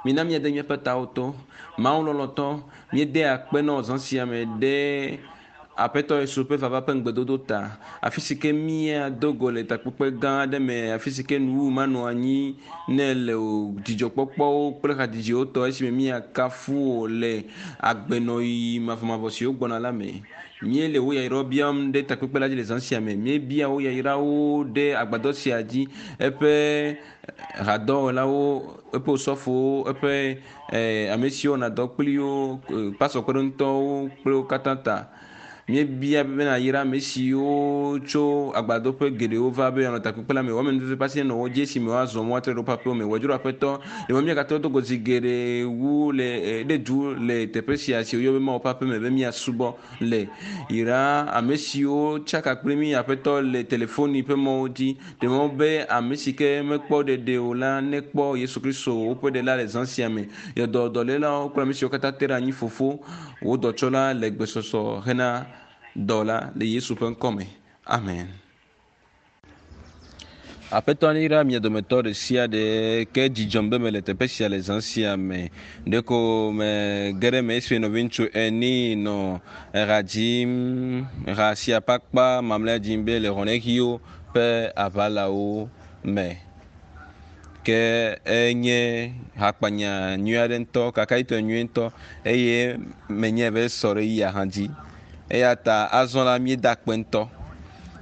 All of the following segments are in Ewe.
Mina míade míaƒe tawo to. Mawu lɔlɔ̃tɔ, míede akpe na wò zã sia me ɖe Aƒetɔ Yesu ƒe vava ƒe ŋugbedodo ta. Afi si ke míado go le takpekpe gã aɖe me, afi si ke nuwuwu manɔ anyi ne le o, dzidzɔkpɔkpɔwo kple hadzidziwo tɔ esime míakafu wò le agbenɔɣi mavɔmavɔ siwo gbɔna la me. Míele wò yayrawo biam ɖe takpekpe la dzi le zã sia me. Míebia wò yayrawo ɖe agbadɔ sia dzi, eƒe hadɔwɔlawo, eƒe osɔfowo, eƒe ame siwo wɔna dɔ kpli wo, pastor kpeɖeŋutɔwo kple wo katã ta. Míebia be nàyra ame siwo tso agbadoƒe geɖewo va be yewoanɔ takpekpe la me. Woame nuveve ƒe asi nenɔ wo dzi esime woazɔ mɔ atrɔ ɖe woƒe aƒewo me. Wòdzro Aƒetɔ, ɖe mɔ míagatrɔ do go zi geɖe wu le ɖe du le teƒe sia si woyɔ be Mawu ƒe aƒe me be míasubɔ le. Yra ame siwo tsaka kpli mí Aƒetɔ le telefoni ƒe mɔwo dzi. Ɖe mɔ be ame si ke mekpɔ ɖeɖe o la nekpɔ Yesu Kristo woƒe ɖela le zã sia me. Yɔ dɔ dɔlélawo kple ame siwo katã te ɖe anyi Fofo, wò dɔtsɔla le gbesɔsɔ hena dɔ la le Yesu ƒe ŋkɔ me. Amen. Aƒetɔ neyra mia dometɔ ɖe sia ɖe ke dzidzɔm be mele teƒe sia le zã sia me. Ɖeko me ge ɖe me esime nɔviŋutsu ene nɔ eha dzim, ha sia ƒe akpa mamlɛa dzim be le xɔnexiwo ƒe aʋalawo me. Ke enye hakpanya nyui aɖe ŋutɔ, kakaɖitɔ nyui ŋutɔ eye menye be sɔ ɖe yia hã dzi. Eya ta azɔ la míeda akpe ŋutɔ.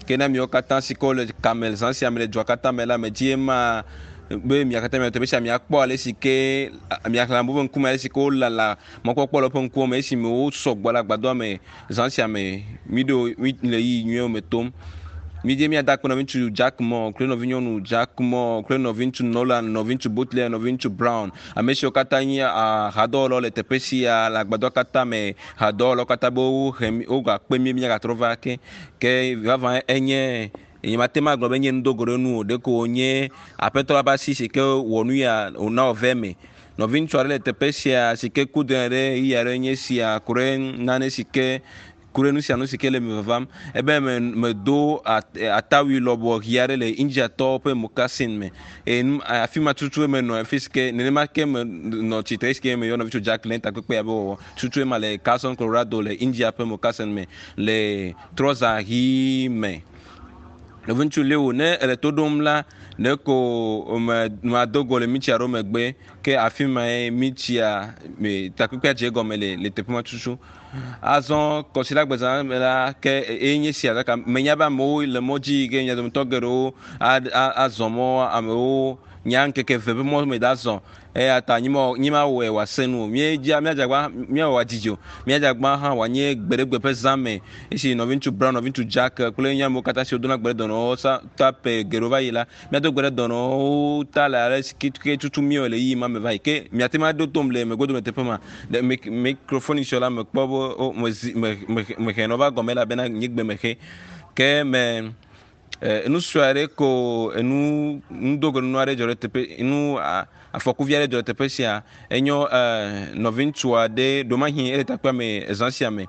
Ke na miawo katã si ke wole kame zã sia me le dua katã me la, medzi ema be mia katã mianɔ teƒe sia miakpɔ ale si ke miaxlẽ amewo ƒe ŋkume ale si ke wolala mɔkpɔkpɔ le woƒe ŋkuwo me esime wosɔgbɔ le agbadɔa me zã sia me. Míɖo mí le ɣeyiɣi nyuiwo me tom. Mídze míada akpe nɔviŋutsu Jack Moore kple nɔvinyɔnu Jack Moore kple nɔviŋutsu Nolan, nɔviŋutsu Butler, nɔviŋutsu Brown, ame siwo katã nye hadɔwɔlawo le teƒe sia le agbadɔa katã me, hadɔwɔlawo katã be wohe mí wogakpe mí míagatrɔ va ake. Ke vavã enye nyemate ŋu agblɔ be nye nudogo ɖe nu o, ɖeko wònye Aƒetɔ la ƒe asi si ke wɔ nu ya wòna wòve eme. Nɔviŋutsu aɖe le teƒe sia si ke ku dɔe ɖe ɣeyiɣi aɖe nye sia ku ɖe nane si ke ku ɖe nu sia nu si ke le me vavam. Ebe me medo atawui lɔbɔ ɣi aɖe le Indiatɔwo ƒe mokasin me eye nu afi ma tutue menɔ afi si ke nenema ke menɔ tsitre esi ke meyɔ nɔviŋutsu Jack le takpekpe ya be wɔwɔ tutue ma le Carson, Colorado le India ƒe mokasin me le trɔza ɣi me. Nɔviŋutsu Leo ne ele to ɖom la ɖeko me mado go le mitsi aɖewo megbe ke afi mae mitsia me takpekpea dze egɔme le le teƒe ma tutu. Azɔ kɔsiɖagbezã me la ke eye nye sia gake menya be amewo le mɔ dzi yi ke mia dometɔ geɖewo azɔ mɔ amewo nya ŋkeke eve ƒe mɔ me da zɔ eya ta nyimawɔe wòase nu o. Míedzia míadzagba míawɔ wòadidi o. Míadzagba hã wòanye gbeɖegbe ƒe zã me esi nɔviŋutsu Brown, nɔviŋutsu Jack kple nye amewo katã siwo dona gbe ɖe dɔnɔwo sa ta ƒe geɖewo va yi la, míado gbe ɖe dɔnɔwo ta le ale si ke tutu míewɔ le ɣeyiɣi ma me va yi. Ke miate ŋu aɖo tom le megbedome teƒe ma. Ɖe microphone sɔ la mekpɔ be o mezi me me mehe nɔ va gɔme elabena nye gbe mexe. Ke me enu sue aɖe ko enu nudogonu aɖe dzɔ ɖe teƒe nu afɔkuvi aɖe dzɔ ɖe teƒe sia. Enyo nɔviŋutsu aɖe ɖomahi ele takpea me zã sia me.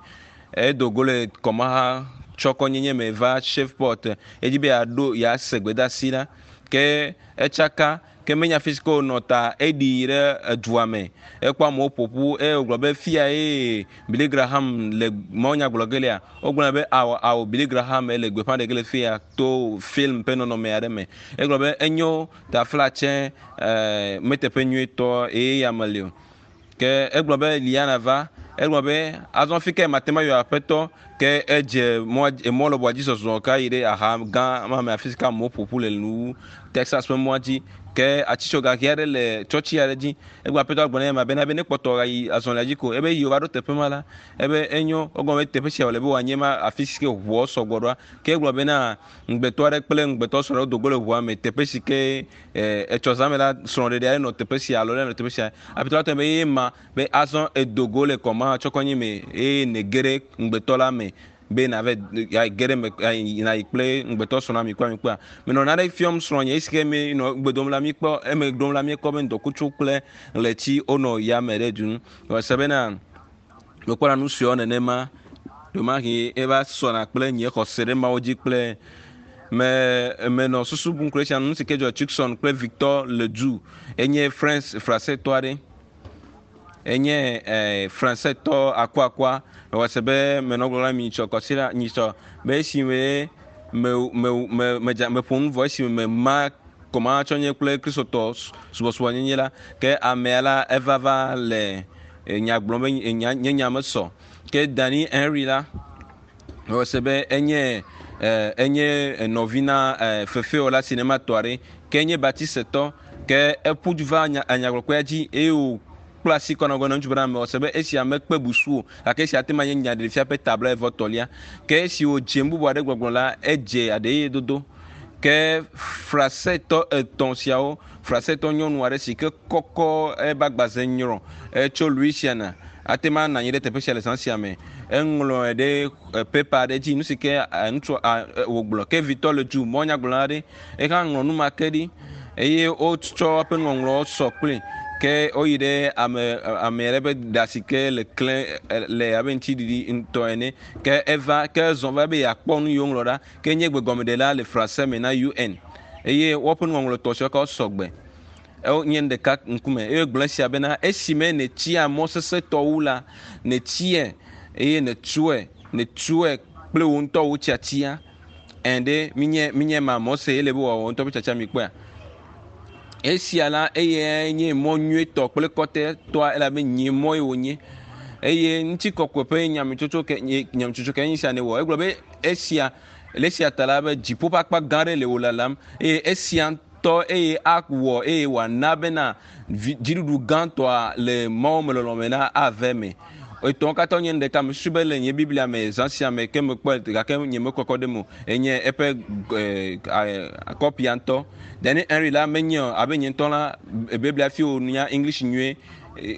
Edo go le kɔmaha tsɔkɔnyenye me va Shreveport. Edzi be yeaɖo yease gbedeasi la. Ke etsaka ke menya afi si ke wònɔ ta eɖi yi ɖe edua me. Ekpɔ amewo ƒoƒu eye wògblɔ be fia ye Billy Graham le mawunya gblɔ ge lea. Wogblɔ be ao ao Billy Graham le gbeƒã ɖe ge le fia to film ƒe nɔnɔme aɖe me. Egblɔ be enyo taflatse meteƒe nyuietɔ eye ya meli o. Ke egblɔ be Liana va. Egblɔ be azɔ fi ke mate ŋu ayɔ aƒetɔ ke edze mɔ emɔ lɔbɔa dzi zɔzɔ ka yi ɖe aha gã ma me afi si ke amewo ƒoƒu le nu Texas ƒe mɔa dzi. Ke atsitsoga ɣi aɖe le tsɔtsi aɖe dzi. Egblɔ aƒetɔ gblɔ nɛ ma bena be ne kpɔtɔ yi azɔlia dzi ko ebe yi wova ɖo teƒe ma la ebe enyo wogblɔ be teƒe sia wòle be wòanye ma afi si ke ʋuawo sɔgbɔ ɖoa. Ke egblɔ bena ŋugbetɔ aɖe kple ŋugbetɔ srɔ̃ ɖe do go le ʋua me teƒe si ke etsɔ zã me la srɔ̃ɖeɖe aɖe nɔ teƒe sia alo ɖe nɔ teƒe sia. Aƒetɔ la tɔ be ye ma be azɔ edo go le kɔma tsɔkɔnyi me eye nège ɖe ŋugbetɔ la me be nave ge ɖe me nayi kple ŋugbetɔ srɔ̃ mi kpɔa mi kpɔa. Menɔ nane fiɔm srɔ̃nye esi ke mi nɔ gbe dom la mi kpɔ eme ɖom la mi kpɔ be ŋdɔkutsu kple ɣleti wonɔ yame ɖe du nu. Wòse bena mekpɔna nu suewo nenema ɖomahi eva sɔna kple nye xɔse ɖe Mawu dzi kple me menɔ susu bum kple sia nu si ke dzɔ Tucson kple Victor Ledoux enye French frasetɔ aɖe. Enye e, Fransetɔ akuakua. Mewɔ se be menɔ gblɔm na mi nyitsɔ kɔsiɖa nyitsɔ be esime me me me medza meƒo nu vɔ esime mema kɔmatsɔ nye kple Kristotɔ subɔsubɔnyenye la ke amea la eva va le nya gblɔm be nya nye nya mesɔ. Ke Danny Henry la mewɔ se be enye enye nɔvi na fefewɔla sinematɔ aɖe ke enye Baptistetɔ ke eƒu du va nya enyagblɔkpea dzi eye wòkpla asi kɔ na gblɔ na ŋutsu bena mewɔ se be esia mekpe busu o gake esia ate ŋu anye nyaɖeɖefia ƒe ta blaeve tɔlia. Ke esi wòdze nu bubu aɖe gbɔgblɔ la, edze aɖeye dodo. Ke Frasetɔ etɔ̃ siawo, Frasetɔ nyɔnu aɖe si ke kɔkɔ ebe agbaze nyrɔ etso Louisiana ate ŋu anɔ anyi ɖe teƒe sia le zã sia me. Eŋlɔe ɖe pepa aɖe dzi nu si ke ŋutsu wògblɔ. Ke vitɔ le du mɔnyagblɔla aɖe ehã ŋlɔ nu ma ke ɖi eye wotsɔ eƒe nuŋɔŋlɔwo sɔ kpli ke woyi ɖe ame ame aɖe ƒe ɖa si ke le klẽ le abe ŋutiɖiɖi ŋutɔ ene. Ke eva ke ezɔ va be yeakpɔ nu yi woŋlɔ ɖa. Ke nye gbegɔmeɖela le Franse me na UN eye woƒe nuŋɔŋlɔ tɔ siwo ke sɔ gbe. Ewo nye nu ɖeka ŋkume eye gblɔ esia bena esime nètsia mɔ sesẽtɔ wu la, nètsiɛ eye nètsoe nètsoe kple wò ŋutɔ wò tiatia. Ẽ ɖe minye minye ma mɔ se ele be wòawɔ ŋutɔ ƒe tiatia mi kpɔea. Esia la eye nye mɔ nyuietɔ kple kɔtɛtɔa elabe nye mɔ ye wònye. Eye ŋutikɔkɔe ƒe nyametsotso ke nye nyametsotso ke nye sia nèwɔ. Egblɔ be esia le esia ta la be dziƒo ƒe akpa gã aɖe le wò lalam eye esia ŋutɔ eye awɔ eye wòana bena dziɖuɖu gãtɔa le Mawu me lɔlɔ̃me la ave eme. Etɔ̃wo katã nye nu ɖeka. Mesusu be le nye Biblia me zã sia me ke mekpɔe gake nye mekɔkɔ ɖe eme o. Enye eƒe kɔpia ŋutɔ. Danny Henry la menye o abe nye ŋutɔ la Biblia fi wònya English nyuie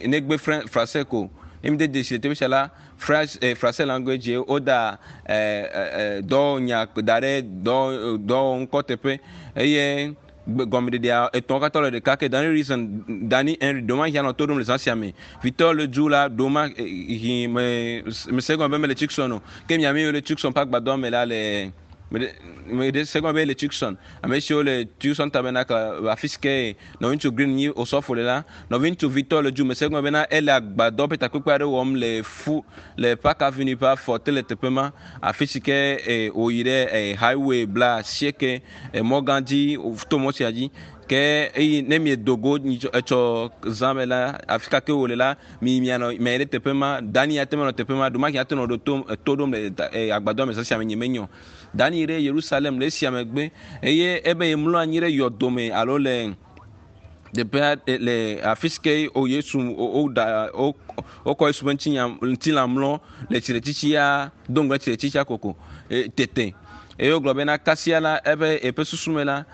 negbe Français ko. Ne mi de dzesi le teƒe sia la, French, Français language ye woda dɔwɔnya da ɖe dɔ dɔwɔŋkɔ teƒe eye gɔmeɖeɖea etɔ̃wo katã le ɖeka ke Danny Reason, Danny Henry ɖewo mahia nɔ to ɖom le zã sia me. Vitɔ le du la ɖewo ma hi me mese gɔme be mele Tucson o. Ke mia mi le Tucson ƒe agbadɔ me la le meɖe se gɔme be le Tucson. Ame siwo le Tucson Tabernacle afi si ke nɔviŋutsu Green nyi osɔfo le la, nɔviŋutsu Vitɔ le du mese gɔme bena ele agbadɔ ƒe takpekpe aɖe wɔm le fu le Park Avenue ƒe afɔ te le teƒe ma afi si ke wòyi ɖe highway bla asieke emɔ gã dzi to mɔ sia dzi ke eyi ne miedo go etsɔ zã me la afi ka ke wòle la mi mianɔ miayi ɖe teƒe ma Dani ate ŋu anɔ teƒe ma ɖomahĩ ate ŋu nɔ to to ɖom le agbadɔ me zã sia me nye menyo Dani yi ɖe Yerusalem le esia megbe eye ebe yemlɔ anyi ɖe yɔdome alo le teƒea le afi si ke o Yesu woɖa wokɔ Yesu ƒe ŋutinya ŋutilã mlɔ le tsitretsitsia do ŋgɔ tsitretsitsia koko tete eye wogblɔ bena kasia la ebe eƒe susu me la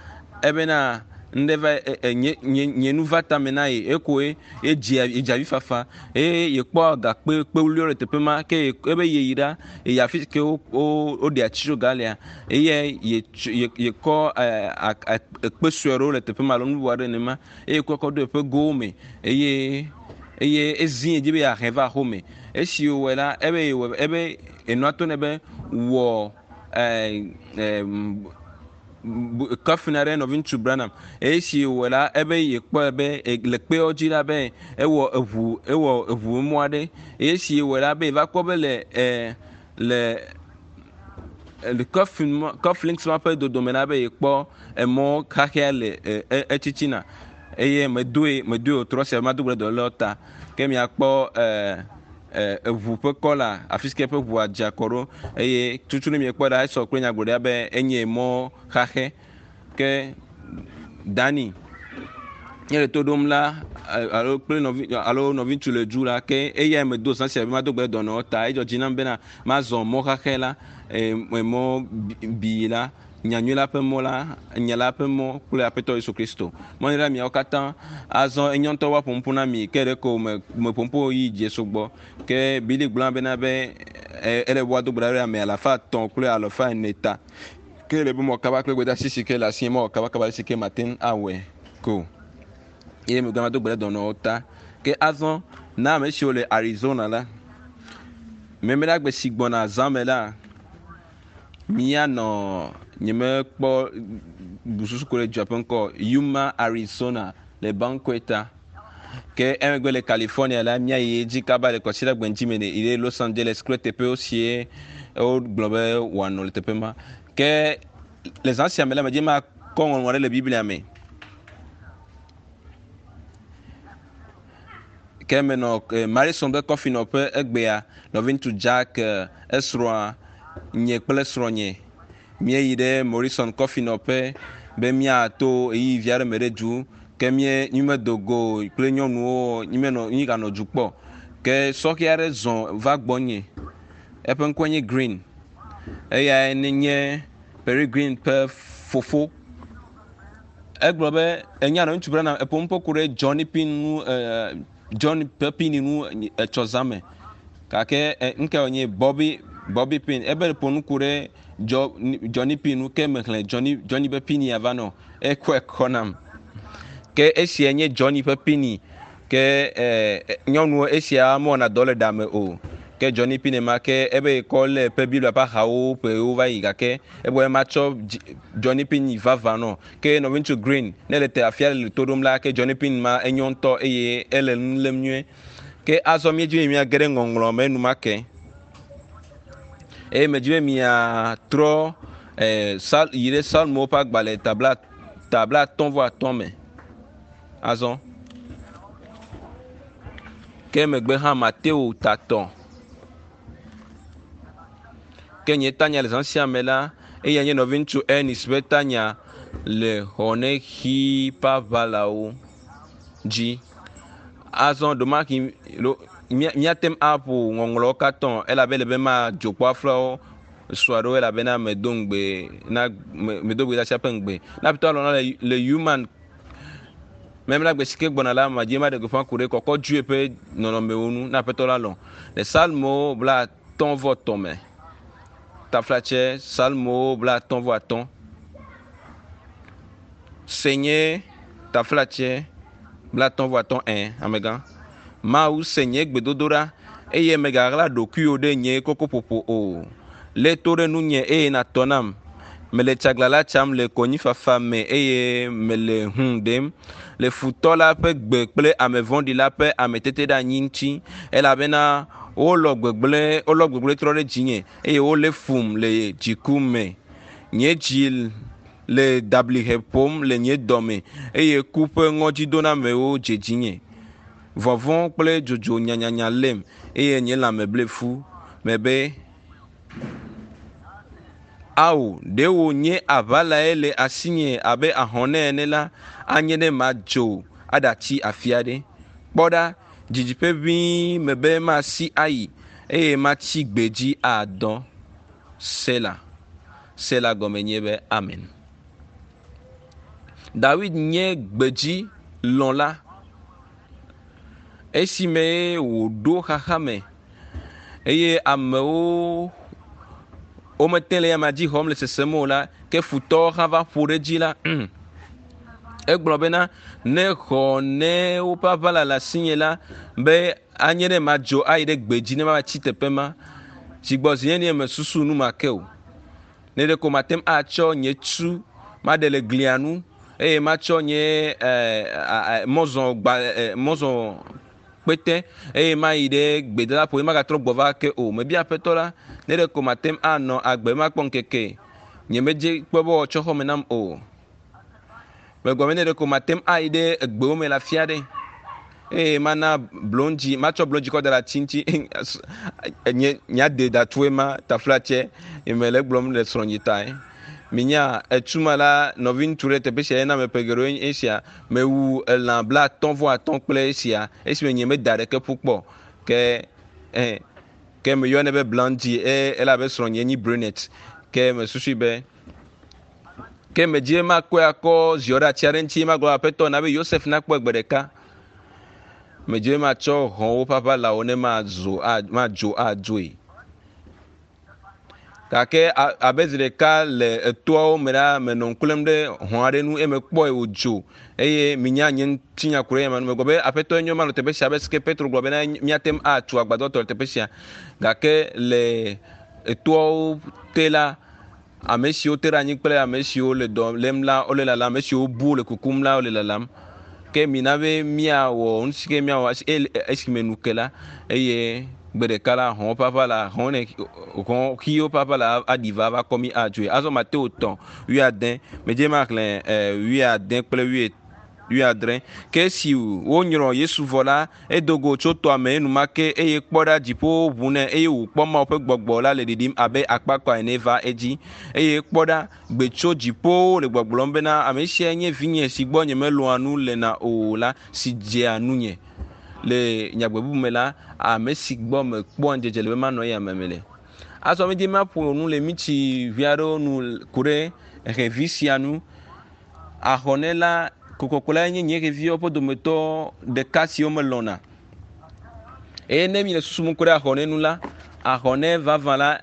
ebena ŋɖe va nye nye nye nu va tame na ye ekoe edze edze avi fafa eye yekpɔ gakpe kpewuliwo le teƒe ma ke ebe yeyi ɖa eyi afi si ke wo woɖe atitsoga lea eye ye yekɔ ekpe sue aɖewo le teƒe ma alo nu bubu aɖe nenema eye kɔ kɔ ɖo eƒe gowo me eye eye ezi edzi be yeahe va axome. Esi wòwɔe la ebe yewɔe ebe enua to nɛ be wɔ kɔfin aɖe nɔviŋutsu Branham eye esi wòwɔe la ebe yekpɔe be le kpeawo dzi la be ewɔ eʋu ewɔ eʋu mɔ aɖe eye esi wòwɔe la be yeva kpɔ be le le kɔfin kɔflinks ma ƒe dodome la be yekpɔ emɔ xaxɛa le etsitsina eye medoe medoe wòtrɔ sia mado gbe ɖe dɔlélewo ta ke miakpɔ eʋu ƒe kɔla afi si ke eƒe ʋua dze akɔ ɖo eye tutu ne miekpɔ ɖa esɔ kple nyagblɔɖia be enye mɔ xaxɛ ke Dani nye le to ɖom la alo kple nɔvi alo nɔviŋutsu le du la ke eyae medo zã sia be mado gbe ɖe dɔnɔwo ta edzɔ dzi nam bena mazɔ mɔ xaxɛ la emɔ bi la nyanyui la ƒe mɔ la nya la ƒe mɔ kple aƒetɔ Yesu Kristo mɔ ɖe miawo katã azɔ enye ŋutɔ woaƒo ƒu na mi ke ɖeko me meƒo ƒu yi dzi sugbɔ ke Bili gblɔ bena be ele woado gbe ɖa ɖe ame alafa etɔ̃ kple alafa ene ta ke le be mɔ kaba kple gbedeasi si ke le asie mɔ kabakaba si ke mate ŋu awɔe ko eye megbe mado gbe ɖe dɔnɔwo ta ke azɔ na ame siwo le Arizona la memleɖagbe si gbɔna zã me la míanɔ nyemekpɔ bususu ko ɖe dua ƒe ŋkɔ Yuma Arizona le Banqueta. Ke emegbe le California la, míayi edzi kaba le kɔsiɖagbe ŋuti me yi ɖe Los Angeles kple teƒewo sie wogblɔ be wòanɔ le teƒe ma. Ke le zã sia me la, medze makɔ ŋɔŋlɔ ɖe le Biblia me. Ke menɔ eh, Marison ƒe kɔfinɔƒe egbea, nɔviŋutsu Jack, eh, esrɔ̃a, nye kple srɔ̃nye míeyi ɖe Morrison kɔfinɔƒe be míato ɣeyiɣi vi aɖe me ɖe du ke mí mímedo go kple nyɔnuwo mímenɔ míganɔ du kpɔ. Ke sɔhɛ aɖe zɔ va gbɔnye. Eƒe ŋkɔe nye Green. Eyae nye Perry Green ƒe fofo. Egblɔ be enya nɔ ŋutsu Branham eƒo nuƒo ku ɖe Johnny Pin ŋu John ƒe pini ŋu etsɔ zã me. Gake ŋkɛ wònye Bobby Bobby Pin. Ebe ƒo nu ku ɖe Johnny Pin ŋu ke mexlẽ Johnny Johnny ƒe pini ava nɔ. Ekɔe kɔ nam. Ke esia nye Johnny ƒe pini. Ke nyɔnuwo esia mewɔna dɔ le ɖa me o. Ke Johnny Pin ma ke ebe kɔ le ƒe Biblia ƒe axawo ƒewo va yi gake egblɔ be matsɔ Johnny Pin vavã nɔ. Ke nɔviŋutsu Green ne le te afia le to ɖom la ke Johnny Pin ma enyo ŋutɔ eye ele nu lém nyuie. Ke azɔ míedzi be míage ɖe ŋɔŋlɔ me enumake. Eye medzi be miatrɔ eh, sal, yi ɖe Psalmowo ƒe agbalẽ tabla tabla atɔ̃ vɔ atɔ̃ me. Azɔ. Ke megbe hã Mateo tatɔ. Ke nye tanya le zã sia me la, eya nye nɔviŋutsu Ernest ƒe tanya le xɔnexi ƒe aʋalawo dzi. Azɔ ɖomahi míate ŋu aƒo ŋɔŋlɔwo katã elabe ele be madzo kpɔ aflawo sua ɖewo elabena medo ŋugbe na medo gbe ɖe ƒe ŋugbe. Na aƒetɔ alɔ na le, le human memla gbe si ke gbɔna la madzi maɖe gbeƒã ku ɖe kɔkɔ dzoe ƒe nɔnɔmewo ŋu na aƒetɔ la lɔ. Le Psalmo bla atɔ̃ vɔ tɔ̃ me. Taflatse Psalmo bla atɔ̃ vɔ atɔ̃. Se nye taflatse bla atɔ̃ vɔ atɔ̃ ɛ amegã. Mawu se nye gbedodoɖa eye megaɣla ɖokuiwò ɖe nye kokoƒoƒo o. Lé to ɖe nunye eye nàtɔ nam. Mele tsaglãla tsam le konyifafa me eye mele hũ ɖem le futɔ la ƒe gbe kple ame vɔ̃ɖi la ƒe ameteteɖeanyi ŋuti elabena wolɔ gbegblẽ wolɔ gbegblẽ trɔ ɖe dzinye eye wolé fum le dziku me. Nye dzi le dablihe ƒom le nye dɔme eye ku ƒe ŋɔdzidonamewo dze dzinye. Vɔvɔ̃ kple dzodzo nyanyanya lém eye nye lãme ble fu. Mebe ao ɖe wònye aʋalae le asinye abe ahɔnɛ ene la anye ne madzo aɖatsi afi aɖe. Kpɔ ɖa didiƒe ʋĩi mebe masi ayi eye matsi gbedzi adɔ. Sela. Sela gɔme nye be amen. Dawid nye gbedzi lɔ̃la. Esime wòɖo xaxa me eye amewo womete le yama dzi xɔm le sesem o la, ke futɔwo hã va ƒo ɖe edzi la, egblɔ bena ne xɔ ne woƒe aʋala le asinye la be anye ne madzo ayi ɖe gbedzi ne mava tsi teƒe ma. Dzigbɔzi nye ne mesusu nu ma ke o. Ne ɖeko mate ŋu atsɔ nye tu maɖe le glia nu eye matsɔ nye mɔzɔ gba mɔzɔ kpete eye mayi ɖe gbedadaƒo ye magatrɔ gbɔ va ke o. Mebia aƒetɔ la ne ɖeko mate ŋu anɔ agbe makpɔ ŋkeke nye medze kpɔ be wòatsɔ xɔme nam o. Megblɔ be ne ɖeko mate ŋu ayi ɖe egbewo me le afi aɖe eye mana blondzi matsɔ blondzi kɔ da ɖe ati ŋuti nye nyade datue ma taflatse mele gblɔm le srɔ̃nye tae. Minya etuma la nɔviŋutsu ɖe teƒe sia yena me ƒe geɖewo nye esia mewu elã bla atɔ̃ vɔ atɔ̃ kple esia esime nye meda ɖeke ƒu kpɔ ke ke meyɔnɛ be blondie eye elabe srɔ̃nye nyi brunette ke mesusui be ke medzi be makɔe akɔ ziɔ ɖe ati aɖe ŋuti magblɔ aƒetɔ na be Yosef nakpɔe gbe ɖeka. Medzi be matsɔ hɔ̃wo ƒe aʋalawo ne madzo madzo adzoe. Gake abe zi ɖeka le etoawo me la menɔ ŋku lém ɖe hɔ̃ aɖe ŋu eye mekpɔe wòdzo eye minya nye ŋutinya ku ɖe eya me. Megblɔ be aƒetɔ enyo manɔ teƒe sia abe si ke Petro gblɔ bena míate ŋu atu agbadɔ tɔ le teƒe sia. Gake le etoawo te la ame siwo te ɖe anyi kple ame siwo le dɔ lém la wole lalam, ame siwo bu le kukum la wole lalam. Ke Ke mina be míawɔ nu si ke míawɔ esime nu ke la eye gbe ɖeka la hɔ̃wo ƒe aʋala hɔ̃ ne hɔ̃ xiwo ƒe aʋala aɖi va va kɔ mí adzoe. Azɔ Mateo 3 wuiade medze maxlẽ wuiade kple 70. Ke esi wonyrɔ Yesu vɔ la, edo go tso tɔa me enumake eye kpɔ ɖa dziƒowo ʋu nɛ eye wòkpɔ Mawu ƒe gbɔgbɔ la le ɖiɖim abe akpakpa ene va edzi. Eye kpɔ ɖa gbe tso dziƒowo le gbɔgblɔm bena ame sia nye vinye si gbɔ nyemelɔ̃a nu lena o la si dzea nunye. Le nyagbe bubu me la, ame si gbɔ mekpɔa ŋudzedze le be manɔ eya me le. Azɔ medze maƒo nu le mitsi vi aɖewo nu ku ɖe xevi sia nu. Ahɔnɛ la kokoko la nye nye xeviwo ƒe dometɔ ɖeka siwo melɔ̃na. Eye ne mi le susum ku ɖe ahɔnɛ nu la, ahɔnɛ vavã la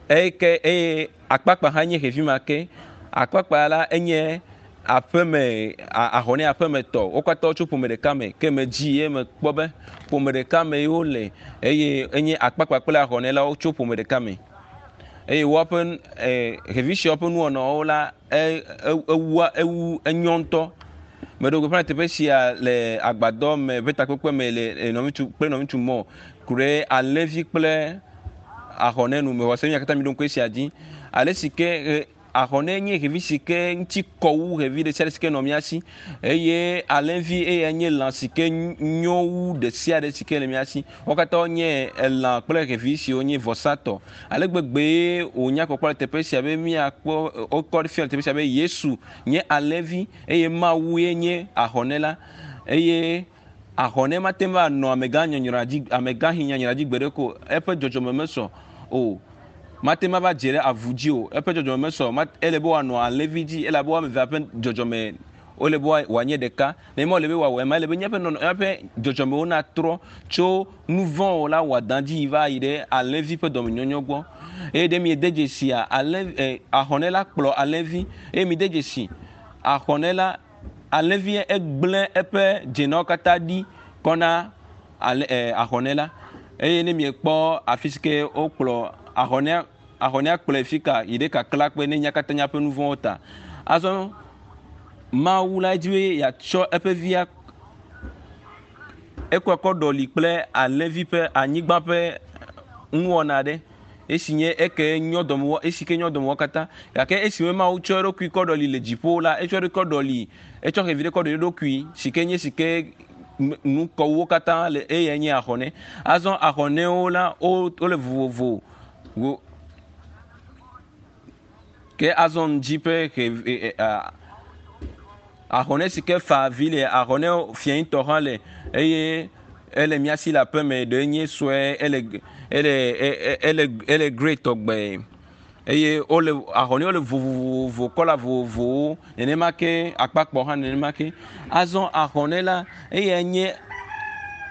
eye ke eye akpakpa hã nye xevi ma ke. Akpakpa la enye aƒeme ahɔnɛ aƒemetɔ. Wo katã wotso ƒome ɖeka me ke medzi ye mekpɔ be ƒome ɖeka me ye wole eye enye akpakpa kple ahɔnɛ la wotso ƒome ɖeka me. Eye woaƒe xevi siawo ƒe nuwɔnawo la ewua ewu enyɔ ŋutɔ. Meɖo gbeƒã le teƒe sia le agbadɔ me ƒe takpekpe me le nɔviŋutsu kple nɔviŋutsu mɔ ku ɖe alẽvi kple ahɔnɛ nu. Mexɔ se mia katã miɖo ŋku esia dzi. Ale si ke ahɔnɛ nye xevi si ke ŋuti kɔ wu xevi ɖe sia ɖe si ke nɔ mía si eye alẽvi eya nye lã si ke nyo wu ɖe sia ɖe si ke le mía si. Wo katã wonye elã kple xevi siwo nye vɔsatɔ. Ale gbegbe wònya kpɔkpɔ le teƒe sia be míakpɔ wokɔ fia le teƒe sia be Yesu nye alẽvi eye Mawu ye nye ahɔnɛ la eye ahɔnɛ mate ŋu anɔ amegã nyɔnyrɔa dzi amegãxi nyanyra dzi gbeɖe ko eƒe dzɔdzɔme mesɔ o. Mate ŋu ava dze ɖe avu dzi o. Eƒe dzɔdzɔme mesɔ ele be wòanɔ alẽvi dzi elabe woame evea ƒe dzɔdzɔme wole be wòanye ɖeka. Ne ema wòle be wòawɔ ema ele be míaƒe nɔnɔ míaƒe dzɔdzɔmewo natrɔ tso nu vɔ̃ la wɔadã dzi va yi ɖe alẽvi ƒe dɔmenyɔnyɔ gbɔ. Eye ɖe miede dzesia alẽ ahɔnɛ la kplɔ alẽvi eye mide dzesi ahɔnɛ la alẽvi egblẽ eƒe dzenawo katã ɖi kɔ na ahɔnɛ la eye ne miekpɔ afi si ke wokplɔ ahɔnɛa ahɔnɛa kplɔe fi ka yi ɖe kakla kpe ne nya katã míaƒe nu vɔ̃wo ta. Azɔ Mawu la dzi be yeatsɔ eƒe via ekɔe kɔ ɖɔli kple alẽvi ƒe anyigba ƒe nuwɔna aɖe esi nye eke nyɔ dɔme esi ke nyɔ dɔme katã gake esi Mawu tsɔ eɖokui kɔ ɖɔli le dziƒo la etsɔ eɖokui kɔ ɖɔli etsɔ xevi ɖe kɔ ɖɔli eɖokui si ke nye si ke nu kɔwuwo katã le eyae nye ahɔnɛ. Azɔ ahɔnɛwo la wole vovovo. Ke azɔ ŋdzi ƒe xevi ahɔnɛ si ke fa avi le ahɔnɛ fiẽtɔ hã le eye ele mía si le aƒeme ɖe nye sue ele ele ele ele grey tɔgbe eye wole ahɔnɛwo le vovovovo kɔla vovovowo nenema ke akpakpɔ hã nenema ke. Azɔ ahɔnɛ la eyae nye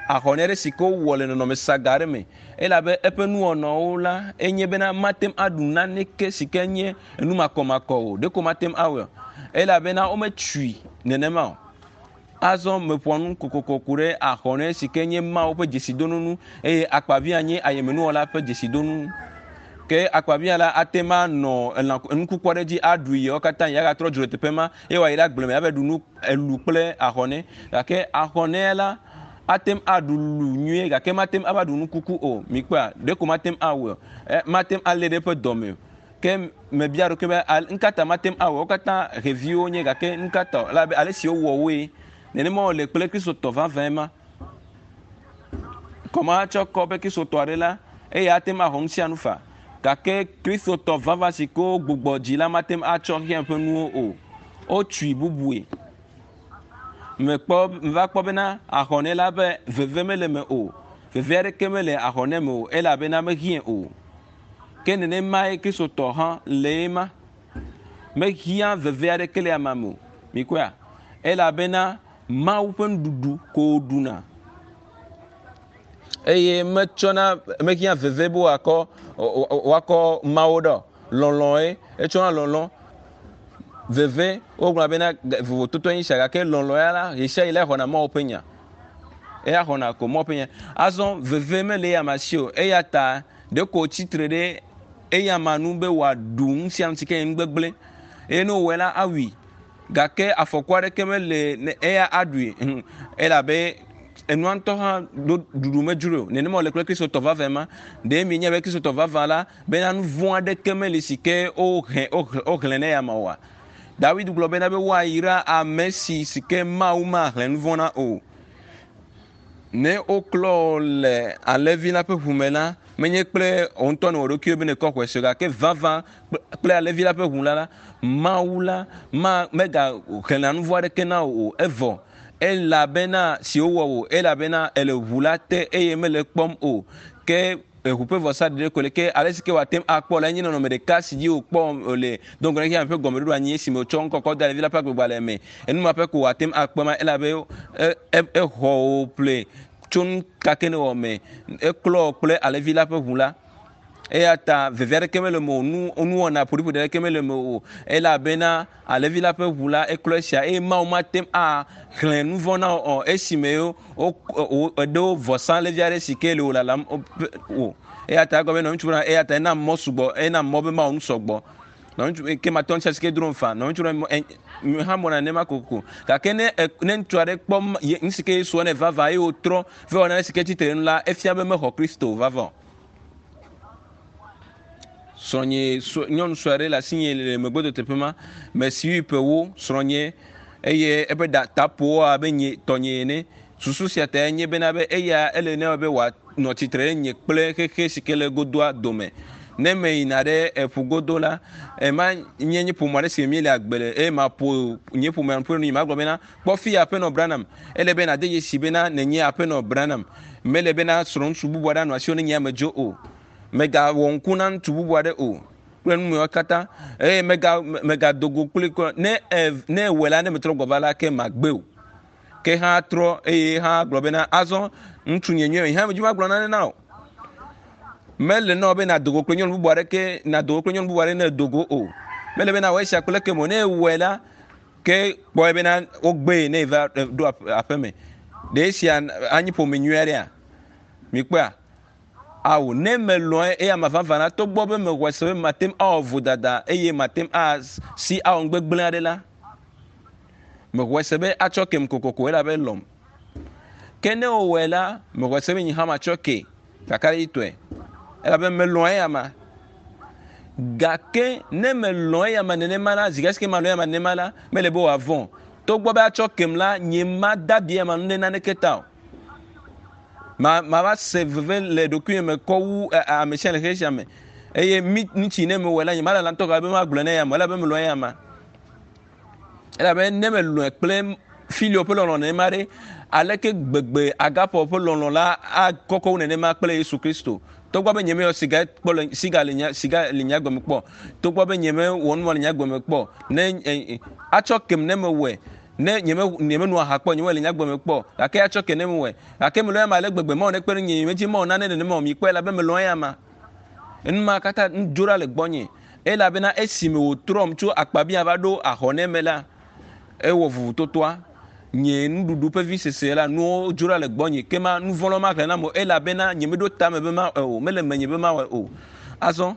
ahɔnɛ ɖe si ke wowɔ le nɔnɔme saga aɖe me elabe eƒe nuwɔnawo la enye bena mate ŋu aɖu naneke si ke nye enu makɔmakɔ o ɖeko mate ŋu awɔe elabena wometui nenema o. Azɔ meƒoa nu kokoko ku ɖe ahɔnɛ si ke nye Mawu ƒe dzesidonunu eye akpavia nye ayemenuwɔla ƒe dzesidonu. Ke akpavia la ate ŋu anɔ elã enukuku aɖe dzi aɖu yewo katã ya gatrɔ dzo le teƒe ma eye wòayi ɖe agble me ava ɖu nu elu kple ahɔnɛ. Gake ahɔnɛ la ate ŋu aɖu lu nyuie gake mate ŋu ava ɖu nukuku o. Mikpɔa ɖeko mate ŋu awɔe o. Mate ŋu alé ɖe eƒe dɔme o. Ke mebia ɖokui be ŋkata mate ŋu awɔ wo katã xeviwo nye gake ŋkata elabe ale si wowɔ woe nenema wòle kple kristotɔ vavãe ma. Kɔma tsɔ kɔ be kristotɔ aɖe la eye ate ŋu axɔ nu sia nu fa gake kristotɔ vavã si ke wogbugbɔ dzi la mate ŋu atsɔ xexea ƒe nuwo o. Wotui bubue. Mekpɔ meva kpɔ bena ahɔnɛ la be veve mele me o. Veve aɖeke mele ahɔnɛ me o elabena mehiã o. Ke nenemae kristotɔ hã le ema. Mehiã veve aɖeke le amea me o. Mikpɔea? Elabena Mawu ƒe nuɖuɖu ko woɖuna. Eye metsɔna mehiã veve be woakɔ woakɔ Mawu ɖe o. Lɔlɔ̃e etsɔna lɔlɔ̃ veve wogblɔ bena vovototo nye sia gake lɔlɔ̃ ya la ɣesia ɣi la exɔna Mawu ƒe nya. Eya xɔna ko Mawu ƒe nya. Azɔ veve mele eya ma si o eya ta ɖeko wòtsitre ɖe eya ma nu be wòaɖu nu sia nu si ke nye nu gbegblẽ eye ne wòwɔe la awui. Gake afɔku aɖeke mele ne eya aɖui elabe enua ŋutɔ hã ɖo ɖuɖu medzroe o. Nenema wòle kple Kristotɔ vavãe ma. Ɖe mienya be Kristotɔ vavã la bena nu vɔ̃ aɖeke meli si ke wohe woxlẽ ne ya ma oa? Dawid gblɔ bena be woayra ame si si ke Mawu maxlẽ nu vɔ̃ na o. Ne woklɔ le alẽvi la ƒe ʋu me la, menye kple wò ŋutɔ nèwɔ ɖokuiwò be nèkɔ xɔe se o, gake vavã kple alẽvi la ƒe ʋu la la, Mawu la ma megaxlẽna nu vɔ̃ aɖeke na wò o. Evɔ elabena si wowɔ wò, elabena èle ʋu la te eye mele ekpɔm o. Ke eʋu ƒe vɔsa ɖeɖe ko le ke ale si ke wòate ŋu akpɔ la nye nɔnɔme ɖeka si dzi wòkpɔ le do ŋgɔ na xexeame ƒe gɔmeɖoɖo anyi esime wòtsɔ ŋkɔ kɔ da ɖevi la ƒe agbegbalẽ me. Enu ma ƒe ko wòate ŋu akpɔ ma elabe exɔ wò ƒle tso nu ka ke nèwɔ me. Eklɔ wò kple alẽvi la ƒe ʋu la. Eya ta veve aɖeke mele eme o, nu nuwɔna ƒoɖiƒoɖi aɖeke mele eme o elabena alẽvi la ƒe ʋu la eklɔ esia eye Mawu mate ŋu axlẽ nu vɔ̃ na wò o esime eɖo vɔsalẽvi aɖe si ke le wò lalam o. Eya ta egɔme nɔ ŋutsu bena eya ta ena mɔ sugbɔ, ena mɔ be mawɔ nu sɔgbɔ. Nɔ ŋutsu ke matɔ ŋuti si ke drom fa. Nɔ ŋutsu ɖe hã mɔna nenema kokoko. Gake ne ne ŋutsu aɖe kpɔ nu si ke Yesu wɔ nɛ vavã eye wòtrɔ va wɔ nane si ke tsitre nu la, efia be mexɔ Kristo vavã o. Srɔ̃nye nyɔnu sue aɖe le asinye le megbedo teƒe ma. Mesi ƒe ewo srɔ̃nye eye eƒe ɖa ta ƒo abe nye tɔnye ene. Susu sia tae nye bena be eya ele nɛ be wòanɔ tsitre ɖe nye kple xexe si ke le egodoa dome. Ne meyina ɖe eƒu godo la, ema nye nye ƒome aɖe si me míele agbe le eye maƒo nye ƒomea nu ƒu ɖe nu magblɔ bena, Kpɔ fiya Aƒenɔ Branham, ele be nàde dzesi bena nènye Aƒenɔ Branham. Mele bena srɔ̃ŋutsu bubu aɖe anɔ asiwò ne nye amedzo o. Mègawɔ ŋku na ŋutsu bubu aɖe o kple nu mawo katã eye mega mègado go kpli kura. Ne e ne ewɔe la, ne metrɔ gbɔ va la, ke magbe o. Ke hã trɔ eye hã gblɔ bena azɔ ŋutsu nye nyuie hã medzi magblɔ nane na o. Mele na wò be nàdo go kple nyɔnu bubu aɖeke nàdo go kple nyɔnu bubu aɖe ne èdo go o. Mele be nawɔ esia kple ekeme o. Ne ewɔe la, Ke kpɔe bena wogbee ne eva ɖo aƒe me. Ɖe esia anyi ƒome nyui aɖea? Mikpɔea? Ao, ne melɔ̃e eya ma vavã la, togbɔ be mexɔe se be mate ŋu awɔ vodada eye mate ŋu asi awɔ nu gbegblẽ aɖe la, mexɔe se be atsɔ kem kokoko elabe elɔ̃m. Ke ne wòwɔe la, mexɔe se be nye hã matsɔ kee kakaɖedzitɔe elabe melɔ̃ eya ma. Gake ne melɔ̃ eyama nenema la, zi ɖe malɔ̃ eyama nenema la, mele be wòavɔ̃ o. Togbɔ be atsɔ kem la, nye mada abi eyama nu ɖe naneke ta o. Ma mava se veve le ɖokuinye me kɔ wu ame sia le xexe sia me. Eye mi ŋutsi ne mewɔe la, nye malala ŋutɔ gake be magblɔe na eyama elabe melɔ̃ eyama. Elabe ne melɔ̃e kple filio ƒe lɔlɔ̃ nenema ɖe, aleke gbegbe agape ƒe lɔlɔ̃ la akɔkɔ wu nenema kple Yesu Kristo? Togbɔ be nyemeyɔ siga kpɔ le siga le nye siga le nye agbe me kpɔ, togbɔ be nyemewɔ nu ma le nye agbe me kpɔ, ne atsɔ kem ne mewɔe, ne nyeme nyemenu aha kpɔ, nyemewɔe le nye agbe me kpɔ, gake atsɔ ke ne mewɔe, gake melɔ̃ eyama ale gbegbe, Mawu nekpe ɖe ŋunye, nyemedi Mawu nane nenema o, mikpɔe elabe melɔ̃ eyama. Enu ma katã nu dzo ɖa le gbɔnye elabena esime wòtrɔm tso akpabia va ɖo ahɔnɛ me la, ewɔ vovototoa. Nye nuɖuɖu ƒe visese la, nuwo dzo ɖa le gbɔnye. Ke ma nu vɔ̃ maxlẽ nam o elabena nyemeɖo tame be mawɔe o. Mele menye be mawɔe o. Azɔ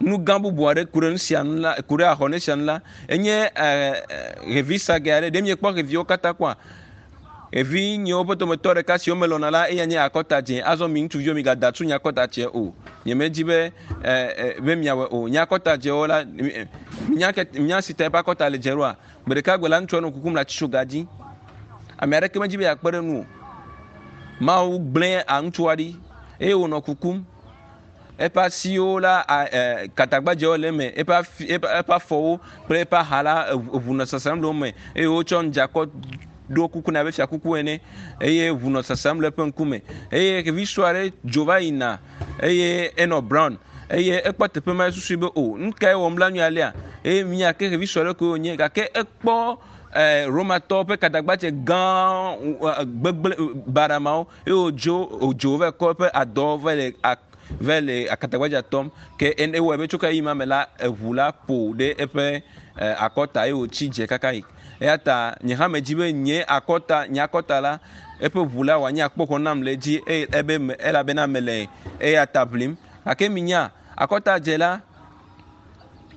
nu gã bubu aɖe ku ɖe nu sia nu la, ku ɖe ahɔnɛ sia nu la, enye xevi sage aɖe. Ɖe miekpɔ xeviwo katã kpɔa? Evinyewo ƒe dometɔ ɖeka siwo melɔ̃na la, eya nye akɔta dzẽ. Azɔ mi ŋutsuviwo migada tu nye akɔta dzẽ o. Nyemedi be e, e, be miawɔe o. Nye akɔta dzẽwo la, minya ke minya si ta eƒe akɔta le dzẽ ɖoa? Gbe ɖeka gbe la, ŋutsua nɔ kukum le atitsoga dzi. Ame aɖeke medi be yeakpe ɖe enu o. Mawu gblẽ ŋutsua ɖi eye wònɔ kukum. Eƒe asiwo la, katagbadzewo le eme, eƒe afi, eƒe eƒe afɔwo kple eƒe aha la, eŋu nɔ sasam le wo me eye wotsɔ ŋdza kɔ ɖo kuku nɛ abe fiakuku ene eye ŋu nɔ sasam le eƒe ŋkume eye xevi sue aɖe dzo va yina eye enɔ brown eye ekpɔ teƒe ma esusui be o nu kae wɔm la nyuie alea eye mia ke xevi sue aɖe koe wònye gake ekpɔ Romatɔwo ƒe katagbadze gã gbegblẽ baɖamawo eye wòdzo wòdzo va kɔ eƒe adɔ va le va le akatagbadza tɔm ke ewɔe be tso ka yi ma me la eʋu la ƒo ɖe eƒe akɔta eye wòtsi dze kaka yi. Eya ta nye hã medzi be nye akɔta nye akɔta la eƒe ʋu la wòanye akpoxɔ nam le edzi eye ebe me elabena mele eya ta ʋlim. Gake minya akɔta dze la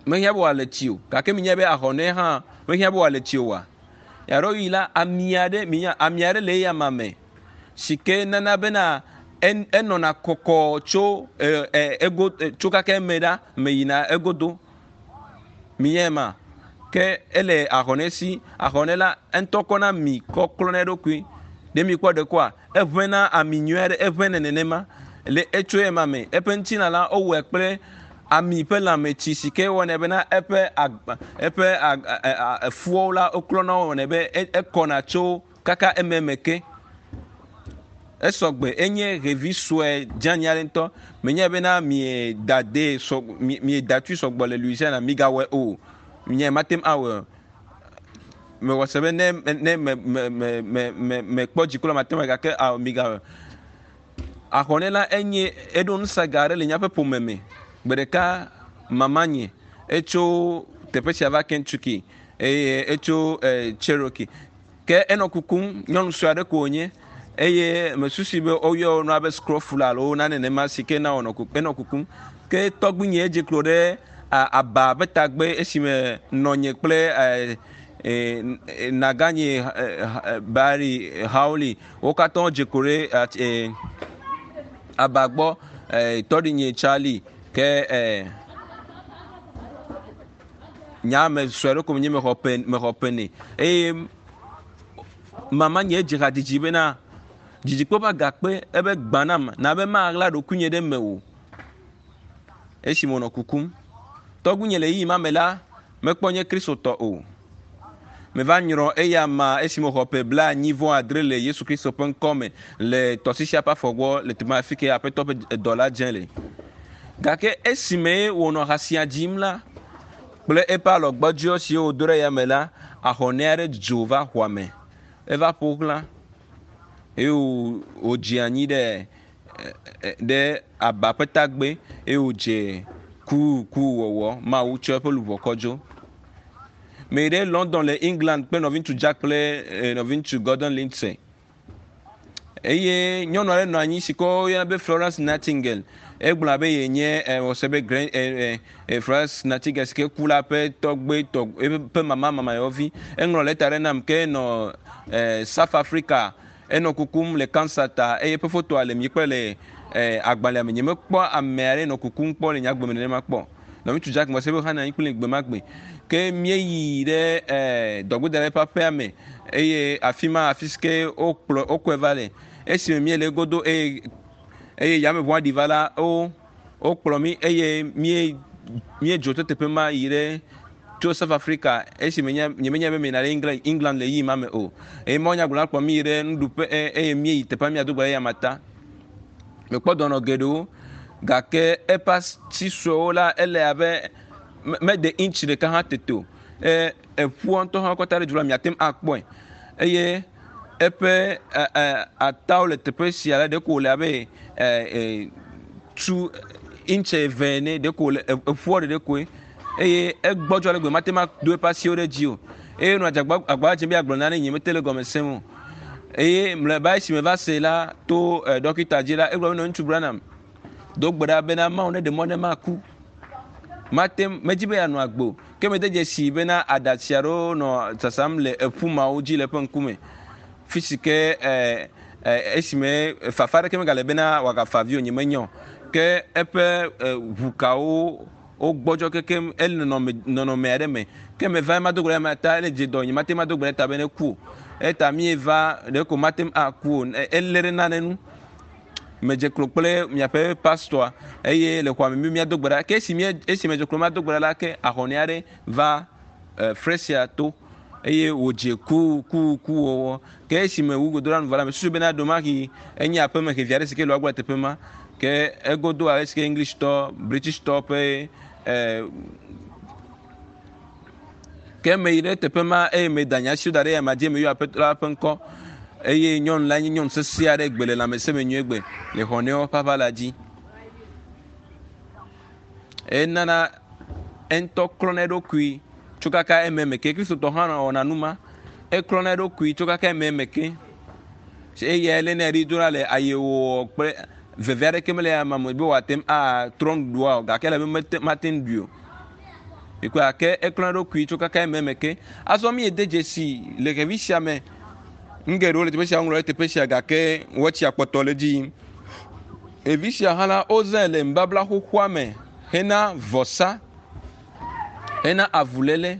mehiã be wòale tsi o gake minya be ahɔnɛ hã. Mehiã be wòale tsi oa? Yaɖo yi la, ami aɖe, minya, ami aɖe le eya ma me si ke nana bena enɔna kɔkɔ tso ego tso kaka eme ɖa me yina egodo. Minya ma ke ele ahɔnɛ si ahɔnɛ la ŋutɔ kɔna ami kɔ klɔna eɖokui. Ɖe mi kpɔ ɖe koa eʋẽna ami nyui aɖe eʋẽna nenema le etso ema me. Eƒe ŋutilã la wowɔe kple ami ƒe lãmetsi si ke wɔnɛ bena eƒe agba eƒe efuawo la woklɔna wɔnɛ be ekɔna tso kaka ememe ke. Esɔgbe enye ɖevi sue dzani aɖe ŋutɔ. Menye bena mieda de sɔ mieda tui sɔgbɔ le Louisiana migawɔe o. Nye mate ŋu awɔe o. Mewɔ se be ne ne me me me me me mekpɔ dziku la mate ŋu awɔe gake awɔ migawɔe. Ahɔnɛ la enye eɖo nusaga aɖe le míaƒe ƒome me. Gbe ɖeka mama nye etso teƒe sia va Kentucky eye etso Cherokee. Ke enɔ kukum nyɔnu sue aɖe ko wònye eye mesusu be woyɔ nua be scrofula alo nane nenema si ke na wònɔ kukum enɔ kukum. Ke tɔgbuinye edze klo ɖe aba ƒe tagbe esime nɔnye kple naganye Barry Howley wo katã wodze klo ɖe aba gbɔ tɔɖinye Charlie ke nya me sue aɖe ko menye mexɔ ƒe mexɔ ƒe nɛ eye mama nye edze hadzidzi bena dzidzikpɔ ƒe agakpe ebe gbã nam na be maɣla ɖokuinye ɖe me o esime wònɔ kukum. Tɔgbuinye le ɣeyiɣi ma me la mekpɔ nye kristotɔ o. Meva nyrɔ eya ma esime wòxɔ ƒe 75 le Yesu Kristo ƒe ŋkɔ me le tɔsisia ƒe afɔ gbɔ le teƒe ma afi ke aƒetɔ ƒe dɔ la dze le. Gake esime wònɔ ha sia dzim la kple eƒe alɔgbɔdzɔ siwo wòdo ɖe yame la, ahɔnɛ aɖe dzo va xɔa me. Eva ƒo xlã eye wòdze anyi ɖe ɖe aba ƒe tagbe eye wòdze ku ku wɔwɔ. Mawu tsɔ eƒe luʋɔ kɔ dzo. Me yi ɖe London le England kple nɔviŋutsu Jack kple nɔviŋutsu Gordon Lindsay. Eye nyɔnu aɖe nɔ anyi si ke woyɔna be Florence Nightingale. Egblɔ be yenye wɔsɛ be grand Florence Nightingale si ke ku la ƒe tɔgbe tɔ eƒe mama mamayɔvi. Eŋlɔ lɛta ɖe nam ke nɔ South Africa enɔ kukum le cancer ta eye eƒe fotoa le mi kple le agbalẽa me. Nyemekpɔ ame aɖe nɔ kukum kpɔ le nye agbe me nenema kpɔ. Nɔviŋutsu Jack mɔ se be hã nɔ anyi kpli gbe ma gbe. Ke míeyi ɖe dɔgbedala ƒe aƒea me eye afi ma afi si ke wokplɔ wokɔe va le. Esime míele egodo eye eye yameʋua ɖi va la wo wokplɔ mí eye mí míedzo tso teƒe ma yi ɖe tso South Africa esime nye nyemenya be meyina ɖe England England le ɣeyiɣi ma me o. Eye mawunyagblɔla kplɔ mí yi ɖe nuɖuƒe eye míeyi teƒea míado gbe ɖe eyama ta. Mekpɔ dɔnɔ geɖewo gake eƒe asi suewo la ele abe mede intsi ɖeka hã tete o. Eƒua ŋutɔ hã kɔta ɖe dzi la miate ŋu akpɔe eye eƒe atawo le teƒe sia la ɖeko wòle abe tu intsi eve ene ɖeko wòle eƒua ɖeɖe koe eye egbɔdzɔ ale gbegbe mate ŋu ado eƒe asiwo ɖe dzi o eye nɔ adzagba agba dzem be yeagblɔ nane nye mete le gɔme sem o eye mlɔeba esi meva se la to ɖɔkita dzi la egblɔ be nɔ ŋutsu Branham do gbe ɖa bena Mawu neɖe mɔ ne maku mate medzi be yeanɔ agbe o ke mede dzesi bena aɖatsi aɖewo nɔ sasam le eƒu mawo dzi le eƒe ŋkume fi si ke esime fafa aɖeke megale bena wòagafa avi o nye menya o ke eƒe ʋukawo wogbɔdzɔ kekem ele nɔnɔme aɖe me ke meva ema do gbe ɖe ema ta ele dze dɔ nye mate ŋu ado gbe ɖe ta be ne ku o eta míeva ɖeko mate ŋu aku o elé ɖe nane nu medze klo kple miaƒe pastor eye le xɔa me mi míado gbe ɖa ke esi mía esi medze klo mado gbe ɖa la ke ahɔnɛ aɖe va fresia to eye wòdze ku ku ku wɔwɔ ke esi me wu godo ɖa nu vɔ la mesusu bena ɖomahi enye aƒeme xevi aɖe si ke le woagbɔ le teƒe ma ke egodo ale si ke English tɔ British tɔ ƒe ke meyi ɖe teƒe ma eye meda nye asiwo da ɖe yama dzi meyɔ aƒetɔ la ƒe ŋkɔ eye nyɔnu la nye nyɔnu sesẽ aɖe gbe le lãmesẽ me nyuie gbe le xɔnɛwo ƒe aʋa la dzi. Enana eŋutɔ klɔna eɖokui tso kaka ememe ke kristotɔ hã wɔna nu ma eklɔna eɖokui tso kaka ememe ke eye elénɛ ɖi dona le ayewɔwɔ kple veve aɖeke mele ama me be wòate ŋu atrɔ nuɖuɖua o gake ele be mate mate ŋu ɖui o. Mikpɔe gake eklɔ eɖokui tso kaka ememe ke. Azɔ mi de dzesi le xevi sia me. Nu geɖewo le teƒe sia woŋlɔ ɖe teƒe sia gake wɔtsia kpɔtɔ le edzi yim. Ɖevi sia hã la, wozãe le nubabla xoxoa me hena vɔsa, hena avuléle,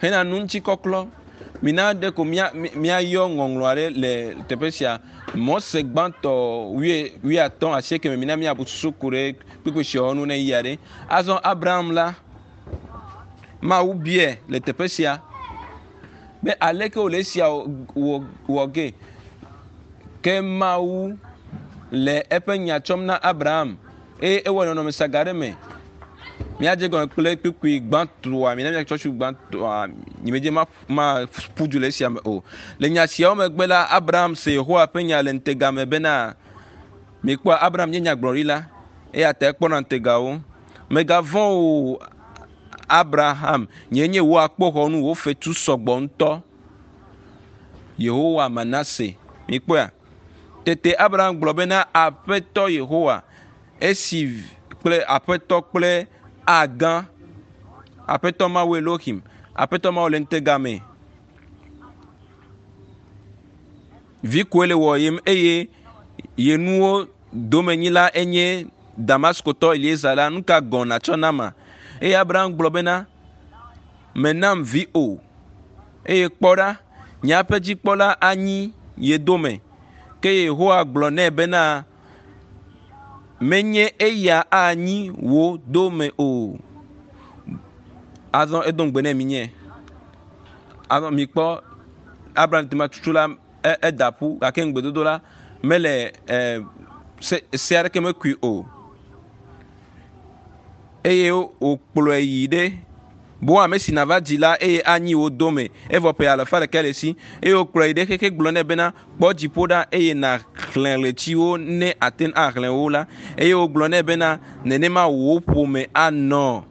hena nuŋutikɔklɔ. Mina ɖe ko mía míayɔ ŋɔŋlɔ aɖe le teƒe sia. Mɔse gbãtɔ wuie wuiatɔ̃ asieke me mina míabu susu ku ɖe kpukpui siawo ŋu ne yia ɖe. Azɔ Abraham la, Mawu biae le teƒe sia be aleke wòle esia wɔ wɔ ge. Ke Mawu le eƒe nya tsɔm na Abraham eye ewɔ nɔnɔme saga ɖe me. Míadze gɔme kple kpukpui gbãtɔa, mina míatsɔ tsu gbãtɔa, nyemedze ma maƒu du le esia me o. Le nya siawo megbe la, Abraham se Yehowa ƒe nya le ŋutega me bena, mikpɔa Abraham nye nyagblɔɖila eya ta ekpɔna ŋutegawo. Mègavɔ̃ o Abraham, nyee nye wò akpoxɔnu, wò fetu sɔgbɔ ŋutɔ. Yehowa Manase. Mikpɔea? Tete Abraham gblɔ bena, Aƒetɔ Yehowa, esi kple Aƒetɔ kple Agã, Aƒetɔ Mawu Elohim, Aƒetɔ Mawu le ŋutega me. Vi koe le wɔyem eye ye nuwo domenyila enye Damaskotɔ Eliezer la, nu ka gɔ̃ nàtsɔ nama? Eye Abraham gblɔ bena, Menam vi o. Eye kpɔ ɖa, nye aƒedzikpɔla anyi ye dome. Ke Yehowa gblɔ nɛ bena, Menye eya anyi wò dome o. Azɔ edo ŋugbe nɛ minye. Azɔ mikpɔ Abraham tema tutu la eda ƒu gake ŋugbedodo la mele e, se, se aɖeke mekui o. Eye wòkplɔe yi ɖe bo ame si nava dzi la eye anyi wò dome evɔ ƒe alafa ɖeka le esi eye wòkplɔe yi ɖe xexe gblɔ nɛ bena kpɔ dziƒo ɖa eye nàxlẽ ɣletiwo ne ate ŋu axlẽ wo la eye wògblɔ nɛ bena nenema wò ƒome anɔ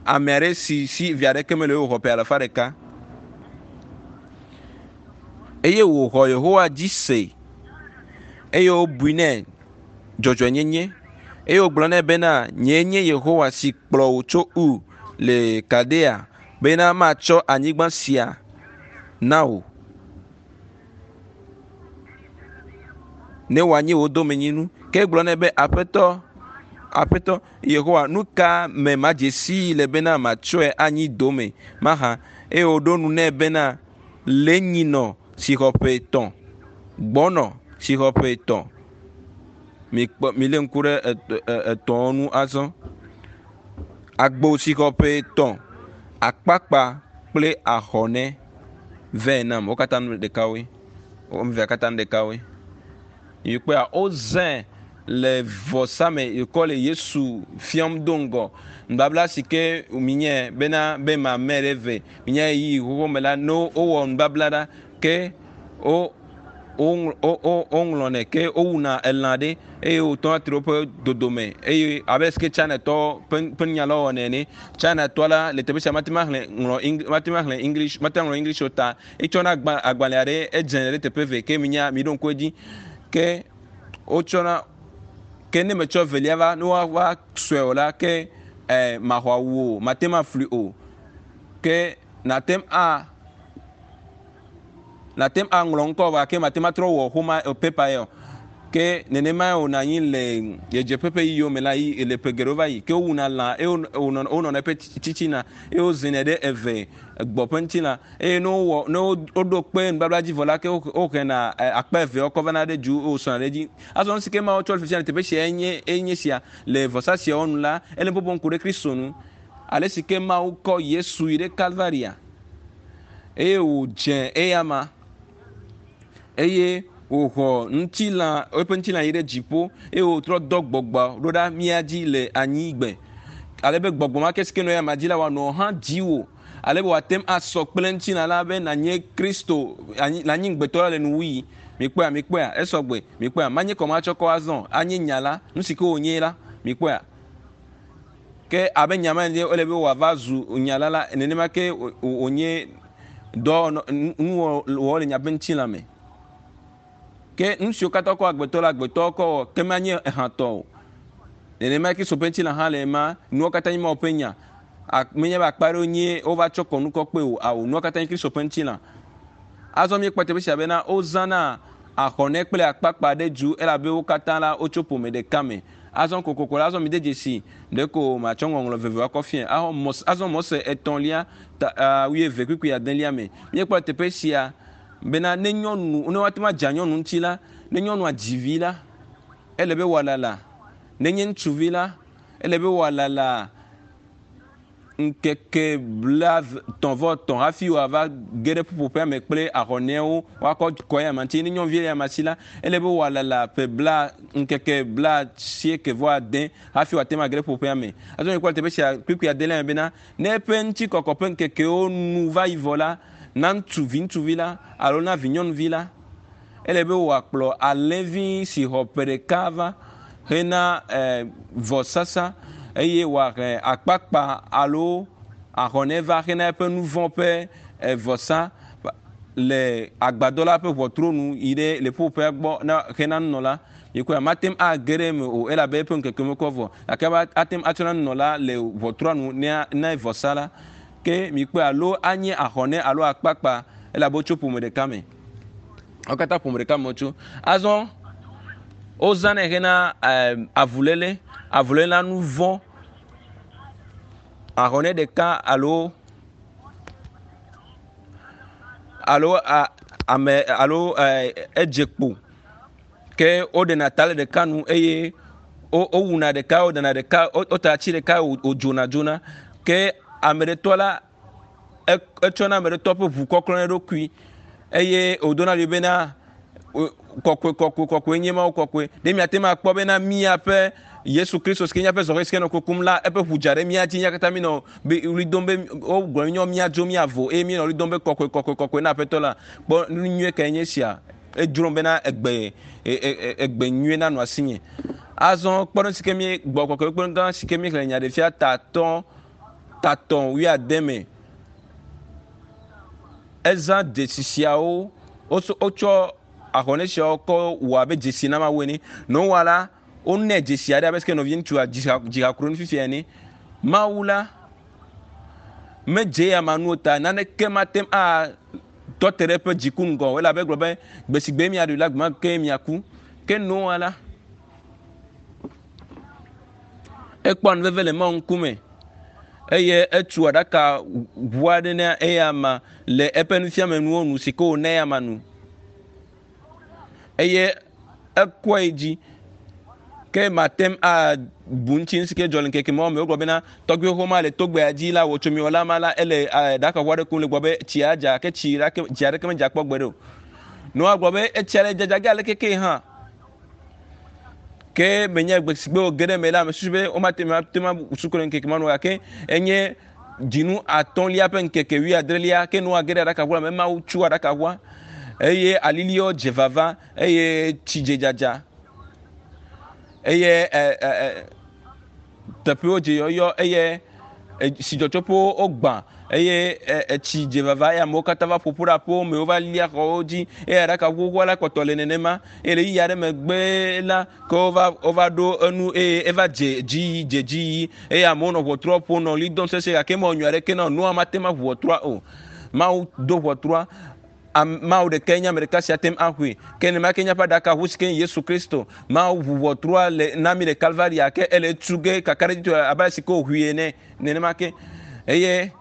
ame aɖe si si vi aɖeke mele o wòxɔ ƒe alafa ɖeka eye wòxɔ Yehowa dzi se eye wobui nɛ dzɔdzɔenyenye eye wògblɔ nɛ bena nyee nye Yehowa si kplɔ wò tso Ur le Kaldea bena matsɔ anyigba sia na wò ne wòanyi wò domenyinu. Ke egblɔ nɛ be Aƒetɔ, Aƒetɔ Yehowa, nu ka me madze sii le bena matsɔe anyi dome mahã? Eye wòɖo nu nɛ bena lé nyinɔ si xɔ ƒe etɔ̃, gbɔnɔ si xɔ ƒe etɔ̃. Mikpɔ, milé ŋku ɖe etɔ̃wo ŋu azɔ. Agbo si xɔ ƒe etɔ̃, akpakpa kple ahɔnɛ vɛ nam. Wo katã nu ɖekawoe. Wo ame evea katã nu ɖekawoe. Mikpɔa, wozãe le vɔsa me yikɔ le Yesu fiam do ŋgɔ. Nubabla si ke minye bena be mamɛ ɖe ve minye ɣeyiɣi xoxo me la, ne wowɔ nubabla ɖa ke wo woŋlɔnɛ ke wowuna elã ɖe eye wotɔna te ɖe woƒe dodome eye abe si ke Chinatɔwo ƒe ƒe nunyalawo wɔnɛ ene. Chinatɔ la le teƒe sia mate ŋu axlẽ ŋlɔ mate ŋu axlẽ English mate ŋu aŋlɔ English o ta etsɔna agba agbalẽ aɖe edze ɖe teƒe eve ke minya miɖo ŋku edzi ke wotsɔna ke ne metsɔ evelia va ne woava sɔe o la ke eh, maxɔ awu o mate ŋu aflui o ke nate ŋu a nate ŋu aŋlɔ ŋkɔ vɔ gake mate ŋu atrɔ wɔ xoma pepa ya o. Ke nenemae wònɔ anyi le ɣedzeƒe ƒe yiyiwo me la yi le ƒe geɖewo va yi. Ke wowuna lã eye wonɔna eƒe tsitsina eye wozinɛ ɖe eve gbɔ ƒe ŋutilã eye ne wowɔ ne woɖo kpe nubabla dzi vɔ la ke wohena akpa eveawo kɔ vana ɖe du wosɔna ɖe edzi. Azɔ nu si ke Mawu tsɔ le fifia le teƒe sia enye enye sia le vɔsa siawo nu la ele ƒoƒom ku ɖe Kristo nu. Ale si ke Mawu kɔ Yesu yi ɖe Kalvaria eye wòdze eyama eye wòxɔ ŋutilã eƒe ŋutilã yi ɖe dziƒo eye wòtrɔ dɔ gbɔgbɔ ɖo ɖa mía dzi le anyigbe ale be gbɔgbɔ ma ke si ke nɔ eyama dzi la wòanɔ hã dziwò ale be wòate ŋu asɔ kple ŋutilã la be nànye Kristo nànye ŋugbetɔ la le nuwuɣi. Mikpɔea, mikpɔea, esɔgbe, mikpɔea, manye kɔmatsɔkɔ azɔ, anye nya la, nu si ke wònye la, mikpɔea. Ke abe nya ma ene ele be wòava zu nya la la, nenema ke wònye dɔ nuwɔwɔ le nya ƒe ŋutilã me. Ke nu siwo katã kɔ agbetɔ la, agbetɔ kɔ wɔ, ke manye ehãtɔ o. Nenema ke Kristo ƒe ŋutilã hã le ema, nuwo katã nye Mawu ƒe nya. Menye be akpa ɖewo nye wova tsɔ kɔnu kɔ kpe o. Ao, nua katã nye Kristo ƒe ŋutilã. Azɔ míekpɔ teƒe sia bena wozãna ahɔnɛ kple akpakpa ɖe du elabe wo katã la wotso ƒome ɖeka me. Azɔ kokoko la, azɔ mide dzesi ɖeko matsɔ ŋɔŋlɔ vevewo akɔ fiae. Azɔ Mose, azɔ Mose etɔ̃lia ta wuieve kpukpui adelia me. Míekpɔ teƒe sia bena ne nyɔnu, ne woate ŋu adza nyɔnu ŋuti la, ne nyɔnua dzi vi la, ele be wòalala. Nenye ŋutsuvi la, ele be wòalala ŋkeke blaetɔ̃ vɔ etɔ̃ hafi wòava ge ɖe ƒuƒoƒea me kple ahɔnɛwo woakɔ kɔ eya ma ŋuti. Ne nyɔnuvi le ama si la, ele be wòalala ƒe bla ŋkeke blaasieke vɔ ade hafi wòate ŋu age ɖe ƒuƒoƒea me. Azɔ míekpɔ le teƒe sia kpukpui adelia me bena, ne eƒe ŋutikɔkɔ ƒe ŋkekewo nu va yi vɔ la, na ŋutsu viŋutsuvi la alo na vinyɔnuvi la, ele be wòakplɔ alẽvi si xɔ ƒe ɖeka va hena eh, vɔsasa eye wòahe akpakpa alo ahɔnɛ va hena eƒe nu vɔ̃ ƒe eh, vɔsa le agbadɔ la ƒe ʋɔtru nu yi ɖe le ƒuƒoƒea gbɔ na hena nunɔla. Mikpɔe, mate ŋu age ɖe eme o elabe eƒe ŋkeke mekɔ vɔ. Gake ate ŋu atsɔ na nunɔla le ʋɔtrua nu ne ne vɔsa la. Ke mikpɔe alo anye ahɔnɛ alo akpakpa elabe wotso ƒome ɖeka me. Wo katã ƒome ɖeka me wotso. Azɔ wozãnɛ hena avuléle, avuléle na nu vɔ̃. Ahɔnɛ ɖeka alo alo ame alo edze kpo ke woɖena ta le ɖeka nu eye wowuna ɖeka woɖena ɖeka wota atsi ɖeka wodzona dzona ke ame ɖetɔ la etsɔna ame ɖetɔ ƒe ʋu kɔklɔ na eɖokui eye wòdona ɣli bena kɔkɔe kɔkɔe kɔkɔe nye Mawu kɔkɔe. Ɖe miate ŋu akpɔ bena míaƒe Yesu Kristo si ke nye eƒe zɔhɛ si ke nɔ kukum la, eƒe ʋu dza ɖe mía dzi. Mía katã míenɔ be ɣli dom be wogblɔ mínyɔ míadzo míavo eye míenɔ ɣli dom be kɔkɔe kɔkɔe kɔkɔe na Aƒetɔ la. Kpɔ nu nyuie kae nye esia. Edzrom bena egbe e, e, e, egbe nyuie nanɔ asinye. Azɔ kpɔɖeŋu si ke mí gbɔ kɔkɔe kpɔɖeŋu gã si ke míexlẽ Nyaɖeɖefia tatɔ tatɔ wuiade me. Ezã dzesi siawo, wotsɔ ahɔnɛ siawo kɔ wɔ abe dzesi na Mawu ene. Noa la, wonɛ dzesi aɖe abe sike nɔvi ŋutsua dziha kro nu fifia ene. Mawu la medze ya ma nuwo ta naneke mate ŋu atɔ te ɖe eƒe dziku ŋgɔ o elabe egblɔ be gbe si gbe miaɖui la gbe ma ke miaku. Ke Noa la, Ekpɔa nu veve le Mawu ŋkume eye etu aɖaka ʋu aɖe na eyama le eƒe nufiamenuwo nu si ke wòna eyama nu. Eye ekɔe dzi ke mate ŋu abu ŋuti nu si ke dzɔ le ŋkeke mawo me. Wogblɔ bena tɔgbui xoxo ma le togbea dzi la, wò tsomiwɔla ma la, ele aɖakaʋu aɖe kum le gbɔ be tsia dza ke tsi ɖeke tsi aɖeke medza kpɔ gbeɖe o. Noa gblɔ be etsia le dzadza ge aleke ke hã. Ke menye gbe si gbe wòge ɖe eme la, mesusu be womate ŋu ate ŋu asu kple ŋkeke ma nu o gake enye dzinu atɔ̃lia ƒe ŋkeke wuiadrelia ke Noa ge ɖe aɖakaʋua me. Mawu tso aɖakaʋua eye aliliwo dze vava eye tsi dze dzadza eye e, e, e, teƒewo dze yɔyɔ eye tsidzɔtsoƒewo wogbã eye etsi dze vava eye amewo katã va ƒoƒu ɖe aƒewo me wova lia xɔwo dzi eye aɖaka xoxoa la kpɔtɔ le nenema eye le ɣeyiɣi aɖe megbe la ke wova wova ɖo enu eye eva dze dzi yi dze dzi yi eye amewo nɔ ʋɔtrua ƒom nɔ ɣli dom sesĩe gake mewɔ nyui aɖeke na o Noa mate ŋu aʋu ʋɔtrua o. Mawu do ʋɔtrua Mawu ɖekae nye ame ɖeka si ate ŋu axɔe. Ke nenema ke míaƒe aɖakaʋu si ke nye Yesu Kristo. Mawu ʋu ʋɔtrua le na mí le Kalvaria ke ele etu ge kakaɖedzitɔe abe ale si ke wòʋui ene. Nenema ke eye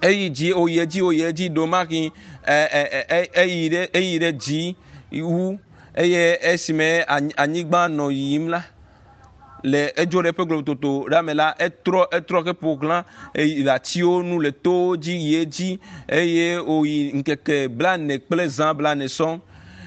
eyi dzi wòyi edzi wòyi edzi ɖomahi eyi ɖe eyi ɖe dzi wu eye esime anyigba nɔ yiyim la le edzo ɖe eƒe globtoto ɖe me la, etrɔ etrɔ heƒo xlã le atiwo nu le towo dzi yi edzi eye wòyi ŋkeke blaene kple zã blaene sɔŋ.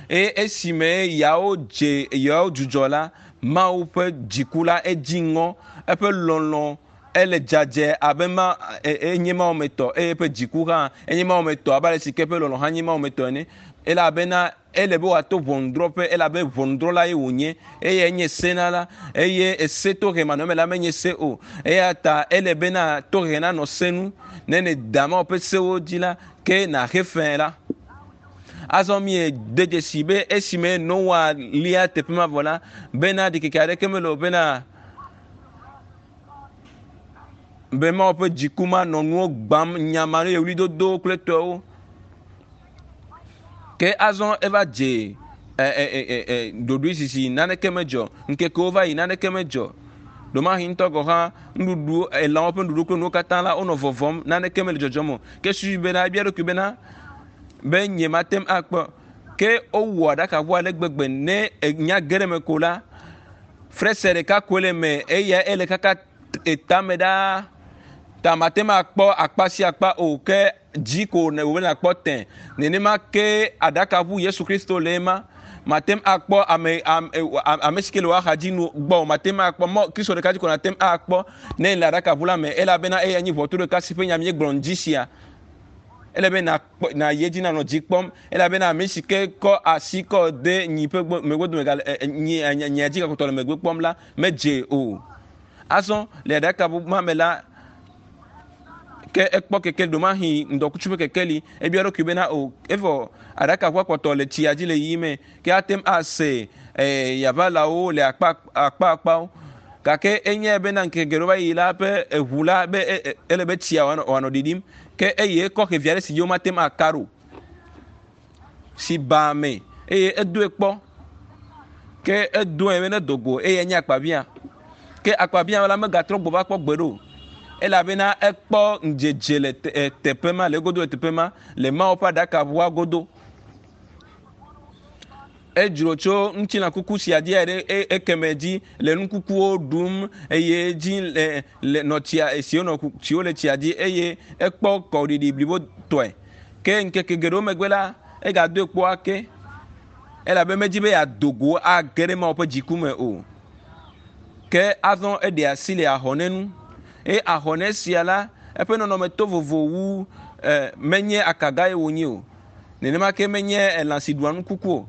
Eye esime yawo dze yawo dzudzɔ la, Mawu ƒe dziku la edzi ŋɔ, eƒe lɔlɔ̃ ele dzadzɛ abe ma enye Mawu me tɔ eye eƒe dziku hã enye Mawu me tɔ abe ale si ke eƒe lɔlɔ̃ hã nye Mawu me tɔ ene. Elabena Ele be wòato ʋɔnudrɔ̃ƒe elabe ʋɔnudrɔ̃la ye wònye eye enye senala eye ese tohe manɔme la menye se o. Eya ta ele bena tohe nanɔ se nu. Ne nèda Mawu ƒe sewo dzi la, ke nàxe fe la. Azɔ míede dzesi be esime Noa lia teƒe ma vɔ la, bena ɖikeke aɖeke mele o bena. Be Mawu ƒe dziku manɔ nuwo gbam nyama eye ɣlidodo kple tɔewo. Ke azɔ eva dze e, e, e, e, ɖoɖoe sisi naneke medzɔ. Ŋkekewo va yi naneke medzɔ. Ɖomahi ŋutɔ gɔ̃ hã nuɖuɖu elãwo ƒe nuɖuɖu kple nuwo katã la wonɔ vɔvɔm naneke mele dzɔdzɔm o. Ke susui bena ebia eɖokui bena be nye mate ŋu akpɔ. Ke wowɔ aɖakaʋu ale gbegbe ne enya ge ɖe eme ko la frese ɖeka koe le eme eya ele kaka etame ɖaa ta mate ŋu akpɔ akpa sia akpa o ke dzi ko ne wòbe nakpɔ tẽ nenema ke aɖakaʋu Yesu Kristo le ema mate ŋu akpɔ ame ame ame si ke le wò axa dzi nu gbɔ o mate ŋu akpɔ mɔ Kristo ɖeka dzi ko nate ŋu akpɔ ne le aɖakaʋu la me elabena eya nyi ʋɔtru ɖeka si ƒe nya míegblɔ ŋdi sia ele be nakpɔ nayi edzi nanɔ dzi kpɔm elabena ame si ke kɔ asi kɔ de nyi ƒe megbe dome gale nyi nyia dzi gakpɔtɔ le megbe kpɔm la medze o azɔ le aɖaka ma me la ke ekpɔ kekeli ɖomahi ŋdɔkutsu ƒe kekeli ebia eɖokui bena o evɔ aɖakaʋua kpɔtɔ le tsia dzi le yiyim me ke ate ŋu ase yaʋalawo le akpa akpa akpawo gake enyae bena ŋkeke geɖewo va yi la ƒe eʋu la be ele be tsia wòanɔ ɖiɖim ke eye ekɔ xevi aɖe si dzi womate ŋu aka ɖo si baa me eye edoe kpɔ ke edoe be nedo go eye enye akpabia ke akpabia la megatrɔ gbɔ va kpɔ gbe ɖo elabena ekpɔ ŋdzedze le teƒe ma le egodo le teƒe ma le Mawu ƒe aɖakaʋua godo. Edzro tso ŋutilã kuku sia dzi ɖe ekeme dzi le nu kukuwo ɖum eye dzi le le nɔ tsia siwo nɔ siwo le tsia dzi eye ekpɔ kɔɖiɖi blibo tɔe. Ke ŋkeke geɖewo megbe la, egadoe kpɔ ake elabe medzi be yeado go age ɖe Mawu ƒe dziku me o. Ke azɔ eɖe asi le ahɔne ŋu eye ahɔne sia la eƒe nɔnɔme to vovo wu e, menye akaga ye wònye o. Nenema ke menye elã si ɖua nu kuku o.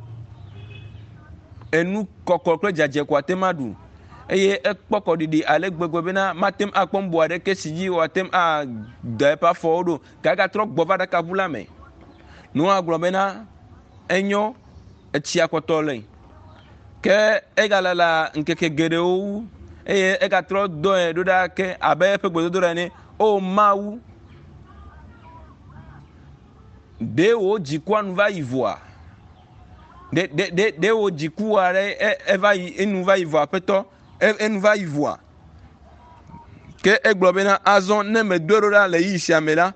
Enu kɔkɔ kple dzadzɛ ko ate ŋu aɖu. Eye ekpɔ kɔɖiɖi ale gbegbe bena mate ŋu akpɔ nu aɖeke si dzi wòate ŋu ada eƒe afɔwo ɖo. Gake egatrɔ gbɔ va aɖakaʋu la me. Noa gblɔ bena enyo, etsia kpɔtɔ le. Ke egalala ŋkeke geɖewo wu eye egatrɔ dɔe ɖo ɖa ke abe eƒe gbedodoɖa ene. O Mawu, Ɖe wò dzikua nu va yi vɔa? Ɖe ɖe ɖe ɖe wò dzikua ɖe eva yi enu va yi vɔa aƒetɔ? Enu va yi vɔa? Ke egblɔ bena azɔ ne medoe ɖo ɖa le ɣeyiɣi sia me la,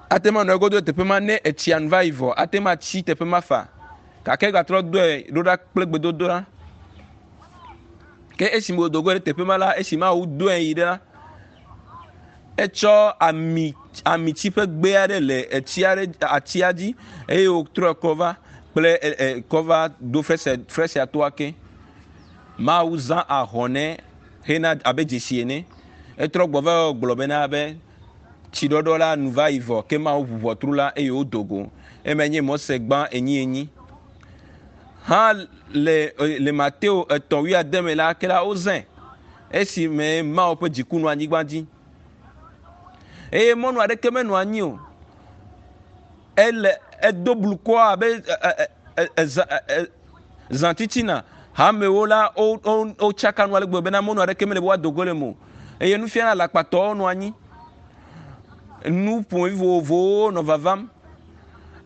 ate ŋu anɔ egodo le teƒe ma ne etsia nu va yi vɔ ate ŋu atsi teƒe ma fa. Gake egatrɔ doe ɖo ɖa kple gbedodoɖa. Ke esime wòdo go ɖe teƒe ma la, esi Mawu doe yi ɖe la, Etsɔ ami amitsi ƒe gbe aɖe le etsi aɖe atsia dzi eye wòtrɔe kɔ va kple e e kɔ va do fesre fesrea toa ke. Mawu zã ahɔne hena abe dzesi ene. Etrɔ gbɔ va gblɔ bena be tsiɖɔɖɔ la nu va yi vɔ ke Mawu ʋu ʋɔtru la eye wodo go. Emae nye Mose gbã enyienyi. Hã le le Mateo etɔ̃ wuiade me la ke la wozãe. Esime Mawu ƒe dziku nɔ anyigba dzi eye mɔnu aɖeke menɔ anyi o. Ele edo blukɔ abe zã titina. Hamewo la wotsaka nu ale gbegbe bena mɔnu aɖeke mele be woado go le eme o. Eye nufiala alakpatɔwo nɔ anyi. Nu ƒomevi vovovowo nɔ vavam.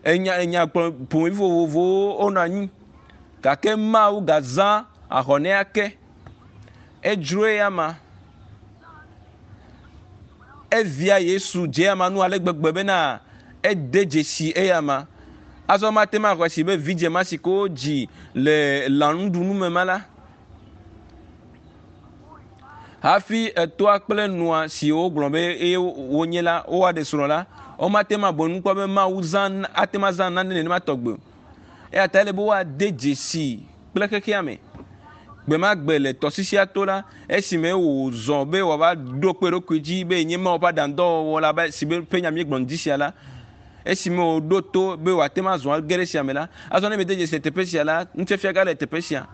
Enya enya ƒomevi vovovowo wonɔ anyi. Gake Mawu gazã ahɔnɛ ake. Edzro eyama. Evia Yesu dze eyama nu ale gbegbe bena ede dzesi eyama. Azɔ mate ŋu axɔe si be vidzĩ ma si ke wodzi le lãnuɖunu me ma la, hafi etoa kple nua si wogblɔ be eye wonye la, woaɖe srɔ̃ la, womate ŋu abu enu kpɔ be Mawu zã ate ŋu azã nane nenema tɔgbe o. Eya ta ele be woade dzesi kple xexea me. Gbe ma gbe le tɔsisia to la, esime wòzɔ be wòava ɖo kpe eɖokui dzi be yenye Mawu ƒe aɖaŋudɔwɔwɔ la be si be ƒe nya míegblɔ ŋdi sia la, esime wòɖo to be wòate ŋu azɔ age ɖe esia me la, azɔ ne miede dzesi le teƒe sia la, nufiafia gã le teƒe sia.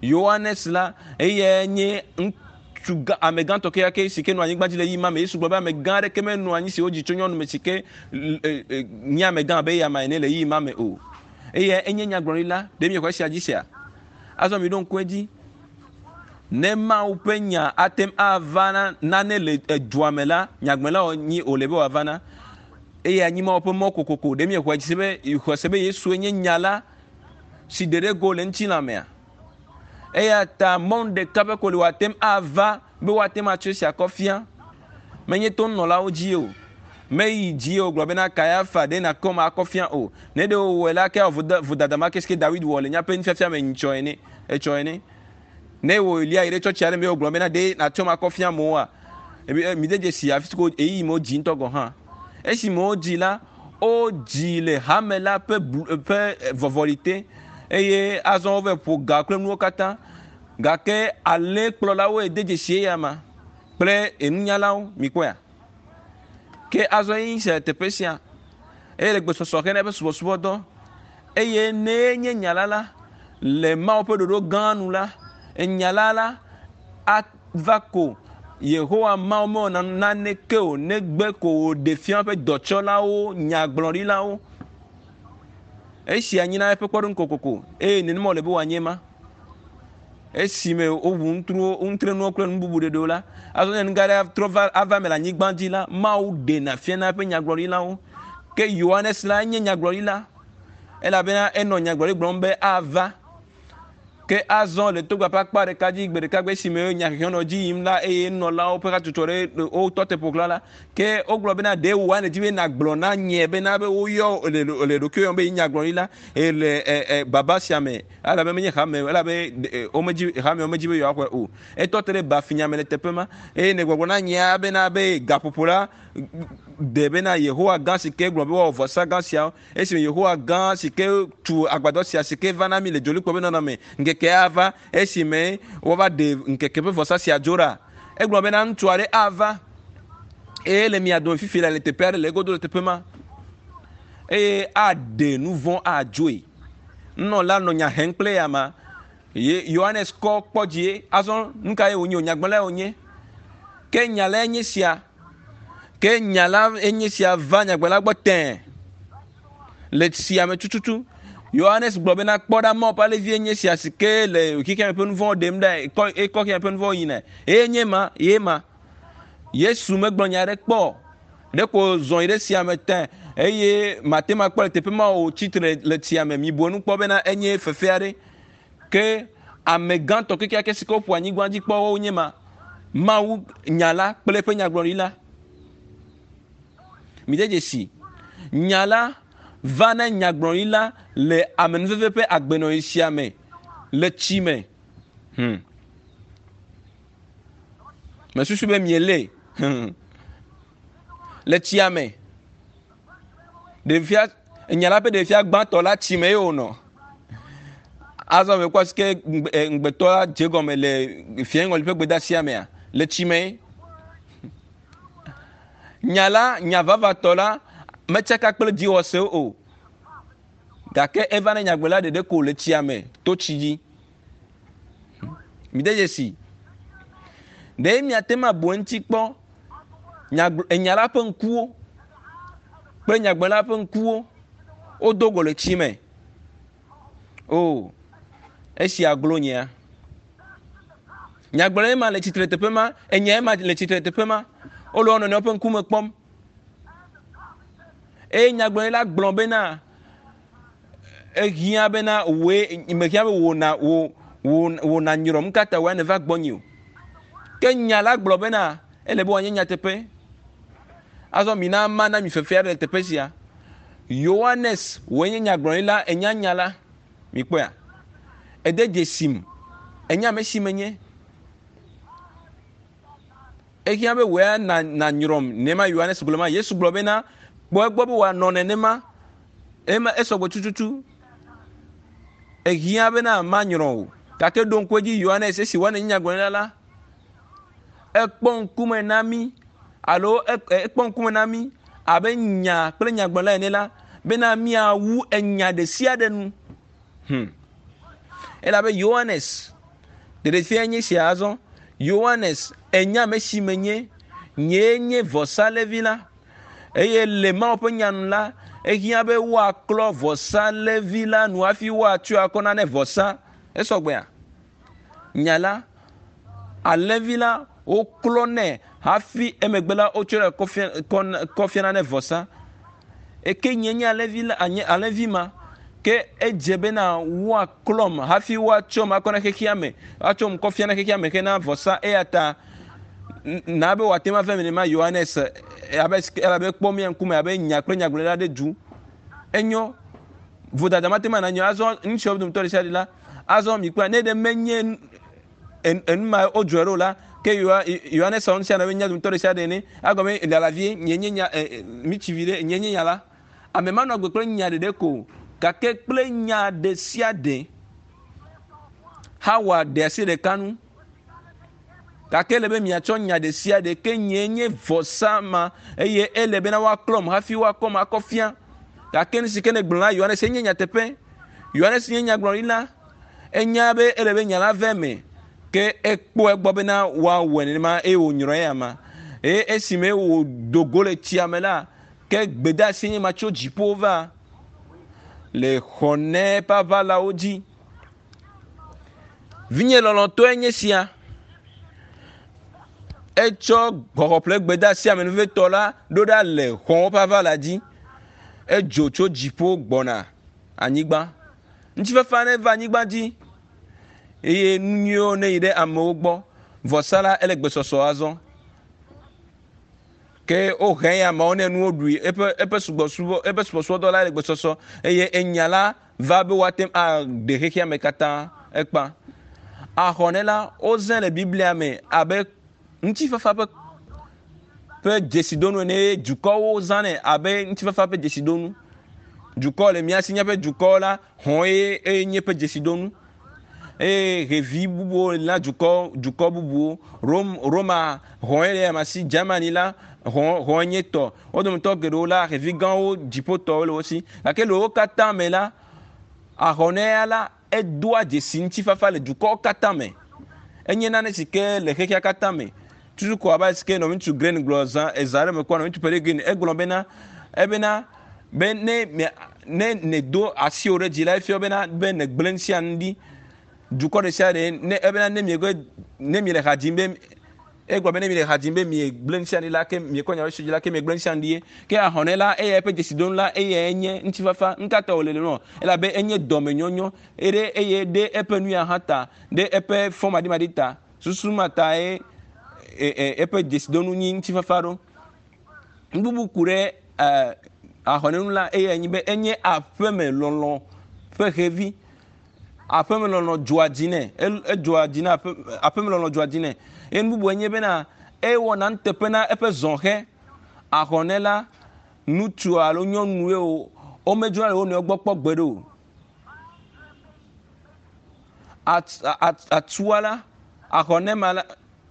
Yohanes la, eyae nye ŋutsu gã, ame gãtɔ kekeake si ke nɔ anyigba dzi le ɣeyiɣi ma me. Yesu gblɔ be ame gã aɖeke menɔ anyi si wodzi tso nyɔnu me si ke nye ame gã abe eya ene le ɣeyiɣi ma me o. Eyae enye nyagblɔɖila. Ɖe miexɔ esia dzi sea? Azɔ miɖo ŋku edzi. Ne Mawu ƒe nya ate ŋu ava na nane le edua me la, nyagblɔla wònyi wòle be wòava na. Eye anyi Mawu ƒe mɔ kokoko. Ɖe miexɔe dzi se be xɔe se be Yesue nye nya la si ɖe ɖe go le ŋutilã mea? Eya ta mɔnu ɖeka ƒe ko li wòate ŋu ava be woate ŋu atsɔ esia kɔ fia. Menye to nunɔlawo dzi o. Meyi dzi o gblɔ bena Kayafa ɖe nakɔm akɔ fia o. Ne ɖe wòwɔe la, ke awɔ vodada ma ke si ke Dawid wɔ le míaƒe nufiafia me nyitsɔ ene, etsɔ ene. Ne wò Elia yi ɖe tsɔtsi aɖe me wogblɔ bena ɖe nàtsɔm akɔ fia amewoa, mide dzesi afi si ko ɣeyiɣi me wodzi ŋutɔ gɔ̃ hã. Esime wodzi la, wodzi le hame la ƒe blu, ƒe vɔvɔli te eye azɔ wova ƒo ga kple nuwo katã. Gake alẽkplɔlawoe de dzesi eya ma kple enunyalawo. Mikpɔea? Ke azɔ ye se teƒe sia eye le gbesɔsɔ hena eƒe subɔsubɔdɔ eye ne nye nya la la le Mawu ƒe ɖoɖo gã nu la, enya la la ava ko Yehowa Mawu mewɔna naneke o negbe ko wòɖe fia eƒe dɔtsɔlawo, nyagblɔɖilawo. Esia nyina eƒe kpɔɖeŋu kokoko eye nenema wòle be wòanye ma. Esime woʋu ŋutruwo, ŋutrenuwo kple nu bubu ɖeɖewo la, azɔ ne nu gã aɖe trɔ va ava eme le anyigba dzi la, Mawu ɖena fiana eƒe nyagblɔɖilawo. Ke Yohanes la enye nyagblɔɖila elabena enɔ nyagblɔɖi gblɔm be ava. Ke azɔ le togba ƒe akpa ɖeka dzi gbe ɖeka gbe esime nyahehe nɔ dzi yim la eye nunɔlawo ƒe hatsotso ɖe wotɔ te ƒo xlã la, ke wogblɔ bena ɖe wòa nèdi be nàgblɔ na nye bena be woyɔ le le ɖokuiwò yɔm be nyagblɔɖila le e, e, baba sia me elabe menye hame elabe womedzi hame womedzi be yewoaxɔe o. Etɔ te ɖe bafinya me le teƒe ma eye nègbɔgblɔ na nyea bena be gaƒoƒo la de bena Yehowa gã si ke gblɔ be woawɔ vɔsa gã siawo esime Yehowa gã si ke tu agbadɔ sia si ke va na mi le dzolikpɔ be nɔnɔme ŋkeke ava esime woava ɖe ŋkeke ƒe vɔsa sia dzo ɖa. Egblɔ bena ŋutsu aɖe ava eye le mia dome fifi le teƒe aɖe le egodo le teƒe ma eye aɖe nu vɔ̃ adzoe. Nunɔla nɔ nya hem kple ya ma. Ye Yohanes kɔ kpɔ dzie. Azɔ nu ka ye wònye o? Nyagblɔlae wònye. Ke nya lae nye sia. Ke nya la enye sia va nyagblɔla gbɔ tẽe le tsia me tututu. Yohanes gblɔ bena kpɔ ɖa Mawu ƒe alẽvi enye sia si ke le xexea me ƒe nu vɔ̃wo ɖem ɖa, ekɔ ekɔ xexea me ƒe nu vɔ̃wo yina. Eye nye ma, ye ma. Yesu megblɔ nya aɖe kpɔ o. Ɖeko zɔ yi ɖe tsia me tẽ eye mate ŋu akpɔ le teƒe ma o tsi tre le tsia me. Mibu enu kpɔ bena enye fefe aɖe. Ke ame gãtɔ kekeake si ke woƒo anyigba dzi kpɔ wonye ma. Mawu nya la kple eƒe nyagblɔɖi la. Mide dzesi. Nya la va na nyagblɔɖi la le amenuveve ƒe agbenɔɣi sia me le tsi me. Mesusu be mielé. Le tsia me. Ɖevia, enya la ƒe ɖevia gbãtɔ la tsi me ye wònɔ. Azɔ mekpɔ si ke ŋugbetɔ la dze gɔme le fiaŋɔli ƒe gbedeasia mea, le tsi me. Nya la, nya vavatɔ la metsaka kple dziwɔsewo o. Gake eva ne nyagblɔla ɖeɖe ko le tsia me to tsi dzi. Mide dzesi. Ɖe miate ŋu abu eŋuti kpɔ enya la ƒe ŋkuwo kple nyagblɔla ƒe ŋkuwo wodo go le tsi me. O, esia glo nyea. Nyagblɔla ma le tsitre teƒe ma, enya ma le tsitre teƒe ma. Wole wo nɔnɔewo ƒe ŋkume kpɔm. Eye nyagblɔɖila gblɔ bena ehiã bena wòe mehiã be wò na wò wò wò nanyrɔm nu ka ta wòe nèva gbɔnye o. Ke nya la gblɔ bena ele be wòanye nyateƒe. Azɔ mina mana mi fefe aɖe le teƒe sia. Yohanes wòe nye nyagblɔɖila, enya nya la. Mikpɔea? Ede dzesim. Enya ame si menye. Ehiã be wòe na nanyrɔm nenema Yohanes gblɔ ma. Yesu gblɔ bena kpɔ egbɔ be wòanɔ nenema. Ema esɔgbɔ tututu. Ehiã bena manyrɔ o. Gake ɖo ŋku edzi Yohanes esi wòanɔ nyagblɔɖila la, ekpɔ ŋkume na mí alo ekpɔ ŋkume na mí abe nya kple nyagblɔla ene la bena míawu enya ɖe sia ɖe nu. Elabe Yohanes ɖeɖefia nye sia azɔ. Yohanes enya ame si menye. Nyee nye vɔsalevi la. Eye le Mawu ƒe nya nu la, ehiã be woaklɔ vɔsalevi la nu hafi woatsɔe akɔ na ne vɔsa. Esɔgbea? Nya la Alẽvi la woklɔnɛ hafi emegbe la wotsɔe kɔ fiana ne vɔsa. Eke nye nye alẽvi la anye alẽvi ma ke edze bena woaklɔm hafi woatsɔm akɔ na xexea me atsɔm kɔ fia na xexea me hena vɔsa eya ta na be wòate ŋu ava eme nenema Yohanes abe elabe kpɔ mía ŋkume abe nya kple nyagblɔɖila ɖe du. Enyo vodada mate ŋu anɔ azɔ ŋutsuawo dometɔ ɖe sia ɖe la azɔ mikpɔe ne ɖe menye enu ma wodzɔe ɖo la ke Yohanes wɔ nu sia nu abe nya dometɔ ɖe sia ɖe ene agɔme lala vie nye nye nya mitsi vi ɖe nye nye nya la ame manɔ agbe kple nya ɖeɖe ko gake kple nya ɖe sia ɖe Hawa ɖe asi ɖeka nu gake ele be miatsɔ nya ɖe sia ɖe ke nye nye vɔsa ma eye ele bena woaklɔm hafi woakɔm akɔ fia gake nu si ke ne gblɔ na Yohanes enye nyateƒe Yohanes nye nyagblɔɖila Enya be ele be nya la ve eme, ke ekpɔ egbɔ bena woawɔe nenema eye wònyrɔ eya ma. Eye esime wòdo go le tsia me la, ke gbedeasi nye ma tso dziƒo va le xɔnɛ ƒe aʋalawo dzi. Vinye lɔlɔ̃tɔe nye sia. Etsɔ xɔxɔƒle gbedeasi amenuvetɔ la ɖo ɖa le xɔ̃wo ƒe aʋala dzi. Edzo tso dziƒo gbɔna anyigba. Ŋutifafa neva anyigba dzi eye nu nyuiwo neyi ɖe amewo gbɔ. Vɔsa la ele gbesɔsɔ azɔ. Ke wohe ya ameawo ne nuwo ɖui eƒe eƒe subɔsubɔ eƒe subɔsubɔdɔ la le gbesɔsɔ eye enya la va be woate ŋu aɖe xexea me katã ekpa. Ahɔne la wozãe le Biblia me abe ŋutifafa ƒe ƒe dzesidonu ene eye dukɔwo zãnɛ abe ŋutifafa ƒe dzesidonu. Dukɔ le mía si míaƒe dukɔ la hɔ̃ ye eye nye ƒe dzesidonu eye xevi bubuwo le na dukɔ dukɔ bubuwo. Rom Roma hɔ̃ ye le ama si Germany la hɔ̃ hɔ̃ nye tɔ. Wo dometɔ geɖewo la xevi gãwo dziƒotɔwo le wo si gake le wo katã me la ahɔnɛa la edoa dzesi ŋutifafa le dukɔwo katã me. Enye nane si ke le xexea katã me. Tutu ko abe si ke nɔviŋutsu Green gblɔ zã eza ɖe me kpɔ nɔviŋutsu Perry Green egblɔ bena ebena be ne ne nèdo asiwò ɖe dzi la efia bena be nègblẽ nu sia nu ɖi. Dukɔ ɖe sia ɖe ne ebena ne miegbe ne miele ha dzim be Egblɔ be ne miele ha dzim be miegblẽ nu sia nu ɖi la, ke miekɔ nya ɖe dzi la, ke miegblẽ nu sia nu ɖi ye. Ke ahɔnɛ la, eya eƒe dzesidonu la, eyae nye ŋutifafa. Nu ka ta wòle nenema? Elabe enye dɔmenyɔnyɔ ɖe eye ɖe eƒe nu ya hã ta, ɖe eƒe fɔmaɖimaɖi ta. Susu ma tae eƒe dzesidonu nyi ŋutifafa ɖo. Nu bubu ku ɖe ahɔnɛ ŋu la, eyae nye be enye aƒeme lɔlɔ̃ ƒe xevi. Aƒemelɔlɔ̃ dzɔa dzi nɛ. Edzɔa dzi na aƒe, aƒemelɔlɔ̃ dzɔa dzi nɛ. Eye nu bubu enye bena ewɔna nuteƒe na eƒe zɔhɛ. Ahɔnɛ la, ŋutsu alo nyɔnue o, womedzrona le wo nɔewo gbɔ kpɔ gbeɖe o. At, at, atua la, ahɔnɛ ma la,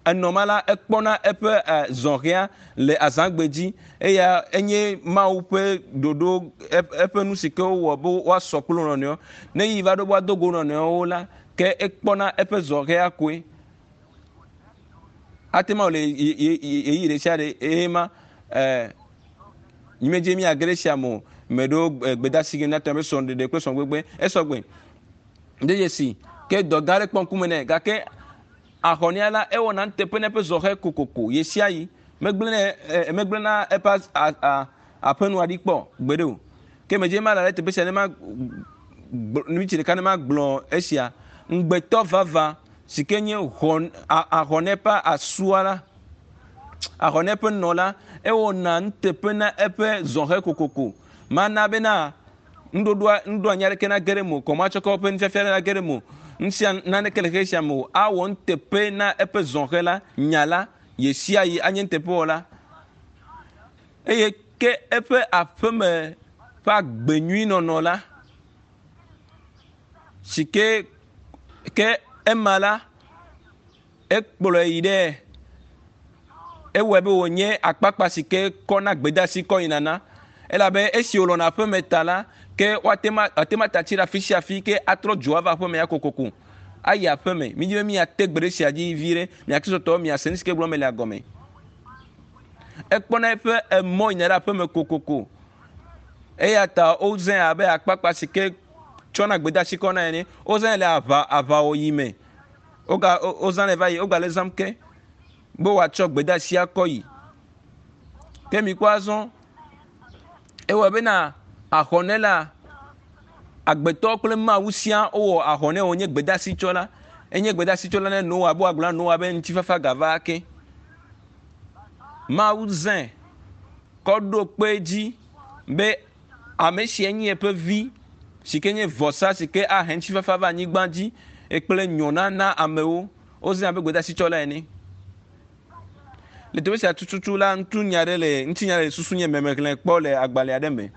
Enɔ ma la, ekpɔna eƒe zɔhɛa le azãgbe dzi. Eya enye Mawu ƒe ɖoɖo, eƒe nu si ke wowɔ be woasɔ kple wo nɔnɔewo. Ne yi va ɖo be woado go nɔnɔewo la, ke ekpɔna eƒe zɔhɛa koe. Ate ŋu awɔ le ɣeyiɣi ɖe sia ɖe eye ma nyimedze míage ɖe esia me o. Meɖo gbedasi ge míate ŋu abe srɔ̃ɖeɖe kple srɔ̃gbegbe. Esɔgbe. De dzesi ke dɔ gã aɖe kpɔ ŋkume nɛ gake Ahɔnea la, ewɔna nuteƒe na eƒe zɔhɛ kokoko ɣesiaɣi. Megblẽnɛ, e, megblẽna eƒe a, a, aƒenua ɖi kpɔ gbeɖe o. Ke medze mala ɖe teƒe sia ne ma miniti ɖeka ne magblɔ esia. Ŋugbetɔ vava si ke nye hɔn, a, ahɔnɛ ƒe asua la, ahɔnɛ ƒe nɔ la, ewɔna nuteƒe na eƒe zɔhɛ kokoko. Mana bena Nuɖoɖoa, nuɖoanyi aɖeke nage ɖe eme o, kɔmatsɔkɔ ƒe nufiafia aɖe nage ɖe eme o, nusia naneke le xexe sia me o. Awɔ nuteƒe na eƒe zɔhɛ la, nya la, ɣesiaɣi anye nuteƒewɔla. Eye ke eƒe aƒeme ƒe agbe nyui nɔnɔ la, si ke, ke ema la, Ekplɔe yi ɖe ewɔe be wònye akpakpa si ke kɔna gbedeasi kɔ yina na. Elabe esi wòlɔ̃na aƒeme ta la, ke woate ŋu ate ŋu ata tsi ɖe afi sia afi ke atrɔ dzo ava aƒeme ya kokoko. Ayi aƒeme. Mídi be míate gbe ɖe esia dzi viɖe. Mia Kristotɔwo miase nu si ke gblɔm mele gɔme. Ekpɔna eƒe emɔ yina ɖe aƒeme kokoko. Eya ta wozãe abe akpakpa si ke tsɔna gbedeasi kɔna ene. Wozãe le aʋa aʋawɔɣi me. Woga wozãnɛ va yi wogale zãm ke be woatsɔ gbedeasi akɔ yi. Ke mikpɔ azɔ ewɔ bena ahɔnɛ la agbetɔ kple Mawu sia wowɔ ahɔnɛ wònye gbedeasi tsɔla. Enye gbedeasi tsɔla ne Noa be woagblɔ na Noa be ŋutifafa gava ake. Mawu zãe kɔ ɖo kpe edzi be ame sia nye eƒe vi si ke nye vɔsa si ke ahe ŋutifafa va anyigba dzi kple nyɔna na amewo. Wozãe abe gbedeasi tsɔla ene. Le teƒe sia tututu la, ŋutinya aɖe le ŋutinya le susu nye me mexlẽ kpɔ le agbalẽ aɖe me.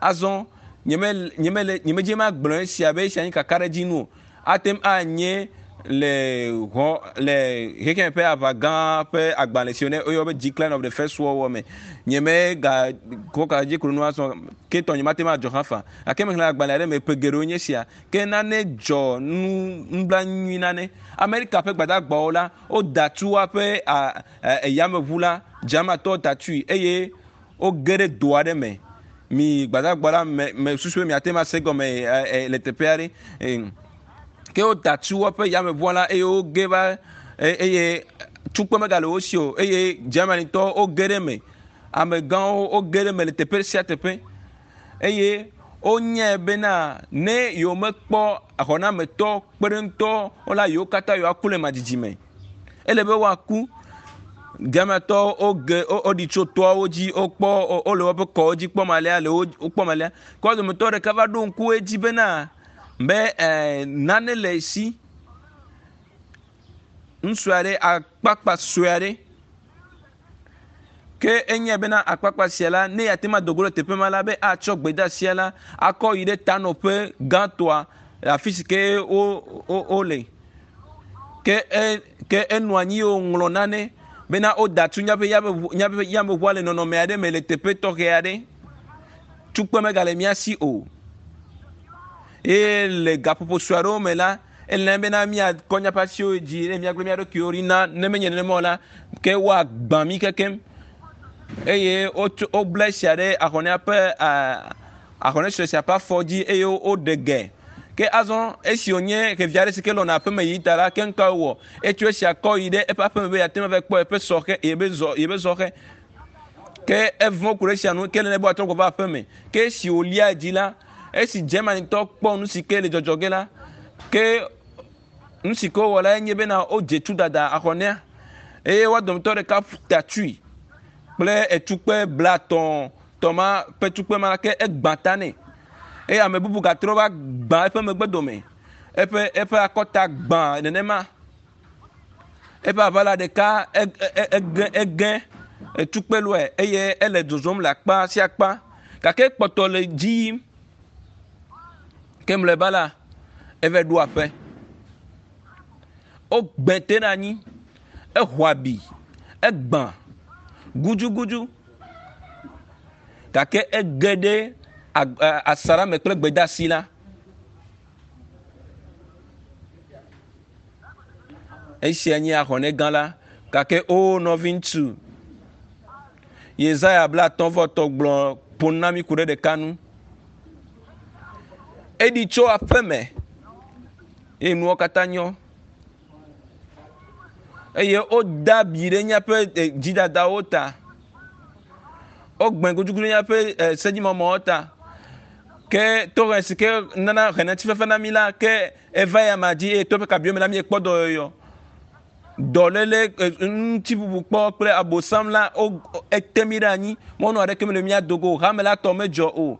Azɔ nyeme nyemele nyemedze magblɔ esia be esia nye kakaɖedzi nu o. Ate ŋu anye le hɔ le xexeme ƒe aʋa gã ƒe agbalẽ si ne woyɔ be Decline of the First World War me. Nyeme ga kɔ ka dzi klo nu azɔ ke tɔ nyemate ŋu adzɔ hã fa. Gake mexlẽ agbalẽ aɖe me ƒe geɖewo nye esia. Ke nane dzɔ nu nublanui nane. Amerika ƒe gbadagbawo la woda tu woaƒe eyameʋu la Germanitɔwo da tui eye woge ɖe do aɖe me. Mi gbadagba la me me susu be miate ŋu ase gɔme le teƒe aɖe. Ke woda tu woaƒe yameʋua la eye woge va eye tukpe megale wo si o eye Germanitɔwo woge ɖe eme. Amegãwo woge ɖe eme le teƒe sia teƒe eye wonyae bena ne yewomekpɔ xɔnametɔ kpeɖeŋutɔ la yewo katã yewoaku le madzidzi me. Ele be woaku. Germanitɔwo woge woɖi tso toawo dzi wokpɔ wole woƒe kɔwo dzi kpɔm alea le wo wokpɔm alea. Ke wo dometɔ ɖeka va ɖo ŋku edzi bena be nane le esi. Ŋutsu aɖe akpakpa sue aɖe ke enyae bena akpakpa sia la ne yeate ŋu ado go ɖe teƒe ma la be atsɔ gbedeasia la akɔ yi ɖe tanɔƒe gãtɔa le afi si ke wo wo wole. Ke e ke enɔ anyi ye wòŋlɔ nane bena woda tu míaƒe yameʋu míaƒe yameʋua le nɔnɔme aɖe me le teƒe tɔxɛ aɖe. Tukpe megale mía si o. Eye le gaƒoƒo sue aɖewo me la, ele bena míakɔ míaƒe asiwo dzi eye míagblẽ mía ɖokuiwo ɖi na ne menye nenema o la, ke woagbã mí kekem. Eye wotso wobla esia ɖe ahɔnea ƒe ahɔne sue sia ƒe afɔ dzi eye woɖe ge. Ke azɔ esi wònye xevi aɖe si ke lɔna aƒeme yi ta la, ke nu ka wòwɔ? Etso esia kɔ yi ɖe eƒe aƒeme be yeate ŋu ava kpɔ yeƒe sɔxe yeƒe zɔ yeƒe zɔxe. Ke evɔ̃ ku ɖe esia nu ke le ne be wòatrɔ gbɔ va aƒeme. Ke esi wòlia dzi la, esi Germanitɔ kpɔ nu si ke le dzɔdzɔ ge la, ke nu si ke wowɔ la enye bena wodze tu dada ahɔnea eye woa dometɔ ɖeka ta tui kple etukpe blatɔ̃ tɔ ma ƒe tukpe ma ke egbã ta nɛ eye ame bubu gatrɔ va gbã eƒe megbe dome eƒe eƒe akɔta gbã nenema eƒe aʋala ɖeka ege ege etukpe lɔe eye ele zɔzɔm le akpa sia akpa gake kpɔtɔ le dzi yim ke mlɔeba la eva ɖo aƒe wogbe te ɖe anyi exɔ abi egbã gudugudu gake ege ɖe asaɖa me kple gbedeasi la. Esia nye ahɔnɛ gã la gake o nɔviŋutsu Yesaya 50 gblɔ ƒo nu na mí ku ɖe ɖeka nu. Eɖi tso aƒeme eye nuwo katã nyɔ eye wode abi ɖe míaƒe dzidadawo ta. Wogbẽ gudugudu ɖe míaƒe sedzimɔmɔwo ta. Ke tohe si ke nana hena ŋutifafa na mí la ke eva ya ma dzi eye to eƒe kabiwo me la míekpɔ dɔyɔyɔ. Dɔléle ŋutibubu kpɔ kple abosam la wo ete mí ɖe anyi. Mɔnu aɖeke mele mía dogo o. Hame la tɔ medzɔ o.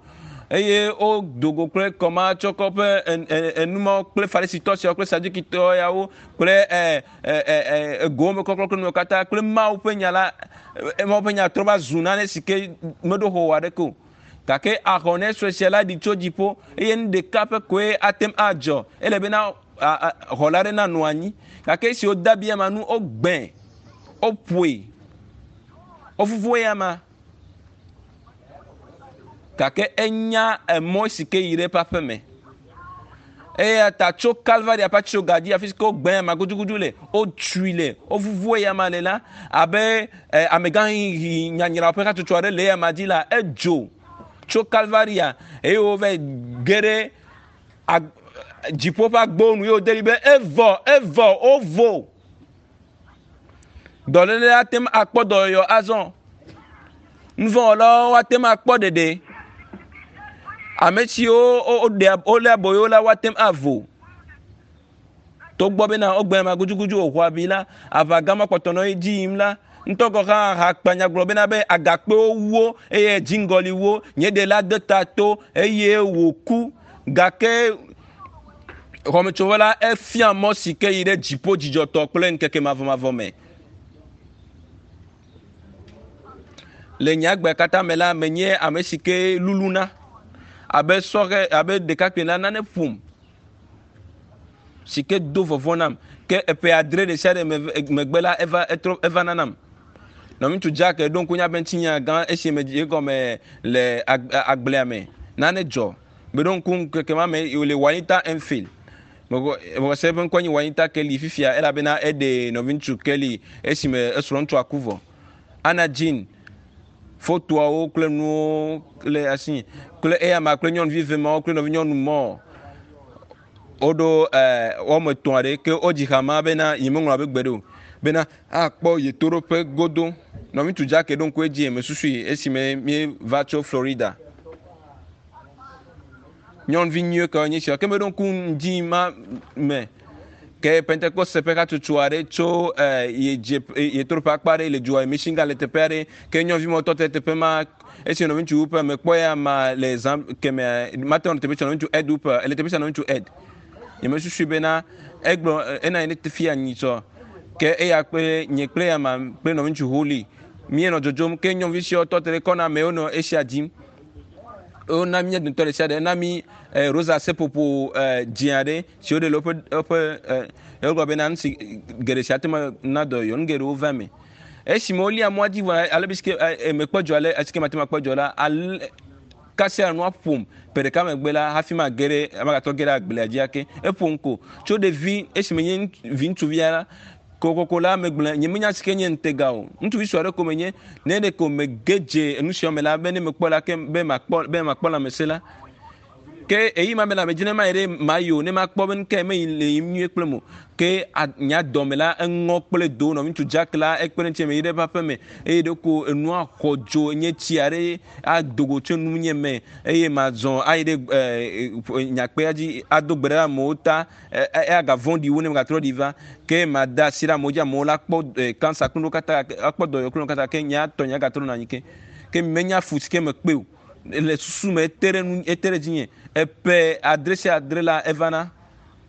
Eye wodo go kple kɔmatsɔkɔ ƒe enumawo kple farisitɔ siawo kple sadukitɔ yawo kple egowo me kɔklɔ kple nuwo katã kple Mawu ƒe nya la Mawu ƒe nya trɔ va zu nane si ke meɖo xɔ aɖeke o. Gake ahɔnɛ sue sia la ɖi tso dziƒo eye nu ɖeka ƒe koe ate ŋu adzɔ. Ele bena xɔla aɖe nanɔ anyi. Gake esi wode abi ama nu, wogbãe, woƒoe, wovuvu eyama. Gake enya emɔ si ke yi ɖe eƒe aƒeme. Eya ta tso Kalvaria ƒe atitsoga dzi afi si ke wogbã ama gudugudu le, wotui le, wovuvu eyama le la, abe amegãxiɣi nyanyrawo ƒe hatsotso aɖe le eyama dzi la, edzo tso Kalvaria eye wova ge ɖe dziƒo ƒe agbowo nu ye wòde ɖi be evɔ evɔ wovo. Dɔléle ate ŋu akpɔ dɔyɔyɔ azɔ. Nuvɔ̃wɔlawo ate ŋu akpɔ ɖeɖe. Ame siwo woɖea wolé aboyo la woate ŋu avo. Togbɔ bena wogbe ame gudugudu wòxɔ abi la, aʋa gã ma kpɔtɔ nɔ edzi yim la, ŋutɔ gɔ̃ hã hakpanya gblɔ bena be agakpewo wu wo eye dziŋgɔli wu wo. Nye ɖela de ta to eye wòku. Gake xɔmetsovɔ la efia mɔ si ke yi ɖe dziƒo dzidzɔtɔ kple ŋkeke mavɔmavɔ me. Le nye agbe katã me la, menye ame si ke luluna abe sɔhɛ abe ɖekakpui la nane ƒom si ke do vɔvɔ̃ nam. Ke eƒe adre ɖe sia ɖe megbe la eva etrɔ eva nanam. Nɔviŋutsu Jack ɖo ŋku míaƒe ŋutinya gã esi me dzi egɔme le agblea me. Nane dzɔ. Meɖo ŋku ŋkeke ma me wòle Juanita Enfield. Mexɔ se eƒe ŋkɔ nye Juanita Kelly fifia elabena eɖe nɔviŋutsu Kelly esime esrɔ̃ŋutsua ku vɔ. Anna Jean fotoawo kple nuwo le asi kple eyama kple nyɔnuvi eve mawo kple nɔvinyɔnu mɔ woɖo wɔme etɔ̃ aɖe ke wodzi ha ma bena nyemeŋlɔ abe gbeɖe o bena akpɔ yetoɖoƒe godo. Nɔviŋutsu Jack ɖo ŋku edzi mesusui esime míeva tso Florida. Nyɔnuvi nyuie kawo nye sia. Ke meɖo ŋku ŋdi ma me ke Pentekoste ƒe hatsotso aɖe tso eh, ye dze yetoɖoƒe akpa aɖe le dua Michigan le teƒe aɖe ke nyɔnuvi ma tɔ te teƒe ma esi nɔviŋutsu ƒe mekpɔ ya ma le zã kemɛ mate ŋu teƒe sia nɔviŋutsu Ed ƒe ele teƒe sia nɔviŋutsu Ed. Nyemesusui bena egblɔ ena yi ne fia nyitsɔ ke eya kple nye kple ya ma kple nɔviŋutsu Holly míenɔ dzodzom ke nyɔnuvi siawo tɔ te ɖe kɔna me wonɔ esia dim. Wona mía dometɔ ɖe sia ɖe na mí eh, rosa seƒoƒo eh, dzĩ aɖe si woɖe le woƒe woƒe eh, wogblɔ bena nu si geɖe si ate ŋu na dɔyɔyɔ nu geɖewo va eme. Esime wolia mɔa dzi vɔ ale be si ke eh, mekpɔ dzɔ ale esi ke mate ŋu akpɔ dzɔ la ale kasia nua ƒom ƒe ɖeka megbe la hafi mage ɖe magatrɔ ge ɖe agblea dzi ake. Eƒom ko tso ɖevi esime nye vi ŋutsuvia la Kokoko la megblɔe, nyemenya si ke nye ŋutega o. Ŋutsuvi sue aɖe ko menye. Ne ɖeko mege dze enu sia me la, be ne mekpɔ la, ke be makpɔ, be makpɔ lãmesẽ la. Ke eyi ma be lãmedzi ne mayi ɖe mayi o, ne makpɔ be nukae meyi le yim nyuie kple mo. Ke nye dɔme la eŋɔ kple do. Nɔviŋutsu Jack la ekpe ɖe ŋutinye meyi ɖe eƒe aƒe me eye ɖeko enua xɔ dzo nye tsi aɖe ado go tso nunye me eye mazɔ ayi ɖe nyakpea dzi ado gbe ɖe amewo ta. Eya vɔ̃ɖi wu ne megatrɔ ɖi va. Ke made asi ɖe amewo dzi, amewo la kpɔ kansa kple nuwo katã, akpɔ dɔyɔyɔ kple nuwo katã, ke nye tɔ nye agatrɔ nɔ anyi ke. Ke menya fu si ke mekpe o. Le susu me ete ɖe nu, ete ɖe dzinye. Eƒe adre sia adre la evana.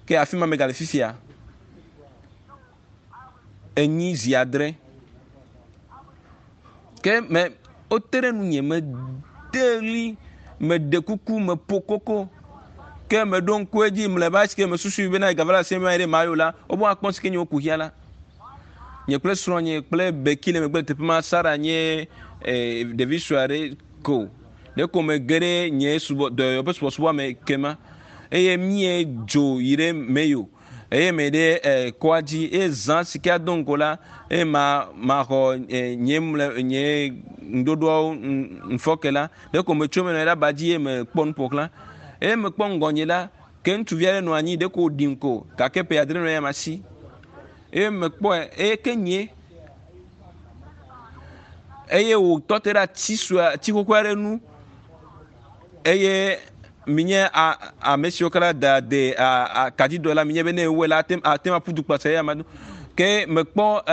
Ke afi ma megale fifia. Enyi zi adre. Ke me wote ɖe nunye, mede ɣli, meɖe kuku, meƒo koko. Ke meɖo ŋku edzi mlɔeba esi ke mesusui bena gava le asi me ɖe mayo la, wobe woakpɔ si ke nye wokuxia la. Nye kple srɔ̃nye kple Becky le megbe le teƒe ma, Sara nye eh, ɖevi sue aɖe ko. Ɖeko mege ɖe nye subɔ, dɔyɔyɔ ƒe subɔsubɔa me kema eye míedzo yi ɖe Mayo. Eye me ɖe eh, kɔa dzi eye zã si ke ado ŋgo la eye ma maxɔ eh, nye mle nye ŋɖoɖoawo ŋfɔke la ɖeko metso me nɔ ɖe aba dzi eye mekpɔ nu ƒoxlã eye mekpɔ ŋgɔnye la ke ŋutsuvi aɖe nɔ anyi ɖeko wòɖim ko gake ƒe adre nɔ eya si eye mekpɔe eye ke nye eye wòtɔ te ɖe ati sue ati xoxo aɖe nu eye minye ame siwo katã da de kadidɔ la minye be ne ewɔe la ate ate aƒu du kpasa eya ma do ke mekpɔ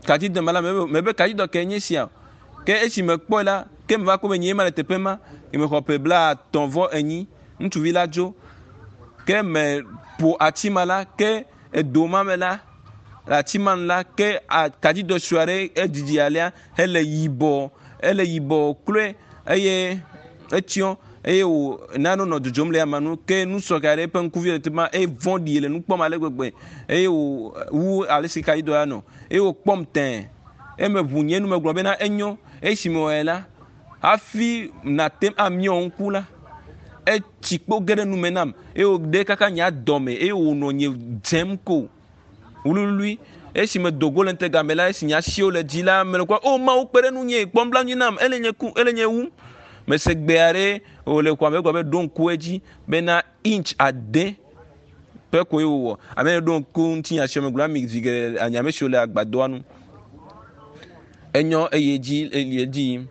kadidɔ ma la mebe kadidɔ ke nye sia ke esi mekpɔe la ke meva kpɔ be nye ma le teƒe ma mexɔ ƒe 34 ŋutsuvi la dzo ke meƒo ati ma la ke edo ma me la le ati ma nu la ke kadidɔ sue aɖe edidi alea hele yibɔ ele yibɔ kloe eye etsyɔ eye wò nane nɔ dzodzom le ama nu ke nusɔga aɖe eƒe ŋkuvi le teƒe ma eye vɔ̃ɖi le nu kpɔm ale gbegbe eye wò wu ale si kaɖi dɔ ya nɔ eye wòkpɔm tɛ̃ eme ʋu nye nu megblɔ bena enyo esime wɔe la hafi nate amiɔ ŋku la etsi kpo ge ɖe nume nam eye wòɖe kaka nye adɔme eye wònɔ nye dzem ko wluiwlui. Esi medo go le ŋutega me la, esi nye asiwo le dzi la, mele kpɔ, o Mawu kpe ɖe ŋunye, kpɔ nublanui nam, ele nye ku, ele nye wum. Mese gbe aɖe wòle xɔa me gblɔ be ɖo ŋku edzi bena inch ade. Ƒe koe wòwɔ. Ame yi ɖo ŋku ŋutinya sia me gblɔ na mi zi geɖe anye ame siwo le agbadɔa nu. Enyɔ eye dzi eli edzi yim.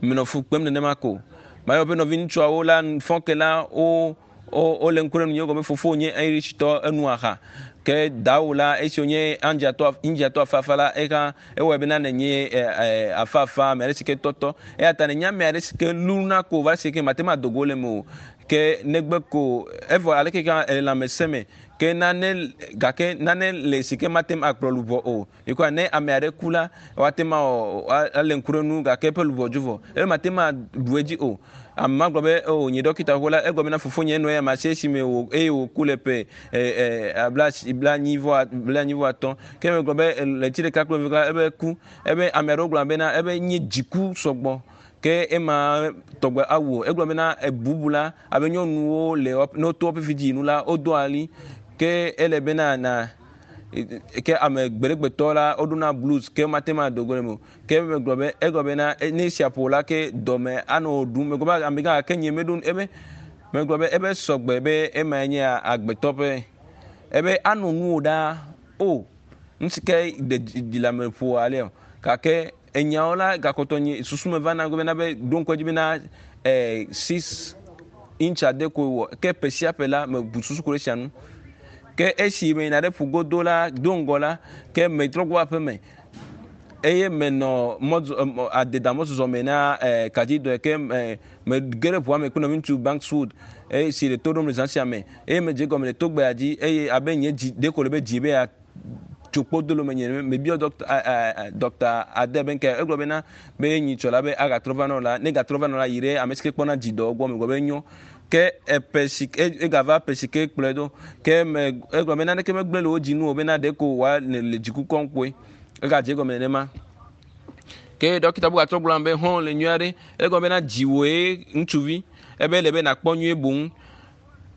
Menɔ fu kpem nenema ko. Mayɔ be nɔviŋutsuawo la fɔ ke la wo wo wole ŋku ɖe nunye gɔme fofo nye Irishtɔ enu aha. Ke dawo la esi wonye Indiatɔ Indiatɔ afafa la eha ewɔe bena nenye e, e, afafa ame aɖe si ke tɔtɔ. Eya ta nenye ame aɖe si ke luna ko va si ke mate ŋu ado go le eme o. Ke negbe ko evɔ aleke ke ele lãmesẽ me ke nane gake nane le si ke mate ŋu akplɔ luʋɔ o. Yikɔa ne ame aɖe ku la woate ŋu awɔ ale ŋku ɖe nu gake eƒe luʋɔ dzo vɔ. Eye mate ŋu aɖu edzi o. Ame ma gblɔ be o nye ɖɔkita xoxo la egblɔ bena fofonye enɔ ya ma si esime wò eye wòku le ƒe e, e, bla 45. Ke megblɔ be ɣleti ɖeka kple eve la ebe ku. Ebe ame aɖewo gblɔ bena ebe nye dziku sɔgbɔ. Ke ema tɔgbe awu o. Egblɔ bena ebubu la abe nyɔnuwo le ne woto woƒe vidzinu nu la wodoa ɣli. Ke ele bena na ke ame gbeɖegbetɔ la woɖona blues ke mate ŋu ado go le eme o. Ke megblɔ be egblɔ bena ne esia ƒo la ke dɔme anɔ wò ɖum. Megblɔ be amegã gake nye meɖo ebe megblɔ be ebe sɔgbe be emae nye agbetɔ ƒe ebe anɔ nuwò ɖaa. O nu si ke ɖe dzi le ame ƒo alea o. Gake enyawo la gakpɔtɔ nye susu me va na bena be ɖo ŋku edzi bena e, 6 inch ade koe wɔ ke ƒe sia ƒe la mebu susu ku ɖe esia ŋu. Ke esi meyina ɖe ƒugodo la do ŋgɔ la ke metrɔ gbɔ aƒe me eye menɔ mɔzɔ adeda mɔzɔzɔ me na e, kadidɔe ke me mege ɖe ʋua me kple nɔviŋutsu Bankswood eye si le to ɖom le zã sia me eye medze egɔme le togbea dzi eye abe nye dzi ɖeko le be dzi be ya tso kpo do le menye mebiɔ dɔkta dɔkta ade be nke egblɔ bena be nyitsɔ la be agatrɔ va nɔ la ne gatrɔ va nɔ la yi ɖe ame si ke kpɔna dzidɔ gbɔ megblɔ be nyo ke eƒe si egava ƒe si ke kplɔe ɖo ke me egblɔ be naneke megblẽ le wo dzi nu o bena ɖeko wòa le le dziku kɔm kpoe egadze egɔme nenema ke dɔkita bubu gatrɔ gblɔ be hɔn le nyui aɖe egblɔ bena dziwòe ŋutsuvi ebe le be nakpɔ nyuie boŋ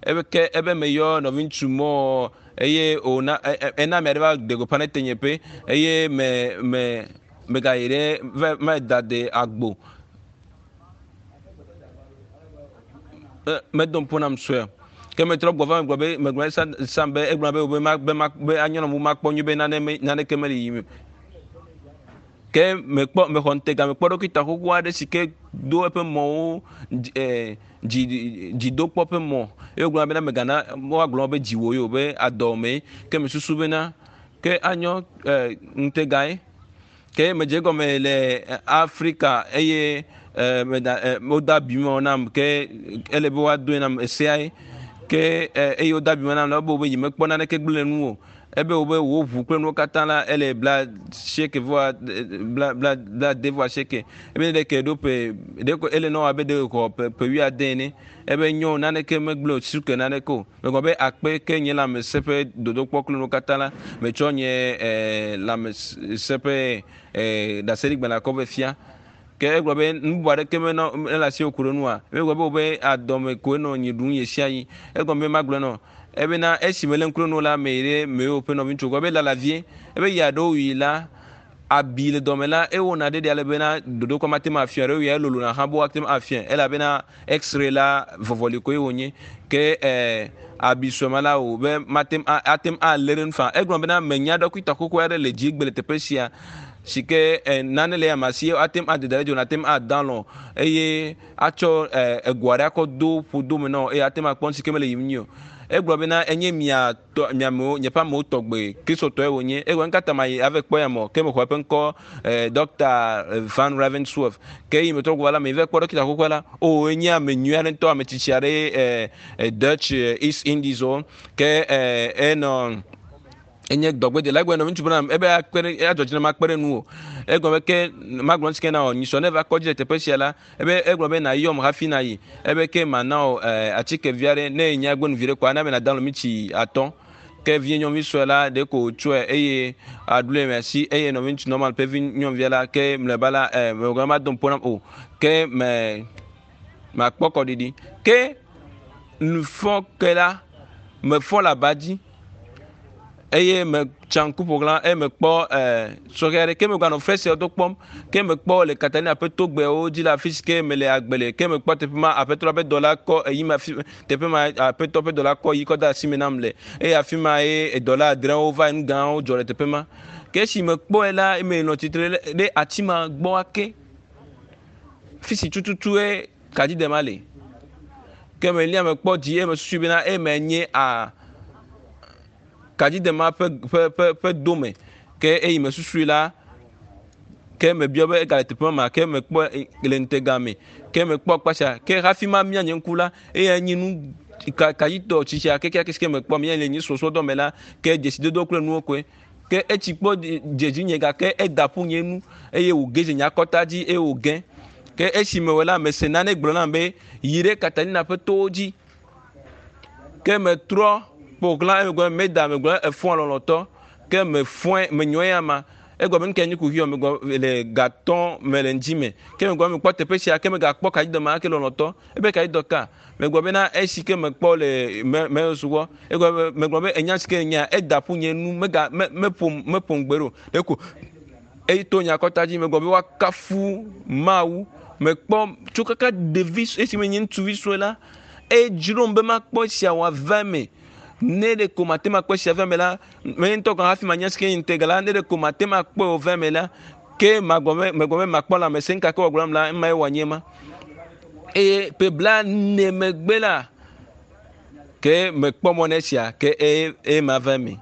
ebe ke ebe meyɔ nɔviŋutsu mɔ eye wòna ena ame aɖe va ɖe gbeƒã ɖe tenyeƒe eye me me megayi ɖe va va da de agbo medo ŋpo nam sue ke metrɔ gbɔ va megblɔ be megblɔ sa sam be egblɔ be be ma be ma be anyɔ na mu makpɔ nyuie be nane me naneke mele yiyim o. Ke mekpɔ mexɔ ŋutega mekpɔ ɖɔkita xoxo aɖe si ke do eƒe mɔwo dzi dzi dzidokpɔ ƒe mɔ eye wogblɔ bena megana woagblɔ be dziwò ye o be adɔ mee ke mesusu bena ke anyɔ e, ŋutegae ke medze egɔme le Afrika eye e, meda e, wode abi mɔ nam ke ele be woadoe nam eseae ke e, eye wode abi mɔ nam la ebe wobe nyemekpɔ naneke gblẽ le nu o ebe wobe wò ʋu kple nuwo katã la ele bla sieke vɔ bla bla bla de vɔ asieke ebe ne ɖeke ɖo ƒe ɖeko ele nɔ abe ɖe xɔ ƒe ƒe wuiade ene ebe nyo naneke megblẽ o suke naneke o megblɔ be akpe ke nye lãmesẽ ƒe dodokpɔ kple nuwo katã la metsɔ nye e, lãmesẽ ƒe e, ɖaseɖigbalẽ kɔ vɛ fia ke egblɔ be nu bubu aɖeke menɔ mele asi ku ɖe nua egblɔ be wobe adɔme koe nɔ nyi ɖum ɣe sia ɣi egɔme be magblɔ nɔ ebena esi mele ŋku ɖe nu la me yi ɖe mewo ƒe nɔviŋutsu gbɔ be lala vie ebe yi aɖewo yi la abi le dɔme la ewɔna ɖeɖe ale bena dodokpɔ mate ŋu afia ɖewo ya elolona hã be woate ŋu afia elabena x-ray la vɔvɔli koe wònye ke ɛɛ abi sue ma la o be mate ŋu ate ŋu alé ɖe nu faa egblɔ bena menya ɖɔkita xoxo aɖe le dzigbe le teƒe sia si ke ɛ nane le ama si ate ŋu ade da ɖe dzo ate ŋu ada lɔ eye atsɔ ɛ ego aɖe akɔ do ƒodo me nɔ eye ate ŋu akpɔ nu si ke mele yiyim nyuie o egblɔ bena enye mia tɔ miamewo nye ƒe amewo tɔgbe kristotɔe wònye egblɔ nkata ma yi ave kpɔ ya mɔ ke mexɔ eƒe ŋkɔ ɛ dɔkta Van Ravensworth ke yi metrɔ gbɔ la me va kpɔ ɖɔkita xoxoa la o enye ame nyui aɖe ŋutɔ ame tsitsi aɖe ɛ Dutch East Indies wo ke ɛ enɔ enye dɔgbedela egblɔ nɔvi ŋutsu bena ebe akpe ɖe adzɔ dzi na makpe ɖe nu o egblɔ be ke magblɔ ŋuti ke na wò nyisɔ ne va kɔdzi le teƒe sia la ebe egblɔ be nayɔm hafi na yi ebe ke mana wò ɛ atike vi aɖe ne enya gbe nu vi ɖe koa na be nada mitsi atɔ̃ ke vie nyɔnuvi sue la ɖe ko wòtsɔe eye aɖu le asi eye nɔvi ŋutsu normal ƒe vi nyɔnuvia la ke mlɔeba la ɛ megblɔ ma do ŋpo nam o ke me makpɔ kɔɖiɖi ke nufɔ ke la mefɔ le aba dzi. Eye metsa ŋku ƒoxlã eye mekpɔ e sɔhɛ aɖe ke meganɔ fesreawo do kpɔm ke mekpɔ le Katalina ƒe togbɛwo dzi le afi si ke mele agbe le ke mekpɔ teƒe ma aƒetɔ la ƒe dɔla kɔ eyi ma fi teƒe ma aƒetɔ ƒe dɔla kɔ yi kɔ de asi me nam le eye afi ma ye edɔla adrewo va nu gãwo dzɔ le teƒe ma. Ke esi mekpɔe la eme nɔ tsitre ɖe ati ma gbɔ ake fi si tututue kadzidema le. Ke melia mekpɔ dzi eye mesusui bena eme nye a kadzidema ƒe ƒe ƒe ƒe dome ke eyi mesusui la ke mebiɔ be egale teƒe ma ke mekpɔ le ŋutega me ke mekpɔ kpatsa ke hafi ma mia nye ŋku la eya nye nu ka kadzitɔ tsitsia kekeake si ke mekpɔ mia le nye sɔsɔdɔ me la ke dzesidodo kple nuwo koe ke etsi kpɔ dze dzinye gake eda ƒu nye nu eye wòge dze nye akɔta dzi eye wòge ke esi mewɔ la mese nane gblɔ nam be yi ɖe Katalina ƒe towo dzi ke metrɔ ƒoxlã eye megblɔ meda megblɔ efɔa lɔlɔtɔ ke mefɔe menyɔe ama egɔme be nuke nye kuxi o megblɔ le gatɔ me le ŋdzi me ke megblɔ mekpɔ teƒe sia ke megakpɔ kadzidɔ ke lɔlɔtɔ ebe kadzidɔ ka megblɔ bena esi ke mekpɔ le me me sugbɔ egɔme be megblɔ be enya si ke nya eda ƒu nye nu mega me meƒom meƒom gbe ɖo ɖeko eyi to nye akɔta dzi megblɔ be woakafu Mawu mekpɔ tso kaka ɖevi esi menye ŋutsuvi sue la edzrom be makpɔ esia wòava eme ne ɖe ko mate makpɔ esia va eme la menye ŋutɔ gɔ̃ hafi manya si ke nye ŋutega la ne ɖe ko mate makpɔe wòva eme la ke magblɔ be megblɔ be makpɔ lãmesẽ gake wòagblɔ nam la ema ye wòanye ma eye ƒe blaene megbe la ke mekpɔ mɔ na esia ke eye eye mava eme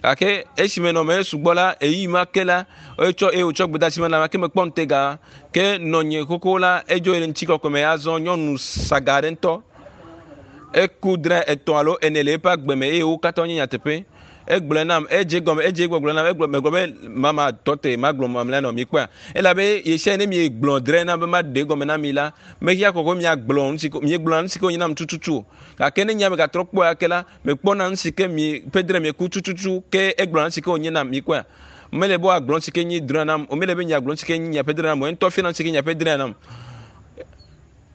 gake esi menɔ me sugbɔ la eyi ma ke la etsɔ eye wòtsɔ gbedeasi ma na ke mekpɔ ŋutega ke nɔnye xoxo la edzo yi le ŋutikɔkɔe me azɔ nyɔnu saga aɖe ŋutɔ eku dre etɔ̃ alo ene le eƒe agbe me eye wo katã wonye nyateƒe egblɔe nam edze gɔme edze gbɔgblɔ nam egblɔ megblɔ be mama tɔte magblɔ mamlɛ nɔ mi kpɔa elabe yesia ne mi gblɔ dre na be maɖe gɔme na mi la mehia kɔkɔ miagblɔ nu si ko miegblɔna nu si ke wonye nam tututu o gake ne nya megatrɔ kpɔe ake la mekpɔna nu si ke mi ƒe dre mieku tututu ke egblɔna nu si ke wonye nam mi kpɔa mele be woagblɔ nu si ke nyi dre nam o mele be miagblɔ nu si ke nyi miaƒe dre nam o ŋutɔ fiana nu si ke miaƒe dre nam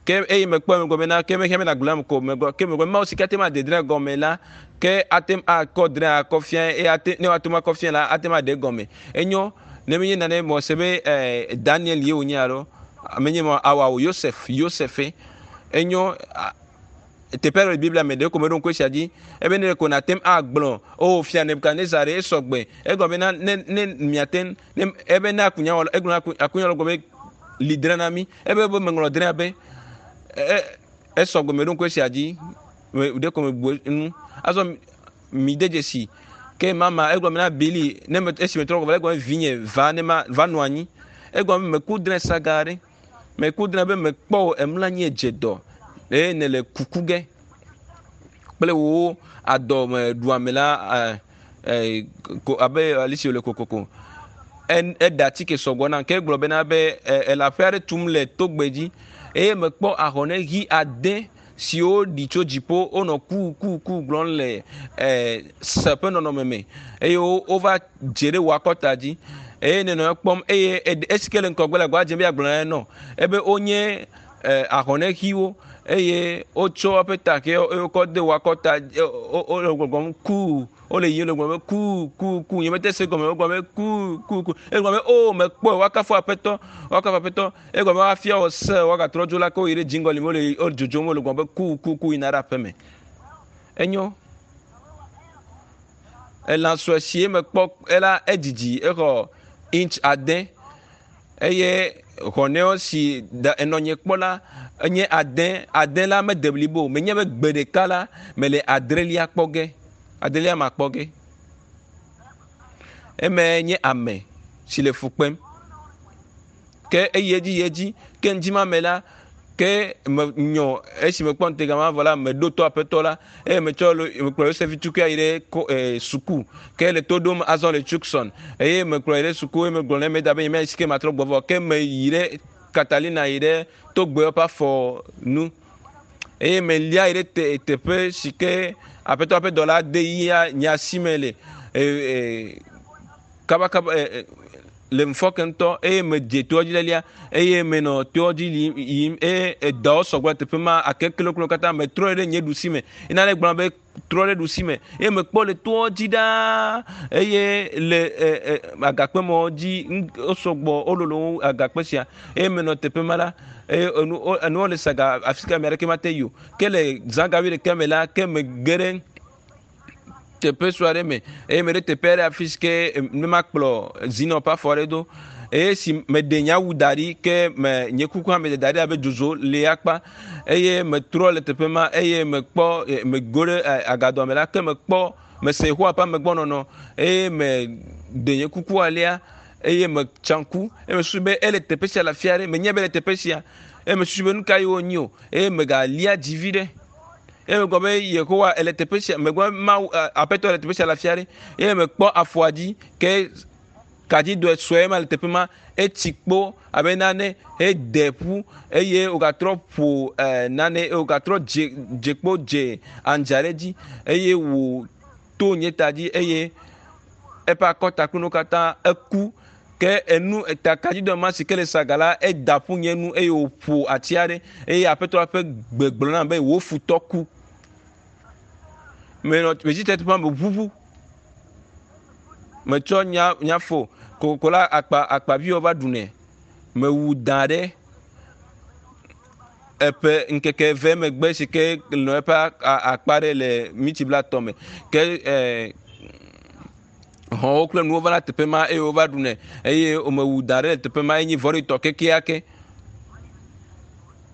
ke eye mekpɔ eme gɔme na ke mehia mena gblɔm ko megblɔ ke megblɔ Mawu si ke ate ŋu ade dre gɔme la ke ate ŋu akɔ dre akɔ fia eye ate ne woate ŋu akɔ fia la ate ŋu aɖe gɔme enyo ne menye nane mɔ se be eh, Daniel ye wònye alo menye mɔ awa o Yosef Yosefe enyo teƒe aɖe le Biblia me ɖe ko meɖo ŋku esia dzi ebe ne ɖeko nàte ŋu agblɔ o fia Nebukadnezar ɖe esɔgbe egɔme be na ne ne miate ŋu ne ebe ne akunyawɔla egblɔ na akunyawɔla gblɔ be li drẽ na mí ebe be meŋlɔ drẽa be esɔgbe meɖo ŋku esia dzi ɖe ko mebu nu azɔ mi de dzesi ke mama egblɔ na Bili ne me esi metrɔ gbɔ egblɔ vinye va ne ma va nɔ anyi egblɔ be meku drẽ saga aɖe meku drẽ be mekpɔ wò emlɔ anyi edze dɔ eye nèle kuku ge kple wò adɔme ɖuame la ko abe ale si wòle kokoko eɖe atike sɔgbɔ nam ke egblɔ bena be ele aƒe aɖe tum le togbɛ dzi eye mekpɔ ahɔne ɣi ade siwo ɖi tso dziƒo wonɔ ku ku ku gblɔm le se ƒe nɔnɔme me eye wova dze ɖe wò akɔta dzi eye nenɔ ekpɔm eye esi ke le ŋgɔgbe le gbɔa dze be yeagblɔ na enɔ ebe wonye ahɔne ɣiwo eye wotsɔ eƒe ta ke wokɔ de wò akɔta wole gbɔgblɔm ku wole yiyim le gblɔm be ku ku ku nye mete se gɔme wogblɔ be ku ku ku egblɔ be o mekpɔe woakafu aƒetɔ woakafu aƒetɔ egblɔ be woafia wò se woagatrɔ dzo la ke woyi ɖe dziŋgɔli me wole wole dzodzom wole gblɔm be ku ku ku yina ɖe aƒeme enyo elã sue si mekpɔ ela edzidzi exɔ inch ade eye xɔnɛwo si da enɔnye kpɔ la enye ade ade la mede blibo o menye be gbe ɖeka la mele adrelia kpɔ ge adrelia ma kpɔ ge eme nye ame si le fu kpem ke eyi edzi yi edzi ke ŋdi ma me la ke menyɔ esi mekpɔ ŋutega ma vɔ la meɖo to aƒetɔ la eye metsɔ mekplɔ Yosef tukua yi ɖe ko suku ke le to ɖom azɔ le Tucson eye mekplɔ yi ɖe suku eye megblɔ ne meda be nye si ke matrɔ gbɔ vɔ ke meyi ɖe Catalina yi ɖe togbewo ƒe afɔ nu eye melia yi ɖe te teƒe si ke aƒetɔ ƒe dɔla de yia nye asi me le kabakaba. Le ŋfɔke ŋutɔ eye medze toa dzi lelia eye menɔ toa dzi yim eye edawo sɔgbɔ le teƒe ma ake kloklo katã metrɔ ɖe nye ɖusi me. Nane gblɔ be trɔ ɖe ɖusi me eye mekpɔ le toa dzi ɖaa eye le agakpe mɔ dzi wosɔgbɔ wololo wu agakpe sia eye menɔ teƒe ma la eye enu enuwo le saga afi ka ame aɖeke mate yi o. Ke le zã ga wuiɖekɛ me la ke mege ɖe teƒe sue aɖe me eye meɖe teƒe aɖe afi si ke ne makplɔ zinɔ ƒe afɔ aɖe do eye si meɖe nye awu da ɖi ke me nye kuku hã meɖe da ɖi abe dzodzo li akpa eye metrɔ le teƒe ma eye mekpɔ mego ɖe agadɔ me la ke mekpɔ mese Yehowa ƒe amegbɔnɔnɔ eye meɖe nye kuku alia eye metsa ŋku eye mesusu be ele teƒe sia le afi aɖe menye be ele teƒe sia eye mesusu be nu ka ye wonyi o eye megalia dzi vi ɖe eye megblɔ be Yehowa ele teƒe sia megblɔ be Mawu Aƒetɔ le teƒe sia le afi aɖe eye mekpɔ afɔa dzi ke kadzidɔe sue ma le teƒe ma etsi kpo abe nane hede ƒu eye wògatrɔ ƒo nane eye wògatrɔ dze dze kpo dze andza ɖe dzi eye wòto nye ta dzi eye eƒe akɔtakpenu katã eku ke enu eta kadzidɔ ma si ke le saga la eda ƒu nye nu eye wòƒo ati aɖe eye aƒetɔ la ƒe gbe gblɔ nam be wò futɔ ku. Menɔ metsi tre teƒe ma meʋuʋu. Metsɔ nya nyafo kokoko la akpa akpaviwo va ɖunɛ. Mewu da ɖe eƒe ŋkeke eve megbe si ke nɔ eƒe akpa ɖe le mitsi blatɔ me ke hɔ̃wo kple nuwo va na teƒe ma eye wova ɖunɛ eye womewu da ɖe le teƒe ma enye vɔ̃ɖitɔ kekeake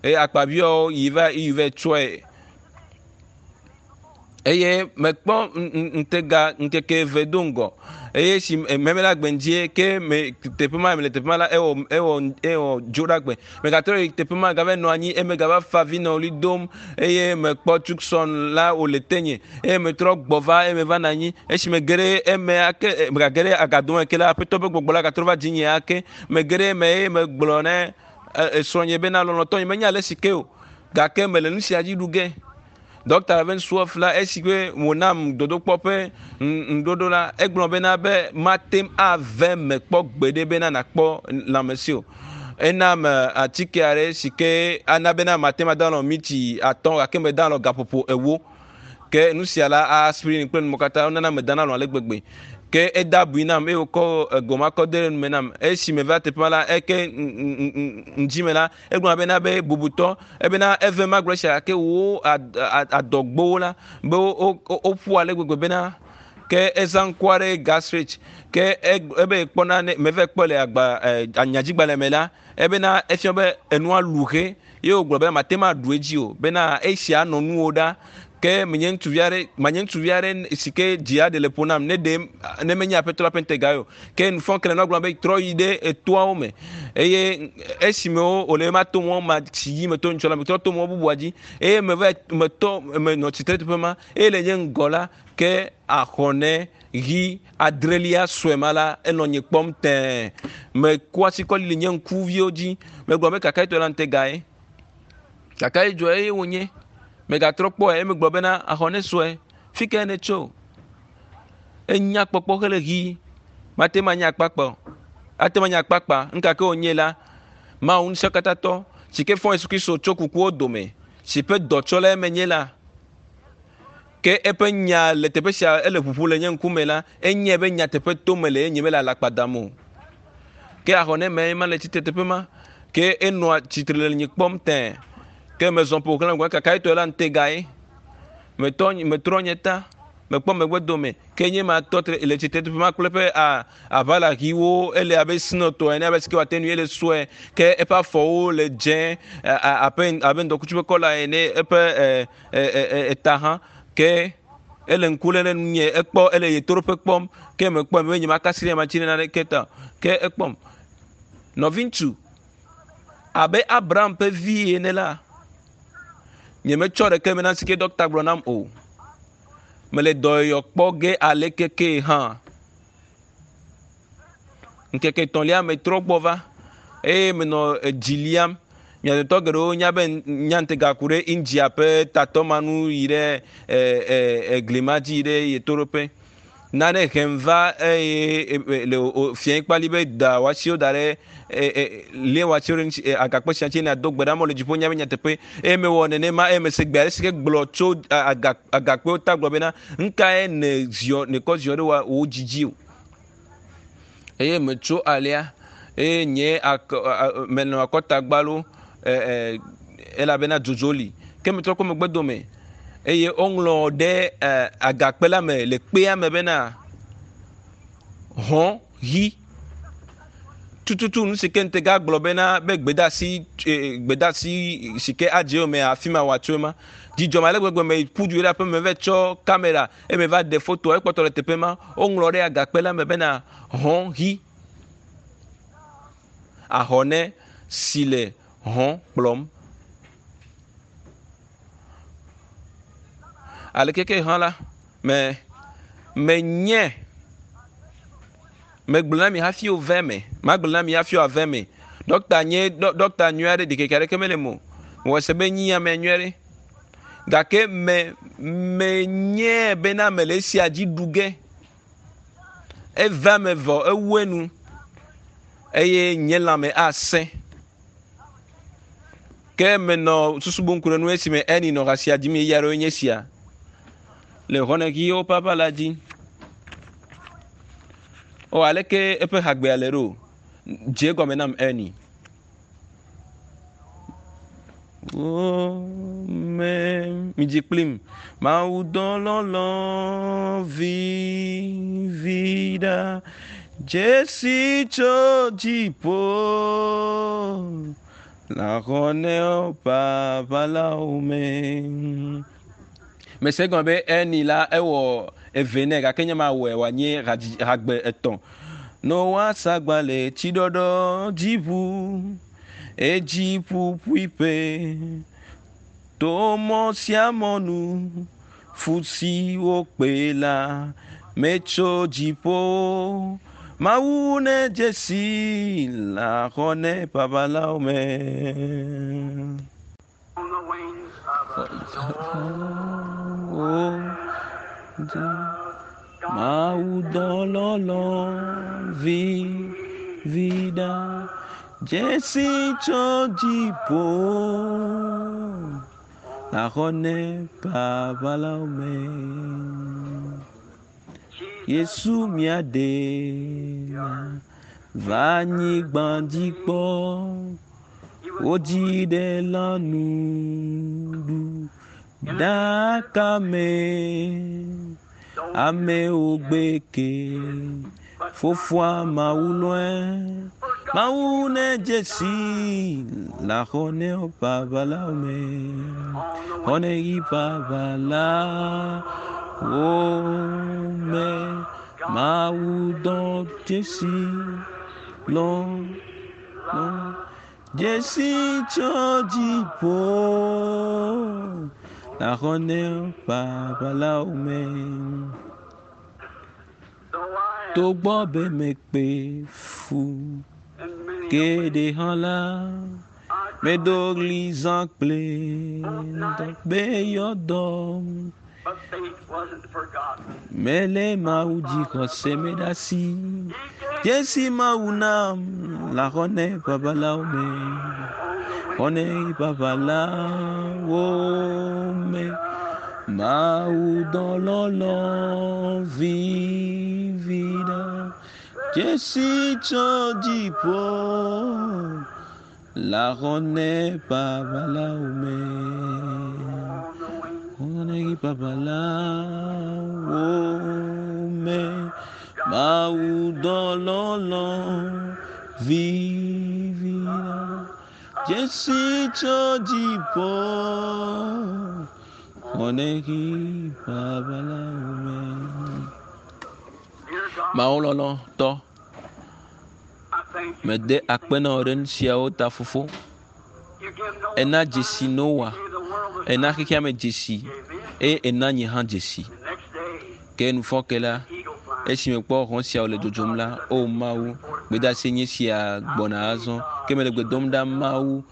eye akpaviwo yi va yi va tsɔe eye mekpɔ ŋutega ŋkeke eve do ŋgɔ eye si meme la gbe ŋdzie ke me teƒe ma le teƒe ma la ewɔ ewɔ ewɔ dzo ɖa gbe megatrɔ yi teƒe ma gava nɔ anyi eme gava fa vi nɔ ɣli dom eye mekpɔ Tucson la wòle tenye eye metrɔ gbɔ va eye meva nɔ anyi esi mege ɖe eme ake megage ɖe agado me ke la aƒetɔ ƒe gbɔgbɔ la gatrɔ va dzinye ake mege ɖe eme eye megblɔ ne esrɔ̃nye bena lɔlɔ̃tɔ nye menya ale si ke o gake mele nu sia dzi ɖu ge. Dɔkta Ravensworth la esi ke wònam dodokpɔ ƒe ŋuɖoɖo la egblɔ bena be mate ŋu ave me kpɔ gbeɖe bena nakpɔ lãmesi o. Enam atike aɖe si ke ana bena mate ŋu ada alɔ mitsi atɔ̃ gake meda alɔ gaƒoƒo ewo. Ke nu sia la aspirin kple numɔ katã wonana medana alɔ ale gbegbe. Ke eda abui nam eye wòkɔ egoma kɔ de ɖe nume nam. Esi meva teƒe ma la eke ŋdzi me la egblɔ bena be bubutɔ ebena eve magblɔ esia gake wo adɔgbowo la be woƒu ale gbegbe bena ke ezã ŋku aɖe gastrich ke ebe kpɔna ne meve kpɔ le agba anyadzigbalẽ me la ebena efia be enua lu he ye wògblɔ be mate ŋu aɖu edzi o bena esia nɔ nuwo ɖa ke menye ŋutsuvi aɖe manye ŋutsuvi aɖe si ke dzi aɖe le ƒo nam ne ɖe ne menye aƒetɔ la ƒe ŋutega o ke nufɔkele nɔ gblɔ be trɔ yi ɖe etoawo me eye esime wòle ma to mɔ ma si dzi meto ŋutsɔ la metrɔ to mɔ bubua dzi eye meva metɔ menɔ tsitre teƒe ma eye le nye ŋgɔ la ke axɔne ɣi adrelia sue ma la enɔ nye kpɔm tɛɛ meku asi kɔ lili nye ŋkuviwo dzi megblɔ be kaka etɔ la ŋutega ye kaka edzɔ eye wònye megatrɔ kpɔe eye megblɔ bena axɔne sue fi ke ne tso enya kpɔkpɔ hele ɣi mate ma nye akpakpa o ate ma nye akpakpa ŋkake wònye la Mawu ŋusẽkatãtɔ si ke fɔ Yesu Kristo tso kukuwo dome si ƒe dɔtsɔla menye la ke eƒe nya le teƒe sia ele ʋuʋu le nye ŋkume la enye be nyateƒe to me le ye nye mele alakpa dam o ke axɔ ne me ma le tsitre teƒe ma ke enɔa tsitre le nye kpɔm tɛɛ ke mezɔ ƒo xlã ŋgɔ kaka etɔ la ŋutega ye metɔ metrɔ nye ta mekpɔ megbe dome ke nye ma tɔ tre le tsitre teƒe ma kple eƒe aʋala ɣiwo ele abe sinɔtɔ ene abe sike wòate ŋui ele sue ke eƒe afɔwo le dzẽ abe abe ŋdɔkutsu ƒe kɔla ene eƒe eta hã ke ele ŋku lé ɖe nunye ekpɔ ele yetoɖoƒe kpɔm ke mekpɔe be nye makasi ɖe matsi ɖe naneke ta ke ekpɔm nɔviŋutsu abe Abraham ƒe vi ene la nyemetsɔ ɖeke me na si ke dɔkta gblɔ nam o mele dɔyɔyɔ kpɔ ge aleke ke hã ŋkeke etɔ̃lia metrɔ gbɔ va eye menɔ edzi liam mia dometɔ geɖewo nya be nya ŋutega ku ɖe India ƒe tatɔ ma nu yi ɖe egli ma dzi yi ɖe yetoɖoƒe. Nane hem va eye le fiẽ kpali be da wòasiwo da ɖe lie wòasiwo ɖe ŋuti agakpe sia ŋuti nàdo gbe ɖa mɔ le dziƒo nya be nyateƒe eye mewɔ nenema eye mese gbe aɖe si ke gblɔ tso agakpewo ta gblɔ bena nukae ne ziɔ nekɔ ziɔ ɖe wò dzi dzi o eye metso alea eye nye akɔ menɔ akɔta gbalo elabena dzodzo li ke metrɔ kɔ megbe dome eye woŋlɔ ɖe agakpe la me le kpea me bena hɔn ɣi tututu nu si ke ŋutega gblɔ bena be gbedeasi gbedeasi si ke adze yome afi ma wòatso ema dzidzɔ ma le gbegbe me ƒu du ɖe aƒe me va tsɔ kamera eye va ɖe foto ekpɔtɔ le teƒe ma woŋlɔ ɖe agakpe la me bena hɔn ɣi ahɔne si le hɔn kplɔm. Aleke ke hã la, me menye megblɔ na mi hafi wòve me magblɔ na mi hafi wòave me ɖɔkta nye ɖɔkta nyui aɖe ɖikeke aɖeke mele mo mewɔ se be nyi ame nyui aɖe gake me menye bena mele esia dzi ɖu ge eva me vɔ ewu enu eye nye lãme asẽ ke menɔ susu bum ku ɖe nu esime eni nɔ xasia dzim ɣeyiɣi aɖewo nye esia le xɔnexiwo papa la dzi o aleke eƒe hagbea le ɖo dze egɔme nam eni me midzi kplim mawu dɔlɔlɔ vivi ɖa dzesi tso dziƒo la xɔ papa la wo me mese gɔme be eni la ewɔ eve nɛ gake nye ma wɔe wòanye hagbe etɔ̃ noa sagba le tsiɖɔɖɔ dziʋu edzi ƒuƒuiƒe to mɔ sia mɔ nu fu si wokpe la metso dziƒo mawu ne dzesi la xɔ ne babalawo me. On the wings of a Mawu dɔlɔlɔ vivi ɖa dzesi tso dziƒo la xɔ ne babalawo me. Yesu mía ɖe va anyigba dzi kpɔ wodzi ɖe lãnuɖu ɖaka me amewo gbe ke fofoa mawu lɔe mawu ne dzesi la xɔ ne babalawo me xɔ ne yi babalawo me mawu dɔ dzesi lɔ lɔ dzesi tso dziƒo la xɔ ne babalawo me. Though I have Togbɔ be mekpe fu in many a geɖe way, hã la, I medo cried, ɣli zã kple be yɔdɔ. but faith wasn't forgotten. Mele Mawu dzi xɔse me ɖe asi. He gave Dzesi Mawu nam la xɔ ne babalawo me. on the Xɔ wings ne babalawo me. Mawu dɔlɔlɔ vivi ɖa. Dzesi tso dziƒo la xɔ ne babalawo me. on the wings Xɔ ne babalawo me. Mawu dɔlɔlɔ vivi ɖa. Dzesi tso dziƒo xɔ ne babalawo me. Dear God, Mawu lɔlɔtɔ, I thank you. mede akpe na wò ɖe nu siawo ta fofo. You give Noah Ena signs, dzesi Noa, you gave the world a ena sign. xexea me dzesi Gave me eye ena nye hã dzesi. The next day, Ke nufɔke la, eagle flying. esime kpɔ hɔn siawo le dzodzom la, o Mawu, gbedeasi nye sia gbɔna azɔ. Ke mele gbe dom ɖa Mawu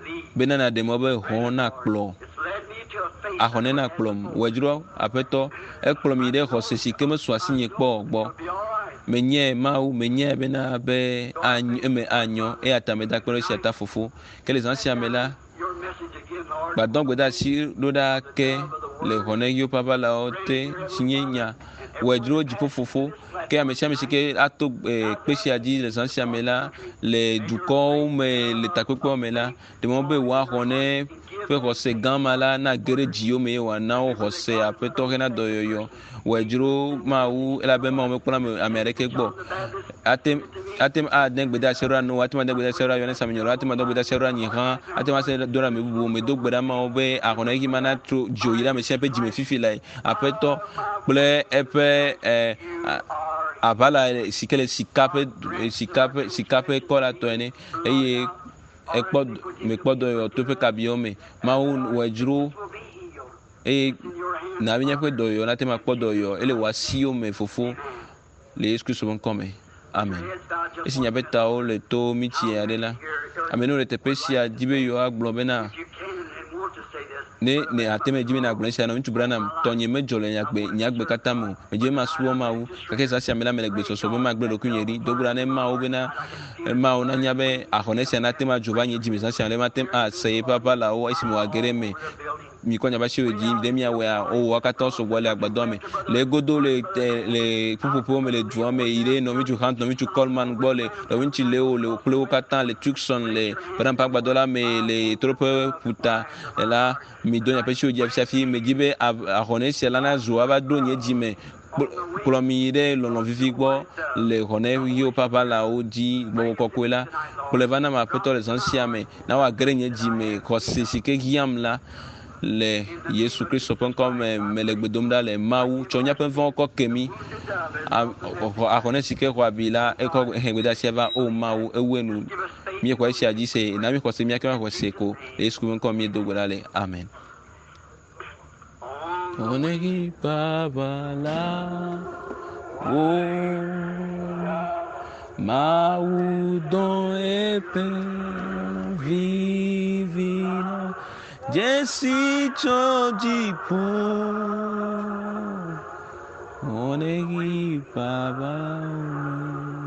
Lead. bena nàɖe mɔ be hɔn nakplɔ It's led me to a faith. Axɔnɛ na kplɔm. Wɔe dzro aƒetɔ. Ekplɔm yi ɖe xɔse si ke mesu asinye kpɔ o gbɔ. It'll be all right. Menyae Mawu, menyae bena be any eme anyɔ eya ta meda akpe ɖe esia ta fofo. Ke le zã sia me la, Your message again, Lord. gbadɔ gbedeasi ɖo ɖa ke le xɔnɛɣiwo ƒe aʋalawo te si nye nya wɔe dzro dziƒo fofo ke ame sia ame si ke ato eh, kpe sia dzi le zã sia me la le dukɔwo me le takpekpewo me la ɖe mɔ be woaxɔ ne ƒe xɔse gã ma la nage ɖe dziwo me eye wòana wo xɔse aƒetɔ hena dɔyɔyɔ wɔe dzro mawu elabe mawu mekpɔna ame ame aɖeke gbɔ ate ate ŋu ade gbedeasi ɖo Noa, ate ŋu ade gbedeasi ɖo Yohanes Amenyrɔla, ate ŋu ade gbedeasi ɖo Nyiha, ate ŋu ase do ɖe ame bubuwo me. Do gbe ɖa mawo be ahɔnɛɣi ma natro dzo yi ɖe ame sia ƒe dzime fifi lae. Aƒetɔ kple eƒe eh, a- aʋala si ke le sika ƒe sika ƒe sika ƒe kɔ la tɔ ene eye ekpɔ mekpɔ dɔyɔyɔ to eƒe kabiwo me. Mawu wɔe dzro Will be healed. eye In your hands. na be míaƒe dɔyɔyɔ nate ŋu akpɔ dɔyɔyɔ ele wò asiwo me fofo le Yesu Kristo ƒe ŋkɔ me. Amen. Heads bowed just Esi one miaƒe minute. tawo le to mitsi aɖe la, ame yiwo le teƒe sia di be yewoagblɔ bena If you can and want to say this, ne ne ate me dzi be nagblɔ esia na ŋutsu Branham tɔnye medzɔ le nyagbe nyagbe katã me o. Medzi be masubɔ Mawu gake zã sia me la mele gbesɔsɔ be magblẽ ɖokuinye ɖi. Do gbe ɖa ne Mawu bena Mawu nanya be axɔnɛ sia nate ŋu adzo va nye dzime zã sia me ɖe mate ŋu ase yeƒe aʋalawo esime wòage ɖe eme. Mikɔ miaƒe asiwo dzi ɖe miawɔea wowɔ katã sɔgbɔ le agbadɔa me. Le egodo le te le ƒuƒoƒewo me le dua me yi ɖe nɔviŋutsu Hunt, nɔviŋutsu Coleman gbɔ le nɔviŋutsu Leo le kple wo katã le Tucson le Branham ƒe agbadɔ la me le ɣetoɖoƒe ƒuta la mido miaƒe asiwo dzi afi medzi be axɔnɛ sia la nazu ava ɖo nye dzime kplɔ mi yi ɖe lɔlɔ vivi gbɔ le xɔnɛ ɣiwo ƒe aʋalawo dzi gbɔgbɔ kɔkɔe la kplɔe va nam aƒetɔ le zã sia me na wòage ɖe nye dzime xɔse si ke hiãm la le Yesu Kristo ƒe ŋkɔ me mele gbe dom ɖa le Mawu tsɔ míaƒe vɔ̃wo kɔ ke mí axɔnɛ si ke xɔ abi la ekɔ he gbedeasia va o Mawu ewu enu give us faith. míexɔ esia dzi se na míxɔ se míake xɔ se ko le Yesu ƒe ŋkɔ míedo gbe ɖa le amen. On the Onegi baba wo Mawu dɔ eƒe vivi la dzesi tso dziƒo. Onegi baba wo.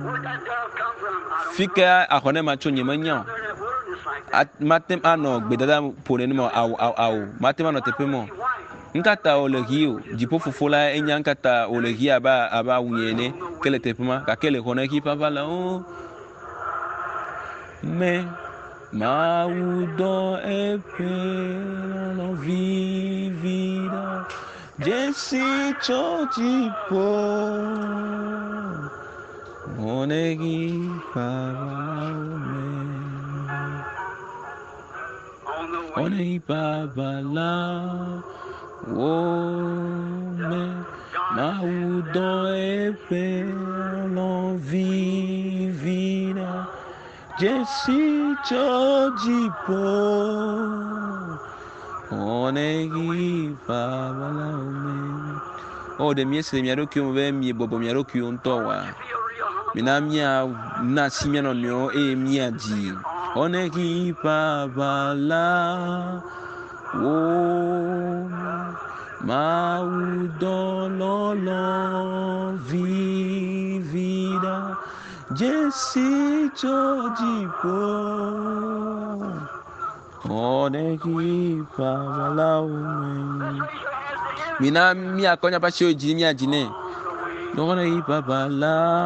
Where'd that dove come from? I don't Fi know. ke axɔnɛ ma tso nye menya o. Out there in that wilderness like that. Mate ŋu anɔ gbedada ƒo nenema o, awo awo awo mate ŋu anɔ teƒe ma o. Why would it be white? Nkata wòle ɣi o dziƒo fofo la enya nkata wòle ɣi abe abe awunye ene ke le teƒe ma gake le xɔnɛ ɣi ƒe aʋalawo me Mawu dɔ eƒe lɔlɔ̃ vivi ɖa dzesi tso dziƒo xɔnɛ ɣi ƒe aʋalawo me. On the way. Xɔnɛ ɣi ƒe aʋalawo me. Mawu dɔ eƒe lɔlɔ̃ vivi ɖa dzesi tso dziƒo. Xɔnɛ ɣi ƒe aʋalawo me. O ɖe miese le mia ɖokuiwo me be miebɔbɔ mia ɖokuiwo ŋutɔ oa? You feel real humble. Mina mía na asi mía nɔnɔewo eye míadzi. Xɔnɛ ɣi ƒe aʋalawo Mawu dɔ lɔlɔ̃ vivi ɖa dzesi tso dziƒo. Xɔnɛ ɣi ƒe aʋalawo me. Let's raise your hands to him. Mina míakɔ míaƒe asiwo dzi míadzi nɛ. On the way. Xɔnɛ ɣi ƒe aʋalawo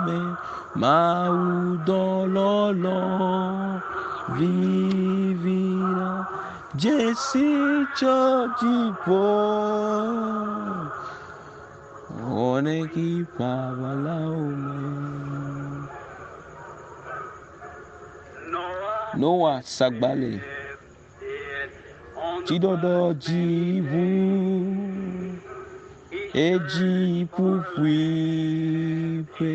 me. Mawu dɔ lɔlɔ̃ vivi ɖa dzesi tso dziƒo. Xɔnɛ ɣi ƒe aʋalawo me. Noah Noa sagbale lived on the tsiɖɔɖɔ dzi ʋu He edzi ƒuƒuiƒe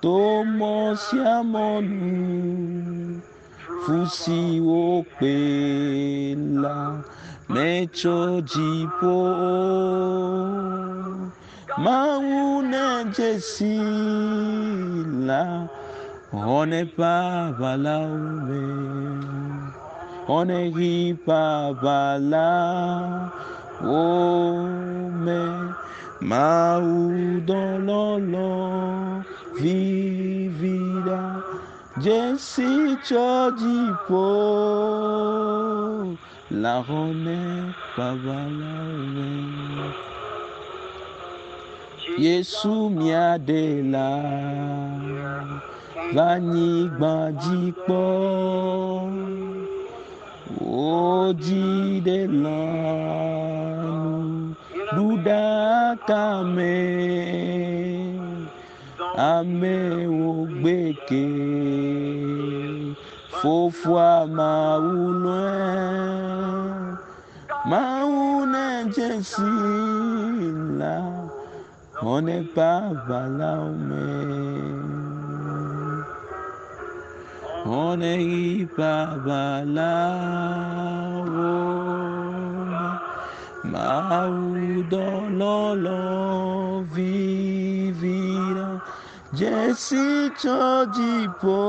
to mɔ sia mɔ nu fu si wokpe la metso dziƒo o. Mawu na dzesi la xɔnɛ ƒe aʋalawo me. Xɔneɣi ƒe aʋala wo me. Mawu dɔlɔlɔ vivi ɖa. Dzesi tsɔ dziƒo le xɔne ƒe aʋala me. Yesu mía ɖela va anyigba dzi kpɔ. Wodzi ɖe lãnu ɖuɖaka me. Amewo gbeke fofoa Mawu lɔe. Mawu ne dzesi la xɔne ƒe aʋalawo me. Xɔne ɣi ƒe aʋalawo me. Mawu dɔlɔlɔ vivi la dzesi tsɔ dziƒo.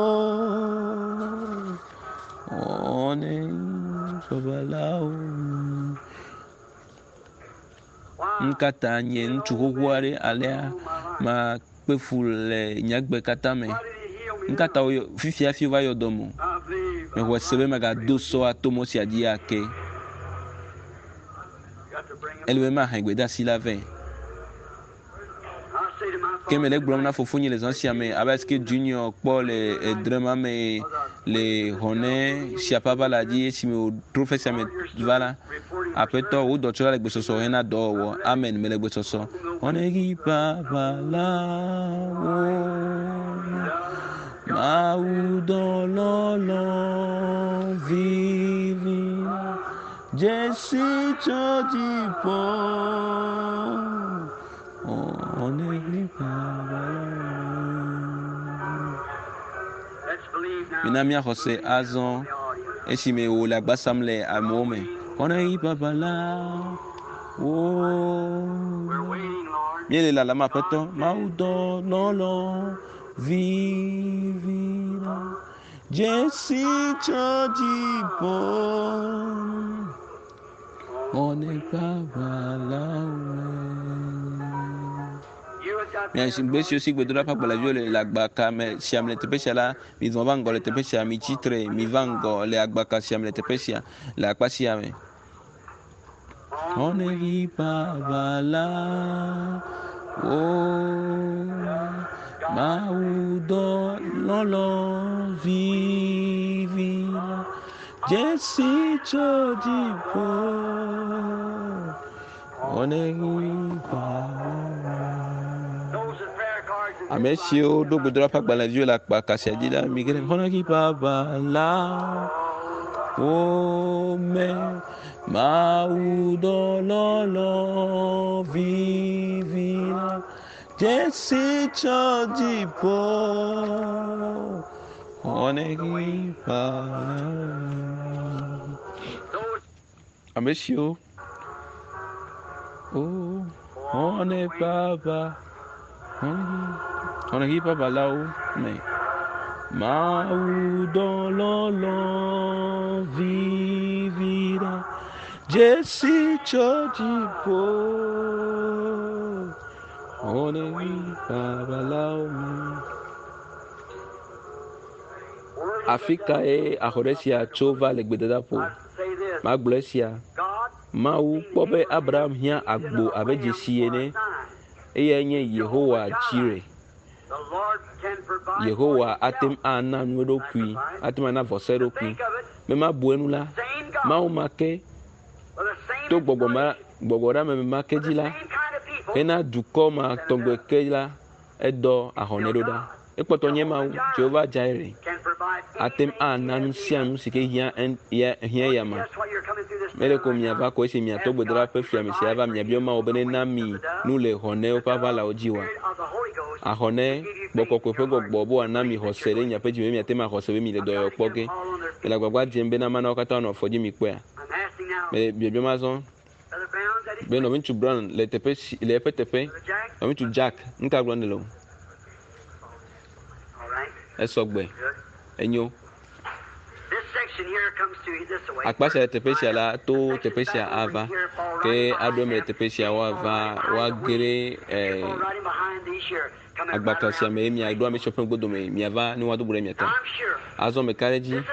Xɔne ɣi ƒe aʋalawo me. Nu ka ta nye ŋutsu xoxo aɖe alea makpe fu le nye agbe katã me? Nu ka ta woyɔ fifia hafi wova yɔ dɔm o? Mexɔe se be megado sɔ ato mɔ sia dzi ake. Ele be mahe gbedeasi la vɛ. Ke mele egblɔm na fofonye le zã sia me abe alesi Junior kpɔ le edre ma me le xɔne sia ƒe aʋala dzi esime wòtrɔ ƒe sia me va la. Aƒetɔ, wò dɔtsɔla le gbesɔsɔ hena dɔwɔwɔ. Amen. Mele gbesɔsɔ. Xɔne ɣi ƒe aʋala wo. Mawu dɔlɔlɔ vivi. Dzesi tso dziƒo. Xɔne ɣi ƒe aʋala wo. Let's believe now. Mina míaxɔ se azɔ esime wòle agba sam le amewo me. Xɔne ɣi ƒe aʋala wo. We're waiting, Lord. Míele lalam aƒetɔ. Mawu dɔlɔlɔ vivi la. Dzesi tso dziƒo. Xɔne ƒe aʋala wo. You have got Mia gbe siwo si gbedoɖa ƒe agbalẽviwo le le agbaka me sia me le teƒe sia la, mizɔ va ŋgɔ le teƒe sia, mitsi tre, miva ŋgɔ le agbaka sia me le teƒe sia, le akpa sia me. on the Xɔne way. ɣi ƒe aʋala wo. Mawu dɔlɔlɔ vivi la. Dzesi tso dziƒo. Xɔne ɣi ƒe aʋala. Those with prayer cards in Ame this siwo line ɖo gbedoɖa ƒe agbalẽviwo le akpa sia dzi la, mi ge ɖe xɔne ɣi ƒe aʋala wo me. Mawu dɔlɔlɔ vivi la. Dzesi tso dziƒo. Xɔne ɣi ƒe aʋala. Those Ame siwo o xɔne ƒe aʋa xɔne ɣi ƒe aʋalawo me. Mawu dɔlɔlɔ vivi la. Dzesi tso dziƒo. Xɔne ɣi ƒe aʋalawo me. worthy Afi kae axɔɖe sia tso va le gbedadaƒo? I say this. Magblɔ esia. God Mawu kpɔ be Abraham hiã agbo abe dzesi ene. Eyae nye Yehowa Jireh. The Lord can provide for Yehowa ate ŋu himself. ana nu eɖokui, ate ŋu ana vɔsa eɖokui. Think of it. Be mabu enu la, Same God Mawu ma ke with the same to gbɔgbɔ ma inspiration, gbɔgbɔɖeame ma ke with dzi the la, same kind of people. hena dukɔ ma tɔgbe ke la, edɔ ahɔnɛ ɖo ɖa. Ekpɔtɔ nye Mawu, Jehovah Jireh. Can provide Ate ŋu anything ana nu he sia has nu si ke hiã en- ya- hiã need. ya ma. Just while you're coming through this Mele ko prayer right miava now, ko esi miatɔ ask gbedoɖa God ƒe to fiame sia provide va for miabiɔ you Mawu be the nena wings mi of the dove, nu le xɔnewo the ƒe dove, aʋalawo dzi wa. spirit of the Holy Ghost, Axɔne to give you gbɔkɔkɔe faith in ƒe your heart gbɔgbɔ be wòana mi believe that xɔse you're ɖe going. miaƒe dzi me be miate ŋu axɔse be mi le I'm dɔyɔyɔ trying to kpɔ get ge. them all on their Mele feet. agbagba dzem bena mana wo katã wonɔ afɔ dzi mi kpɔea. I'm asking now, Mele biabiam azɔ Brother Brown's at his be place. nɔviŋutsu Brown le teƒe si le eƒe teƒe. Brother Jack? Nɔviŋutsu Jack, nu ka gblɔm nèle o? All right. Esɔgbe. Good. Enyo. This section Akpa sia le teƒe sia la to teƒe sia ava ke aɖo eme le teƒe sia woava woage ɖe agbaka sia me eye miaɖo ame siwo ƒe ŋgɔdome miava ne woado go ɖe mia ta. Azɔ meka ɖe edzi.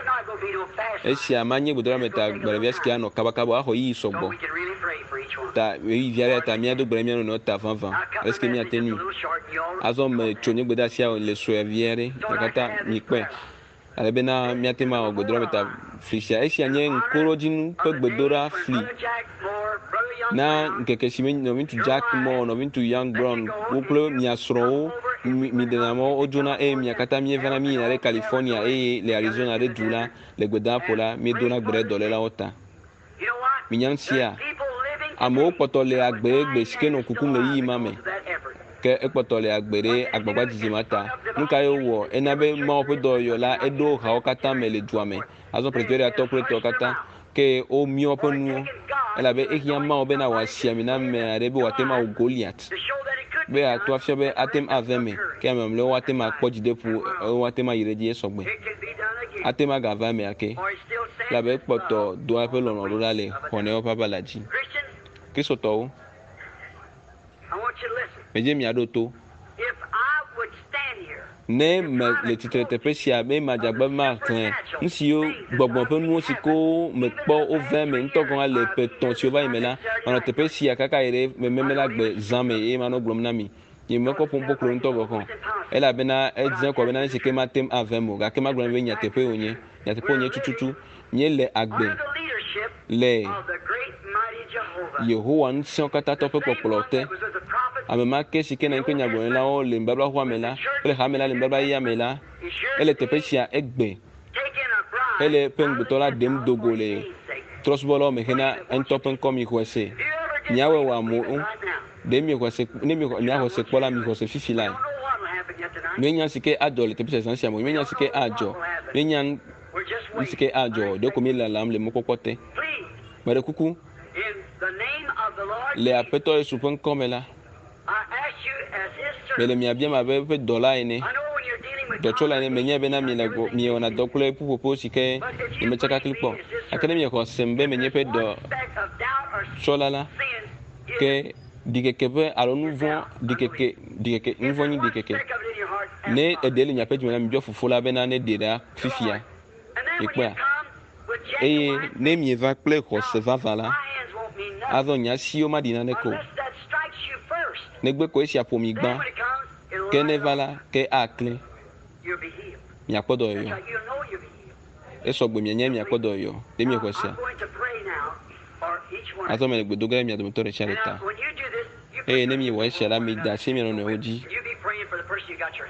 Esia manye gbedoɖa ta gbalẽvia si ke anɔ kabakaba axɔ ɣeyiɣi sɔgbɔ. Ta ɣeyiɣi vi aɖe ta míado gbe ɖe mía nɔnɔewo ta vavã ale si ke míate ŋui. Azɔ metso nye gbedeasia le sue vi aɖe gake mikpɔe ale bena míate ŋu awɔ gbedoɖa ta fli sia. Esia nye ŋkuɖodzinu ƒe gbedoɖa fli na ŋkeke si me nɔviŋutsu Jack Moore, nɔviŋutsu Young Brown wo kple mia srɔ̃wo miɖena mɔ wodzona eye mia katã míevana míyina ɖe California eye le Arizona ɖe du la le gbedaƒo la míedona gbe ɖe dɔlélawo ta. Minya nu sia amewo kpɔtɔ le agbe egbe si ke nɔ kukum le ɣeyiɣi ma me ke ekpɔtɔ le agbe ɖe agbagba dzidzi ma ta. Nu ka ye wowɔ? Ena be Mawu ƒe dɔyɔyɔ la eɖo hawo katã me le dua me. Azɔ Pretoriatɔ kple etɔwo katã ke womiɔ woƒe nuwo elabe ehiã Mawu bena wòasi ami na ame aɖe be wòate ŋu awu Goliat be yeato afia be ate ŋu ave eme ke ame mamlɛwo woate ŋu akpɔ dzideƒo woate ŋu ayi ɖe edzi esɔgbe. Ate ŋu agava eme ake elabe ekpɔtɔ doa eƒe lɔlɔ̃ ɖo ɖa le xɔnɛwo ƒe aʋala dzi. Kristotɔwo, medze miaɖo to. Ne me le tsitre teƒe sia be madze agba be maxlẽ nu siwo gbɔgbɔ ƒe nuwo si ke mekpɔ wove eme ŋutɔ gɔ̃ hã le ƒe etɔ̃ siwo va yi me la, manɔ teƒe sia kaka yi ɖe mememe la gbe zã me eye manɔ gblɔm na mi. Nye mekɔ ƒom kpokplo ŋutɔ gɔ̃ hã o elabena edze kɔ bena nu si ke mate ŋu ave eme o gake magblɔ na mi be nyateƒe wònye. Nyateƒe wònye tututu. Míele agbe le Yehowa Ŋusẽkatãtɔ ƒe kpɔkplɔ te. Ame ma ke si ke nɔ anyi kple nyagblɔɖilawo le nubablaxɔa me la kple hame la le nubabla yeyea me la, ele teƒe sia egbe hele eƒe ŋugbetɔ la ɖem do go le trɔ̃subɔlawo me hena eŋutɔ ƒe ŋkɔ. Mixɔe se. Miawɔe wòamu o. Ɖe miexɔe se, ne miexɔ, miaxɔ se kpɔ la, mixɔ se fifi lae. Míenya si ke adzɔ le teƒe sia zã sia me o. Míenya si ke adzɔ. Míenya nu si ke adzɔ o. Ɖeko míelalam le mɔkpɔkpɔ te. Meɖe kuku, le Aƒetɔ Yesu ƒe ŋkɔ me la, mele mia biam abe eƒe dɔla ene, dɔtsɔla ene. Menyae bena miele gbɔ, miewɔna dɔ kple ƒuƒoƒo si ke nyemetsaka kpli kpɔ o. Gake ne miexɔ sem be menye eƒe dɔtsɔla la, ke ɖikeke ƒe alo nu vɔ̃ ɖikeke ɖikeke nu vɔ̃ nyi ɖikeke. Ne eɖe le miaƒe dzime la, mibiɔ Fofo la bena neɖee ɖa fifia. Mikpɔea? Eye ne mieva kple xɔse vavã la, azɔ nye asiwo maɖi naneke o. Negbe ko esia ƒo mi gbã. Ke ne eva la, ke aklẽ. Miakpɔ dɔyɔyɔ. Esɔgbe mianye miakpɔ dɔyɔyɔ. Ɖe miexɔe sea? Azɔ mele gbe do ge ɖe mia dometɔ ɖe sia ɖe ta. Eye ne miewɔ esia la, mida asi mia nɔnɔewo dzi.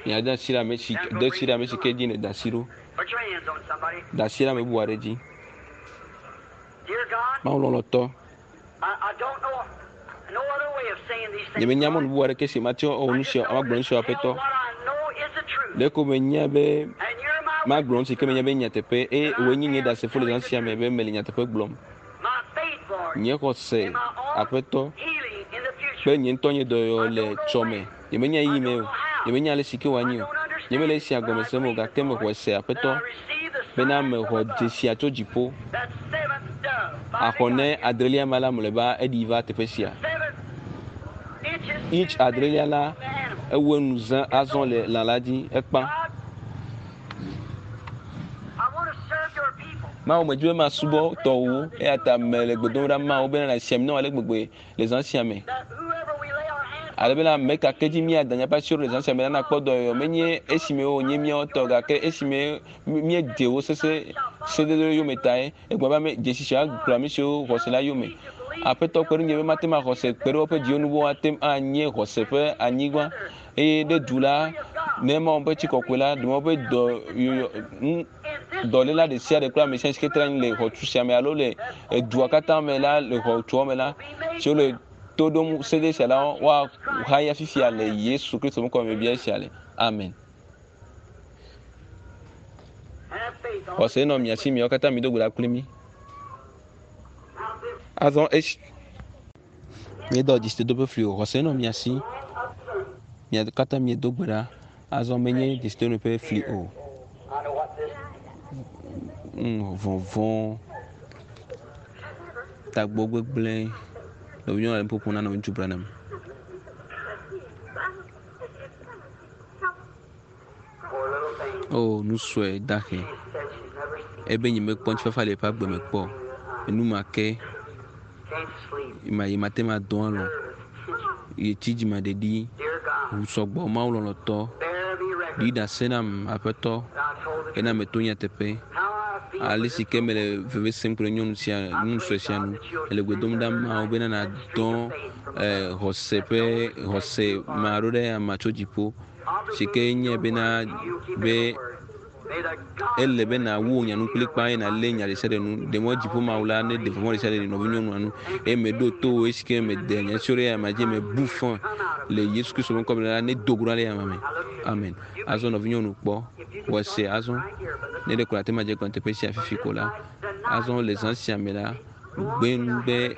Miade asi ɖe ame si de asi ɖe ame si ke dzi nèda asi ɖo. Da asi ɖe ame bubu aɖe dzi. Mawu lɔlɔ̃tɔ, nyemenya mɔnu bubu aɖeke si mate ŋu awɔ nu sia, magblɔ nu sia Aƒetɔ. Ɖeko menya be magblɔ nu si ke menya be nyateƒe eye wòe nye nye ɖasefo le zã sia me be mele nyateƒe gblɔm. Nye xɔse, Aƒetɔ, kple nye ŋutɔ nye dɔyɔyɔ le tsɔme. Nyemenya ɣeyiɣi me o. Nyemenya ale si ke wòanyi o. Nyemele esia gɔme sem o gake mexɔe se, Aƒetɔ, bena mexɔ dzesia tso dziƒo. Axɔ ne adrelia ma la mlɔeba eɖi va teƒe sia. Inch adrelia la ewu enu zã azɔ le lã la dzi ekpã. Mawu medzi be masubɔ tɔwòwo eya ta mele gbe dom ɖa Mawu bena nàsi ami nam ale gbegbe le zã sia me. Ale bena ame ka ke dzi míada míaƒe asiwo ɖo le zã sia me la nakpɔ dɔyɔyɔ. Menye esime wònye míawo tɔ gake esime míedze wo sese sededewo yome tae. Egblɔ be ame dzesi sia kplɔ ame siwo xɔse la yome. Aƒetɔ kpe ɖe ŋunye be mate ŋu axɔse kpe ɖe woƒe dziwo nu be woate ŋu anye xɔse ƒe anyigba. Eye ɖe du la, ne Mawu ƒe tsi kɔkɔe la, ɖe Mawu ƒe dɔyɔyɔ nu dɔléla ɖe sia ɖe kple ame sia si ke tra anyi le xɔtu sia me alo le edua katã me la le xɔtua me la, siwo le to ɖom sede sia la, woahaya fifia le Yesu Kristo ƒe ŋkɔ me bia esia le. Amen. Xɔse nɔ mia si, miawo katã mido gbe ɖa kpli mí. Azɔ esi míedɔ dzesidodo ƒe fli o, xɔse nɔ mia si, mia katã miedo gbe ɖa. Azɔ menye dzesidodo ƒe fli o. Vɔvɔ̃, tagbɔ gbegblẽ. Nɔvinyɔnu le nu ƒoƒom na nɔviŋutsu Branham. Poor little thing. O, nu sue dahe. She said she's never seen Ebe nye mekpɔ ŋutifafa le eƒe agbe me kpɔ. Enu ma ke can't sleep. ma yi mate ma dɔn alɔ. Nervous tension. Ye tsi dzimaɖeɖi. Dear God, Ʋu sɔgbɔ Mawu lɔlɔ̃tɔ. bear me record. Ɖi ɖase nam aƒetɔ. that I told the Ena truth. meto nyateƒe. How I feel for Ale this si ke mele veve sem kple nyɔnu sia nyɔnu sue sia nu. Ele gbe dom ɖa Mawu bena nàdɔ xɔse ƒe xɔse ma ɖo ɖe amea tso dziƒo. Si ke nye bena be ele be nàwu wò nya nu kplikpaa eye nàlé nya ɖe sia ɖe nu. Ɖe mɔ dziƒo Mawu la ne ɖe vɔvɔ̃ ɖe sia ɖe le nɔvinyɔnua nu eye meɖo to wò esi ke mede nya siwo ɖe amea dzi mebu fɔ le Yesu Kristo ƒe ŋkɔ me la ne do go ɖa le amea me. Amen. Azɔ nɔvinyɔnu kpɔ wɔ se azɔ ne ɖe ko ate ma dze gɔme teƒe sia fifi ko la. Azɔ le zã sia me la gbe nu be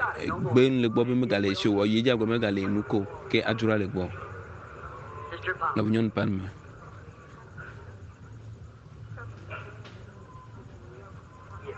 gbe nu le gbɔ be megale esi o wɔ yi dzi agbe megale nu ko ke adzro le gbɔ. Sister Palmer. Nɔvinyɔnu Palmer. Yes.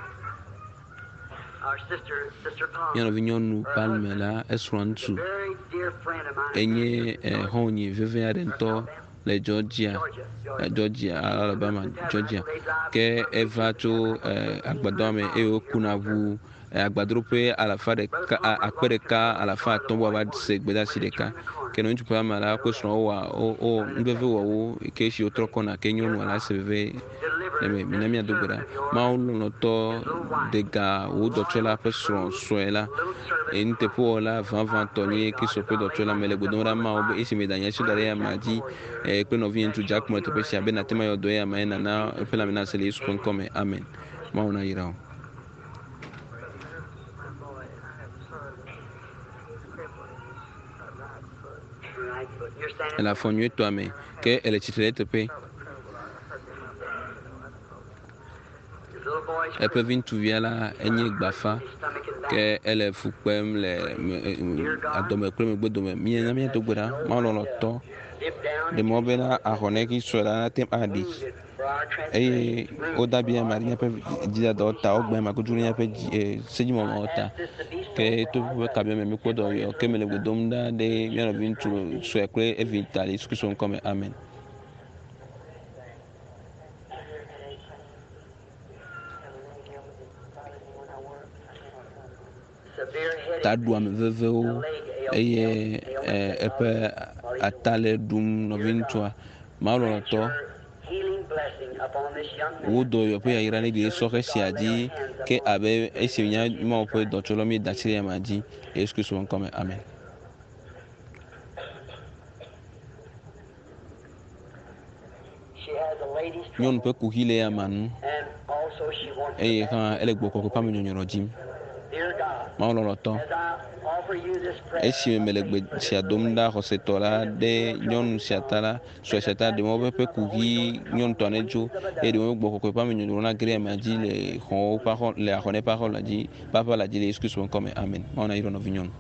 Our sister, Sister Palmer. Mía nɔvinyɔnu Palmer la esrɔ̃ is a ŋutsu. very dear friend of mine. Enye xɔ̃nye veve aɖe ŋutɔ le Georgia, Georgia, Georgia. Georgia, Alabama, Georgia. Ke eva tso agbadɔa me eye wokuna ʋu agbadroƒe alafa ɖeka akpe ɖeka alafa atɔ̃ bɔ va se gbedeasi ɖeka. Ke nɔviŋutsu Palmer la kple srɔ̃a wowɔ wo nuveve wɔ wo ke esi wotrɔ kɔna ke nyɔnua la se veve le me. Mina míado gbe ɖa. Mawu lɔlɔ̃tɔ de ga wò dɔtsɔla ƒe srɔ̃ sue la. Eye nuteƒewɔla vavãtɔ nye Kristo ƒe dɔtsɔla me le gbe dom ɖa Mawu be esi meda nye asi da ɖe amea dzi kple nɔvinye ŋutsu Jack le teƒe sia be nàte ŋu ayɔ dɔ ye amea ye nàna eƒe lãme nase le Yesu ƒe ŋkɔ me. Amen. Mawu nayra wò. Right foot. You're standing. Ele afɔ nyuietɔa me ke ele tsitre ɖe teƒe. His little boy's Eƒe vi ŋutsuvia la enye gbafa his stomach and back. ke ele fu kpem le adɔme kple megbedome. Míena míado gbe ɖa. Mawu lɔlɔ̃tɔ Dip down ɖe mɔ bena ahɔnɛ sue la nate ŋu aɖi wounded for our eye transgressions. woda bi ame ɖe míaƒe dzidadawo ta wogbe ame kudu ɖe míaƒe dzi sedzimɔmɔwo ta ke to ƒe kabia me míekpɔ dɔyɔ ke mele gbe dom ɖa ɖe mía nɔvi ŋutsu sue kple evi ta le Yesu Kristo ŋkɔ me. Amen. Severe headache. Taɖuame vevewo eye eƒe ata le ɖum nɔvi ŋutsua. Mawu lɔlɔ̃tɔ Your healing blessing upon this young man. wo dɔyɔ ƒe yayra ne ɖe sɔhɛ sia dzi ke abe esi nya Mawu ƒe dɔtsɔla míeda asi ɖe amea dzi le Yesu Kristo ƒe ŋkɔ me. Amen. She has a lady's Nyɔnu trouble, ƒe kuxi le amea nu and also she wants eye the hã ele gbɔ kɔkɔe ƒe amenyɔnyrɔ dzim. Dear God, Mawu lɔlɔ̃tɔ as I offer you this prayer, esime mele gbe sia dom ɖa xɔsetɔ la ɖe nyɔnu sia ta la sue sia ta ɖe mɔ be eƒe kuxi nyɔnutɔ ne tso eye ɖe mɔ be gbɔ kɔkɔe ƒe amenyɔnyrɔ na ge ɖe amea dzi le xɔwo ƒe axɔ le axɔnɛ ƒe axɔ la dzi ƒe aƒe la dzi le Yesu Kristo ƒe ŋkɔ me. Amen. Mawu nayra nɔvi nyɔnu.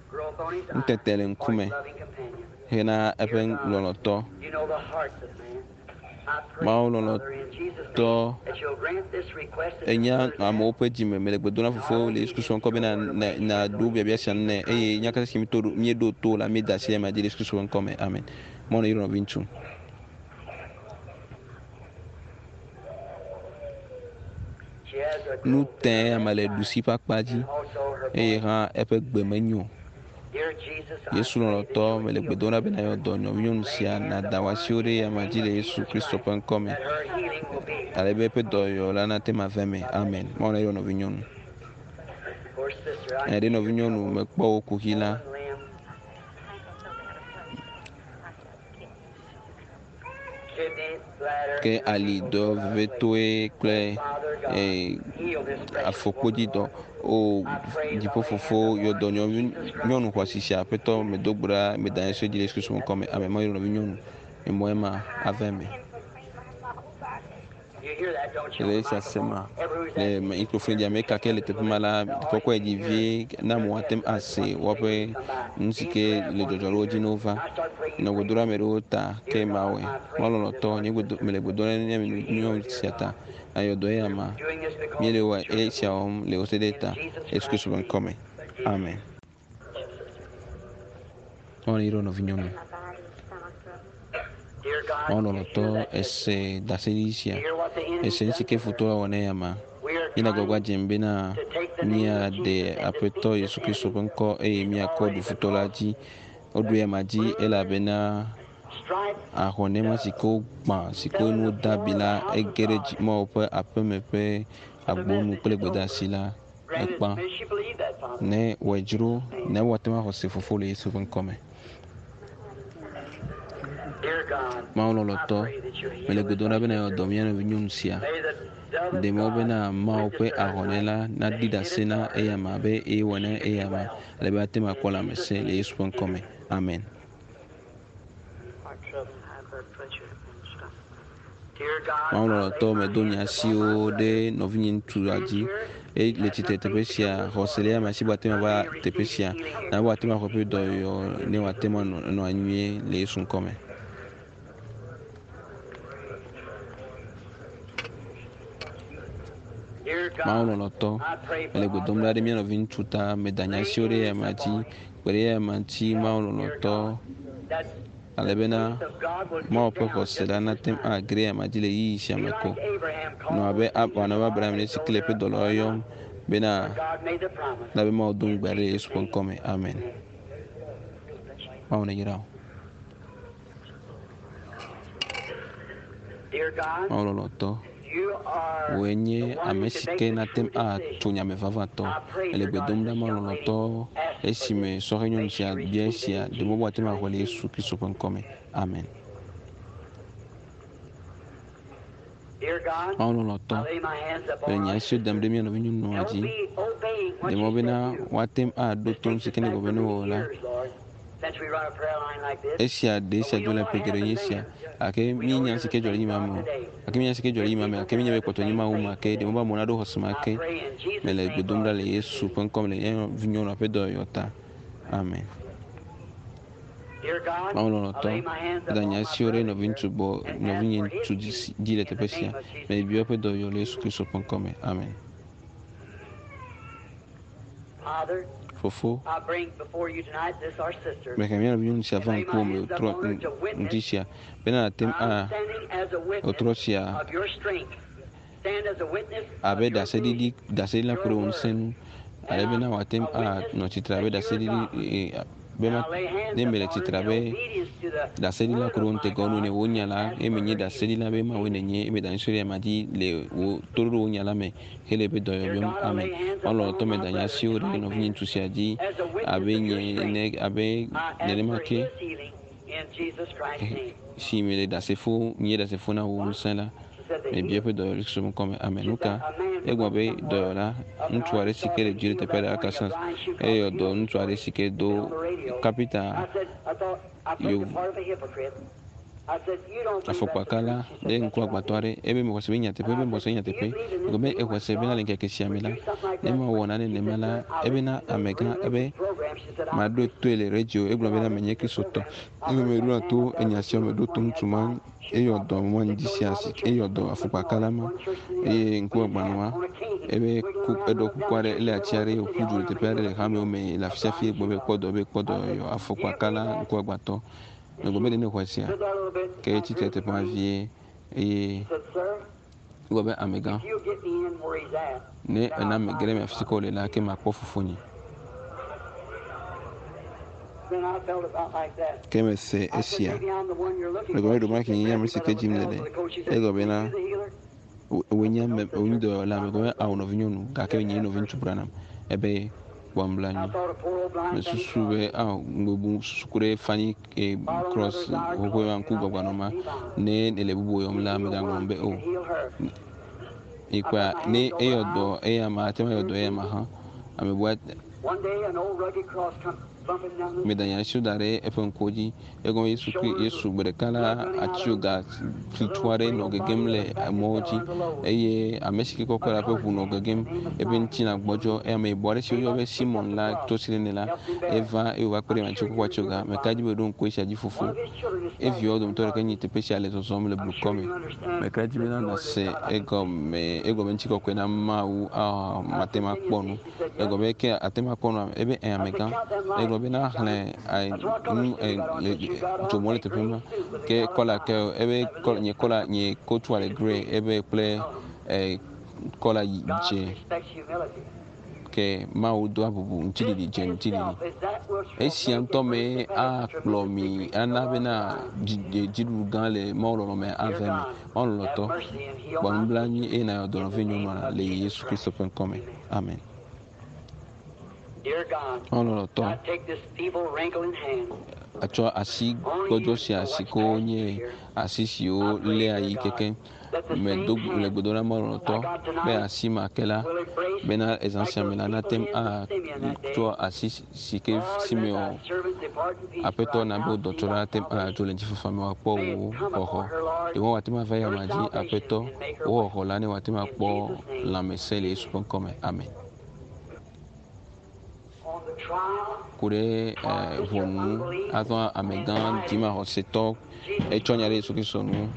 growth on his eyes Nutete le for ŋkume his loving companion. hena eƒe lɔlɔ̃tɔ. You know the hearts of man. I pray, Mawu Father, in Jesus' name, lɔlɔ̃tɔ that you'll grant this request and enya this sister's amewo ƒe dzime mele gbe dom na fofowo le Yesu Kristo ƒe ŋkɔ be nàɖo biabia sia nu nɛ eye nya katã si míeɖo to la míeda asi ɖe amea dzi le Yesu Kristo ƒe ŋkɔ me. Amen. Mawu nayra nɔvi ŋutsu. She has a Nu growth te ame le ɖusi ƒe akpa dzi and also her eye voice. hã eƒe gbe menyo. Dear Jesus, I Yesu pray lɔlɔ̃tɔ that you'll mele gbe heal dom ɖa be nàyɔ dɔ nɔvinyɔnu sia nàda wò asiwo ɖe amea dzi le Yesu Kristo ƒe ŋkɔ me that her healing will be. ale be eƒe dɔyɔyɔ la nate ŋu ava eme. Amen. Mawu nayra nɔvinyɔnu. Poor sister, I Nya ɖe nɔvinyɔnu mekpɔ wò kuxi la swollen limb, kidney, bladder, ke ali dɔ vevetoe kple Father God, heal this precious afɔkpodzi woman, dɔ. Lord. O dziƒofofo yɔ dɔ nyɔnu xɔasi sia aƒetɔ medo gbe ɖa meda nye asi dzi le Yesu Kristo ƒe ŋkɔ me. Amen. Mawu nayra nɔvinyɔnu. Emɔ ema ava eme. You Le esia sema le mikrofon dzi ame ka ke le teƒe ma la kɔkɔe dzi vie na amewo ate ŋu ase woƒe nu si ke le dzɔdzɔ ɖe wo dzi ne wova. Nɔ gbe dom ɖe ame ɖewo ta ke mawɔe. Mawu lɔlɔ̃tɔ nye gbedo mele gbe dom ɖe ne nyɔnu sia ta. Ayɔ dɔ eya ma. Míele wɔ esia wɔm le wò se ɖe ta. Yesu Kristo ƒe ŋkɔme. Amen. Mawu ne yra nɔvinyɔnu. Mawu lɔlɔ̃tɔ ese ɖaseɖiɖi sia. Ese nu si ke futɔ la wɔ na eya ma. Míele agbagba dzem bena míaɖe Aƒetɔ Yesu Kristo ƒe ŋkɔ eye míakɔ ɖu futɔ la dzi. Woɖu eya ma dzi elabena ahɔnɛma si ke wogbã si ke nu wode abi la ege ɖe dzi Mawu ƒe aƒeme ƒe agbonu kple gbedeasi la ekpã. Ne wɔe dzro ne woate ŋu axɔ se fofo le Yesu ƒe ŋkɔme. Mawu lɔlɔ̃tɔ, mele gbe dom ɖa bena yeawɔ dɔ mía nɔvi nyɔnu sia. Ɖe mɔ bena Mawu ƒe ahɔnɛ la naɖi ɖase na eyama abe eye wɔ na eyama ale be ate ŋu akpɔ lãmesẽ le Yesu ƒe ŋkɔme. Amen. Mawu lɔlɔ̃tɔ, medo nye asiwo ɖe nɔvinye ŋutsu la dzi eye le tsitre teƒe sia xɔse le ame si be wòate ŋu ava teƒe sia na be wòate ŋu axɔ eƒe dɔyɔyɔ ne wòate ŋu anɔ anɔ anyi nyuie le Yesu ŋkɔme. Mawu lɔlɔ̃tɔ, mele gbe dom ɖa ɖe mía nɔvi ŋutsu ta, meda nye asiwo ɖe eya amea dzi, kpe ɖe eya amea ŋuti, Mawu lɔlɔ̃tɔ, ale bena Mawu ƒe xɔse la nate ŋu age ɖe eya dzi le ɣeyiɣi sia me ko. Nɔ abe wòanɔ abe Abraham ene si ke le eƒe dɔlawo yɔm bena elabe Mawu do ŋugbe aɖe le Yesu ƒe ŋkɔ me. Amen. Mawu neyra wò. Mawu lɔlɔ̃tɔ, wòe nye ame si ke nate ŋu atso nya me vavãtɔ. Èle gbe dom ɖa Mawu lɔlɔ̃tɔ esime sɔhɛ nyɔnu sia bia esia, ɖe mɔ be wòate ŋu axɔe le Yesu Kristo ƒe ŋkɔ me. Amen. Mawu lɔlɔ̃tɔ, mele nye asiwo dam ɖe mía nɔvinyɔnua dzi. Ɖe mɔ bena woate ŋu aɖo to nu si ke negblɔ be ne wowɔ la. Esia ɖe esia dzɔ le ƒe geɖe nye esia. Gake míenya nu si ke dzɔ le yi ma me o. Gake míenya nu si ke dzɔ le yi ma me gake míenya be kpɔtɔ nye Mawu ma ke. Ɖe mɔ be amewo naɖo xɔse ma ke. Mele gbe dom ɖa le Yesu ƒe ŋkɔ me le mía nɔvinyɔnua ƒe dɔyɔyɔ ta. Amen. Mawu lɔlɔ̃tɔ, meda nye asiwo ɖe nɔviŋutsu gbɔ, nɔvinye ŋutsu dzi le teƒe sia. Mebia eƒe dɔyɔyɔ le Yesu Kristo ƒe ŋkɔ me. Amen. Fofo, mehe mía nɔvinyɔnu sia va ŋkuwò me wòtrɔ ŋdi sia bena nàte ŋu a wòtrɔ sia abe ɖaseɖiɖi ɖaseɖila ku ɖe wò ŋusẽ ŋu ale bena wòate ŋu anɔ tsitre abe ɖaseɖiɖi be ma ne mele tsitre abe ɖaseɖila ku ɖe wò ŋutegawo nu ene wò nya la eye menye ɖaseɖila be Mawue nènye eye meda nusi ɖe ama dzi le wò toɖoɖo wò nya la me hele eƒe dɔyɔyɔm. Amen. Mawu lɔlɔ̃tɔ meda nye asiwo ɖe nɔvinye ŋutsu sia dzi abe nye ene abe nenema ke si mele ɖasefo nye ɖasefo na wò ŋusẽ la mebia eƒe dɔyɔyɔ le Kristo ƒe ŋkɔ me. Amen. Nuka? Egblɔ be dɔyɔla ŋutsu aɖe si ke le dzi le teƒe aɖe Arkansas eye yɔ dɔ ŋutsu aɖe si ke do kapita yevu afɔkpakala ɖe ŋkuagbãtɔ aɖe ebe mexɔ se be nyateƒe ebe mexɔ se nyateƒe egblɔ be exɔ se bena le ŋkeke sia me la ne mawɔ nane nenema la ebena amegã ebe maɖo toe le radio egblɔ bena menye kristotɔ eye meɖoa to enya sia meɖo to ŋutsu ma eyɔ dɔ ma ŋdi sia si eyɔ dɔ afɔkpakala ma eye ŋkuagbãnɔa ebe ku eɖɔ kuku aɖe ele ati aɖe wòƒu du le teƒe aɖe le hamewo me le afi sia fi egblɔ be kpɔ dɔ be kpɔ dɔ yɔ afɔkpakala ŋkuagbãtɔ Megblɔ be ɖe nexɔe sea? Ke etsi tre teƒe ma vie eye egblɔ be amegã, ne èna mege ɖe eme afi si ke wòle la, ke makpɔ fofonye. Ke mese esia. Megblɔ be ɖewomahi nye ame si ke dim nèle. Egblɔ bena wòe nye ame, wòe nye dɔyɔla. Megblɔ be ao nɔvinyɔnu, gake nyee nɔviŋutsu Branham. Ebe kpɔ nublanui. Mesusu be ao mebu susu ku ɖe Fanny Cross xoxoe ma ŋku gbagba ma. Ne ele bubu yɔm la, megaŋlɔm be o. Mikpɔa, ne eyɔ dɔ eya ma, ate ŋu ayɔ dɔ eya ma hã. Ame bua. Meda nye asiwo da ɖe eƒe ŋkuwo dzi. Egɔme Yesu kri Yesu gbe ɖeka la atsioga flitsu aɖe nɔ gegem le emɔwo dzi eye ame si ke kɔkɔ la ƒe ʋu nɔ gegem. Eƒe ŋutilã gbɔdzɔ eye ameyibɔ aɖe si woyɔ be Simon la to si ɖe nɛ la eva eye wòva kpe ɖe ame kɔkɔ atsioga. Meka dzi be ɖo ŋku esia dzi fofo. Eviawo dometɔ ɖeka nyi teƒe sia le zɔzɔm le blukɔ me. Meka dzi bena nàse egɔme egɔme ŋutikɔkɔe na Mawu ah mate ŋu akpɔ nu. Egɔme ke ate ŋu akpɔ nua ebe ɛ amegã. Egblɔ bena xlẽ nu le dzomɔ le teƒe ma ke kɔla ke ebe kɔla nye kɔla nye kotua le grey ebe kple kɔla dze ke Mawu doa bubu ŋutiɖiɖi dze ŋutiɖiɖi. Esia ŋutɔ mee akplɔ mi ana bena dziɖuɖu gã le Mawu lɔlɔ me ava eme. Mawu lɔlɔtɔ, kpɔ nublanui eye nàyɔ dɔ nɔvinyɔnua le Yesu Kristo ƒe ŋkɔ me. Amen. Mawu lɔlɔtɔ, atsɔ asi gbɔdzɔ sia si ke wonye asi siwo léa yi keke medo le gbedoɖa na Mawu lɔlɔtɔ be asi ma ke la bena ezã sia me la nate ŋu atsɔ asi si ke si me o aƒetɔ na be wò dɔtsɔla nate ŋu adzo le ŋutifafa me wòakpɔ wò xɔxɔ. Ɖe woate ŋu ava eyama dzi aƒetɔ wò xɔxɔ la ne wòate ŋu akpɔ lãmesẽ le Yesu ƒe ŋkɔ me. Amen. Ku ɖe ʋɔnu azɔ amegã dzimaxɔsetɔ etsɔ nya ɖe Yesu Kristo nu.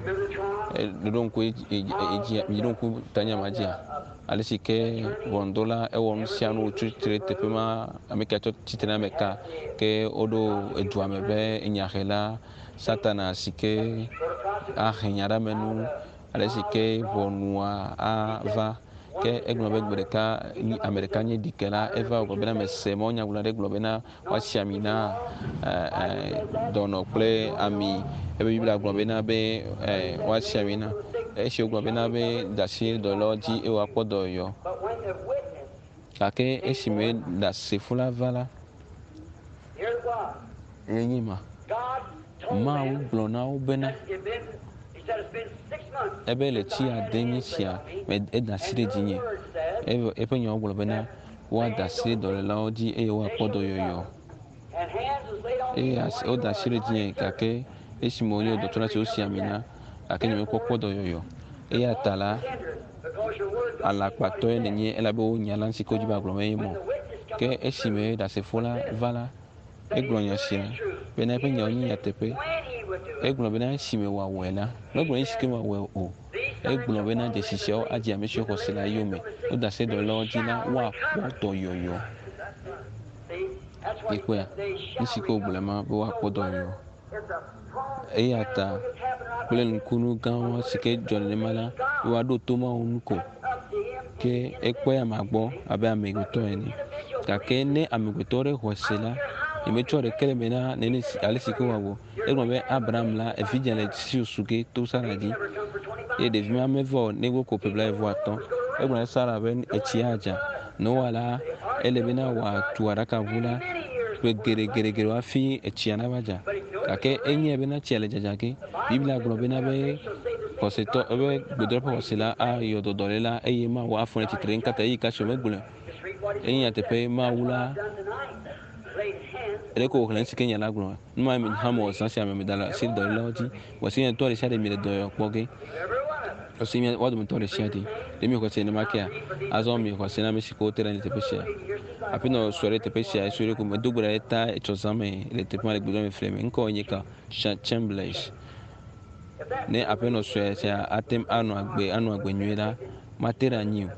Ɖo ŋku edzi, ɖo ŋku tanya ma dzia? Ale si ke ʋɔnudrɔ̃la ewɔ nu sia nu wòtsi tre ɖe teƒe ma, ame ka tsɔ tsitre na ame ka ke woɖo edua me be enyahela Satana si ke ahe nya ɖe ame nu Ale si ke ʋɔnua ava. Ke egblɔ be gbe ɖeka ame ɖeka nye ɖikela eva wògblɔ bena mese mawunyagblɔla aɖe gblɔ bena woasi ami na dɔnɔ kple ami. Ebe Biblia gblɔ bena be woasi ami na. Esi wogblɔ bena be da asi ɖe dɔlélawo dzi eye woakpɔ dɔyɔyɔ. Gake esime ɖasefo la va la, ye nye ma. Mawu gblɔ na wo bena, ebe le tsi ade nye tsia me eda asi ɖe dzinye. Eƒe nyawo gblɔ bena woada asi ɖe dɔlélawo dzi eye woakpɔ dɔyɔyɔ. Eye woda asi ɖe dzinye gake esime wonye dɔtsɔla si wosi ami na gake nyemekpɔ kpɔ dɔyɔyɔ. Eya ta la, alakpatɔe nènye elabe wò nya la ŋuti ke wodzi be agblɔ menye mɔ. Ke esime ɖasefo la va la, egblɔ nya sia bena eƒe nyawo nye nyateƒe. Egblɔ bena esime wòawɔe la, megblɔ esi ke wòawɔe o. Egblɔ bena dzesi siawo adze ame siwo xɔ se la yome. Woda se dɔlélawo dzi la, woakpɔ dɔyɔyɔ. Mikpɔea? Nu si ke wògblɔe ma be woakpɔ dɔyɔyɔ. Eya ta kple nukunu gãwo si ke dzɔ nenema la, woaɖo to Mawu ŋu ko. Ke ekpɔe amea gbɔ abe amegbetɔ ene. Gake ne amegbetɔ ɖe xɔe se la, nyemetsɔ ɖeke le eme na nene si ale si ke wòawɔ. Egblɔ be Abraham la, evidzĩ le si su ge to Sara dzi. Eye ɖevi ma meva o negbe ko ƒe blaeve-vɔ-atɔ̃. Egblɔ na Sara be etsi adza. Noa la, ele bena wòatu aɖakaʋu la ƒe geɖegeɖegeɖe hafi etsia nava dza. Gake enyae bena tsia le dzadza ge. Biblia gblɔ bena be xɔsetɔ ebe gbedoɖa ƒe xɔse la ayɔ dɔ dɔléla eye Mawu afɔ ɖe tsitre. Nukata eyi kasi megblɔe. Enye nyateƒe Mawu la ɖeko wòxlẽ nu si ke nya la gblɔ. Nu ma hã mewɔ zã sia me meda le asi dɔlélawo dzi. Vɔ si nye tɔ ɖe sia ɖe mi le dɔyɔyɔ kpɔ ge. Esi mía woa dometɔ ɖe sia ɖe ɖe mi xɔse nenema kea, azɔ mi xɔse na ame si ke wote ɖe anyi le teƒe sia. Aƒenɔ sue ɖe teƒe sia, esue ɖe ko medo gbe ɖa ɖe ta etsɔ zã me le teƒe ma le gbedɔ me fli me. Ŋkɔ nye ka? Chamberlain. Ne aƒenɔ sue sia ate ŋu anɔ agbe anɔ agbe nyuie la, mate ɖe anyi o.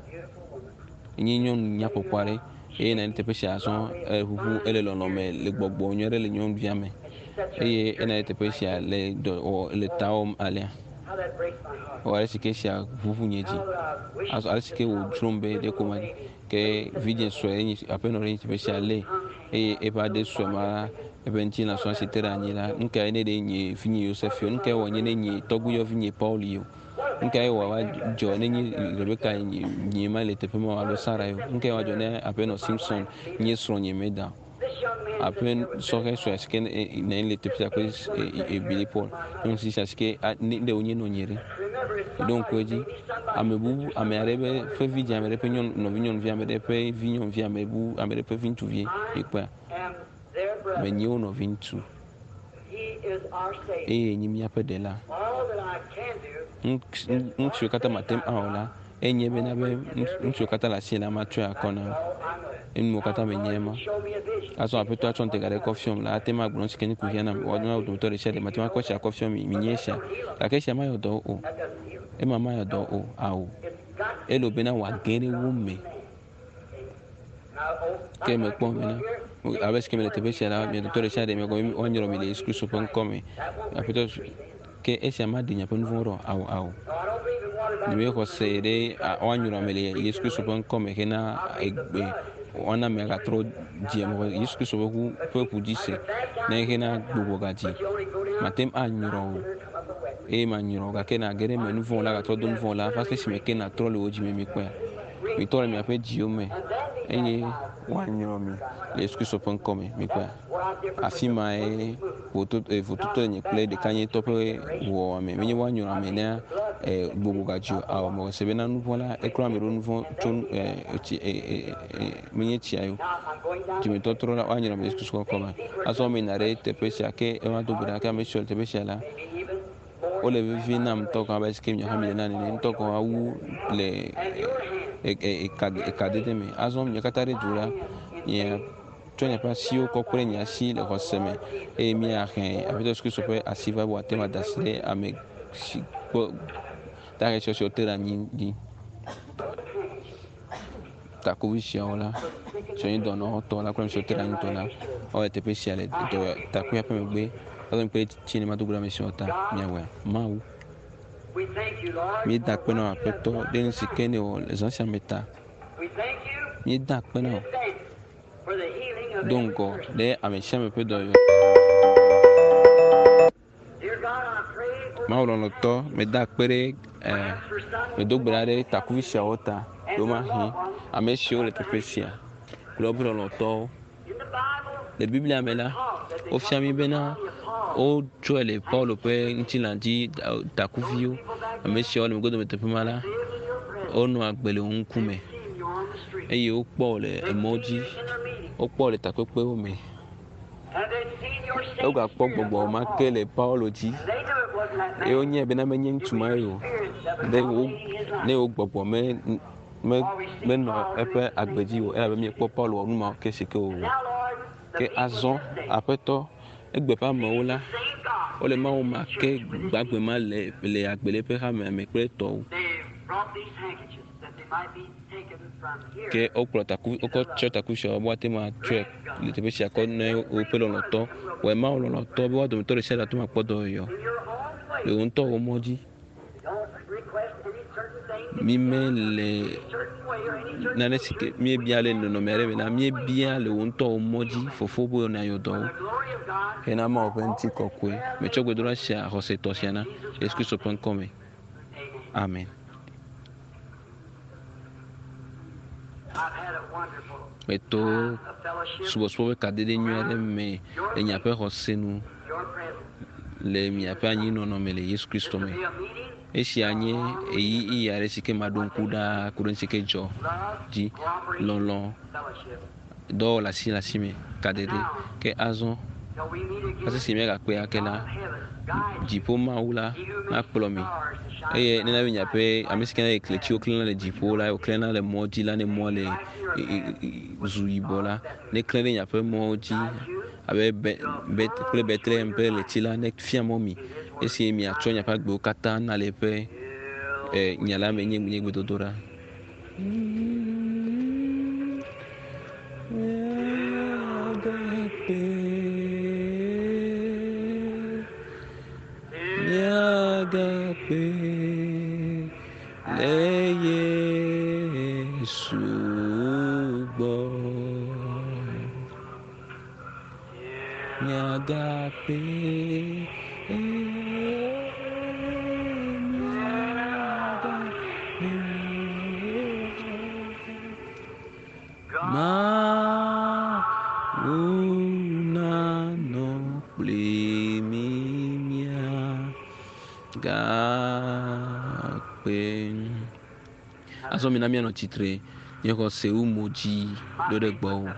Enye nyɔnu nyakpɔkpɔ aɖe eye nɔ anyi ɖe teƒe sia azɔ eʋuʋu ele lɔlɔ me le gbɔgbɔ nyui aɖe le nyɔnuvia me eye enɔ anyi ɖe teƒe sia le dɔ wɔ le ta wɔm alea. Ewɔ ale si ke esia ʋuʋu nye dzi. Azɔ ale si ke wòdzrom be ɖeko ma ke vidzĩ sue enyi aƒenɔ ɖe nyi teƒe sia lé eye eƒe aɖe sue ma eƒe ŋutilã sue si te ɖe anyi la nu kae ne ɖe nye vinye Yosef o nu kae wɔ nye ne nye tɔgbuiyɔvi nye Paul yi o. Nu kae wòava dzɔ nenye Rebeka nyee ma le teƒe ma alo Sara ye o? Nu kae wòadzɔ ne aƒenɔ Simson nye srɔ̃nye meda o? Aƒe sɔhɛ sue si ke nɔ anyi le teƒe sia kple Billy Paul, nyɔnu sia si ke ne ɖe wonye nɔnye ɖe. Ɖo ŋku edzi, ame bubu, ame aɖe ƒe ƒe vidzĩ, ame aɖe ƒe nyɔnu, nɔvi nyɔnuvi, ame aɖe ƒe vi nyɔnuvi, ame bu, ame aɖe ƒe vi ŋutsuvie. Mikpɔea? Menye wo nɔviŋutsu eye nye míaƒe ɖela. Nu siwo katã mate ŋu awɔ la, enye bena be nu siwo katã le asinye la matsɔe akɔ na wò. Enu katã menye ema. Azɔ Aƒetɔ atsɔ ŋutega ɖe kɔ fiɔm la, ate ŋu agblɔ nu si ke nye kuxia nam. Woawo wo dometɔ ɖe sia ɖe mate ŋu akɔ esia akɔ fiɔ mi. Minye esia. Gake esia mayɔ dɔ o. Ema mayɔ dɔ o. Ao. Ele bena wòage ɖe wo me. Ke mekpɔ bena abe si ke mele teƒe sia la, mia dometɔ ɖe sia ɖe miagɔme woanyrɔ mi le Yesu Kristo ƒe ŋkɔ me. Aƒetɔ ke esia maɖe miaƒe nu vɔ̃wo ɖa o. Ao, ao. Nyemexɔ se ɖe woanyrɔ ame le Yesu Kristo ƒe ŋkɔ me hena egbe woana ame agatrɔ dzi ame Yesu Kristo ƒe ʋu ƒe ʋu dzi se ne hena gbugbɔ gadzi. Mate ŋu anyrɔ o eye manyrɔ gake nage ɖe eme nu vɔ̃ la gatrɔ do nu vɔ̃ la va se esime ke natrɔ le wò dzi me mikpɔea. Mitɔ le miaƒe dziwo me eye woanyrɔ mi le Yesu Kristo ƒe ŋkɔ me. Mikpɔea? Afi mae vototo le nye kple ɖekanyetɔ ƒe wɔwɔ me. Menye woanyrɔ ame ne gbogbo gadzi o. Ao, mewɔ se bena nu vɔ̃ la, eklɔ ame ɖo nu vɔ̃ tso tsi menye tsia yo. Dzimetɔtrɔ la, woanyrɔ ame le Yesu Kristo ƒe ŋkɔ me. Azɔ meyina ɖe teƒe sia ke ema do gbe ɖa ke ame siwo le teƒe sia la, wole vevie nam ŋutɔ gɔ̃ abe esike miawo hã miele na nene ŋutɔ gɔ̃ wu le ekadede me. Azɔ mia katã ɖe du la, miatsɔ miaƒe asiwo kɔ kpe ɖe nye asi le xɔse me eye miahe Aƒetɔ Yesu Kristo ƒe asi va be wòate ŋu ada asi ɖe ame si gbɔ dahe siwo te ɖe anyi dzi. Takuvi siawo la, siwo nye dɔnɔwo tɔ la kple ame siwo te ɖe anyi tɔ la, wole teƒe sia le dɔ takuia ƒe megbe. Azɔ mikpɔ ɖe tsi ne mado go ɖe ame siawo ta miawɔe. Mawu, míeda akpe na wò Aƒetɔ ɖe nu si ke nèwɔ le zã sia me ta. Míeda akpe na wò do ŋgɔ ɖe ame sia ame ƒe dɔyɔyɔ ta. Mawu lɔlɔ̃tɔ, meda akpe ɖe medo gbe ɖa ɖe takuvi siawo ta ɖewomahi ame siwo le teƒe sia kple woƒe lɔlɔ̃tɔwo. Le Biblia me la, wofia mí bena wotsɔe le Paulo ƒe ŋutilã dzi takuviwo. Ame siawo le megbe teƒe ma la, wonɔ agbe le wo ŋkume eye wokpɔ wo le emɔ dzi, wokpɔ wo le takpekpewo me. Wogakpɔ gbɔgbɔ ma ke le Paulo dzi eye wonyae bena menye ŋutsu ma ye o. Ne wo ne wo gbɔgbɔ me me menɔ eƒe agbe dzi o elabe míekpɔ Paulo wɔ nu ma ke si ke wòwɔ. Ke azɔ Aƒetɔ egbe ƒe amewo la, wole Mawu ma ke gbagbe ma le le agbe le eƒe hamea me kple etɔwo. Ke wokplɔ taku wokɔ tsɔ taku sia be woate ŋu atsɔe le teƒe sia kɔ ne woƒe lɔlɔ̃tɔ. Wɔe Mawu lɔlɔ̃tɔ be woa dometɔ ɖe sia ɖe ate ŋu akpɔ dɔyɔyɔ le wò ŋutɔ wò mɔ dzi. Mímele nane si ke míebia le nɔnɔme aɖe me la, míebia le wò ŋutɔ wò mɔ dzi Fofo be nàyɔ dɔ wo hena Mawu ƒe ŋutikɔkɔe. Metsɔ gbedoɖa sia xɔsetɔ sia na Yesu Kristo ƒe ŋkɔ me. Amen. Meto subɔsubɔ ƒe kadede nyui aɖe me le miaƒe xɔse nu le miaƒe anyinɔnɔ me le Yesu Kristo me. Esia nye ɣeyiɣi aɖe si ke maɖo ŋku ɖaa ku ɖe nu si ke dzɔ dzi. Lɔlɔ̃, dɔwɔwɔ le asi le asi me, kadede. Ke azɔ, hafi si míagakpɔe ake la, dziƒo Mawu la nakplɔ mi. Eye nena be miaƒe ame si ke ne kletiwo klẽna le dziƒo la, wòklẽna le mɔ dzi la, ne mɔ le zu yibɔ la, neklẽ ɖe miaƒe mɔwo dzi abe be, be, kple Betlehem ƒe ɣleti la, nefia mɔ mi esi miatsɔ miaƒe agbewo katã na le eƒe eh, nya la me nye nye gbedodoɖa. Míagakpe le Yesu gbɔ. Míagakpe míagakpe. Mawu nanɔ kpli mí míagakpe. Azɔ mina míanɔ tsitre, nye xɔse wu mo dzi ɖo ɖe gbɔwò.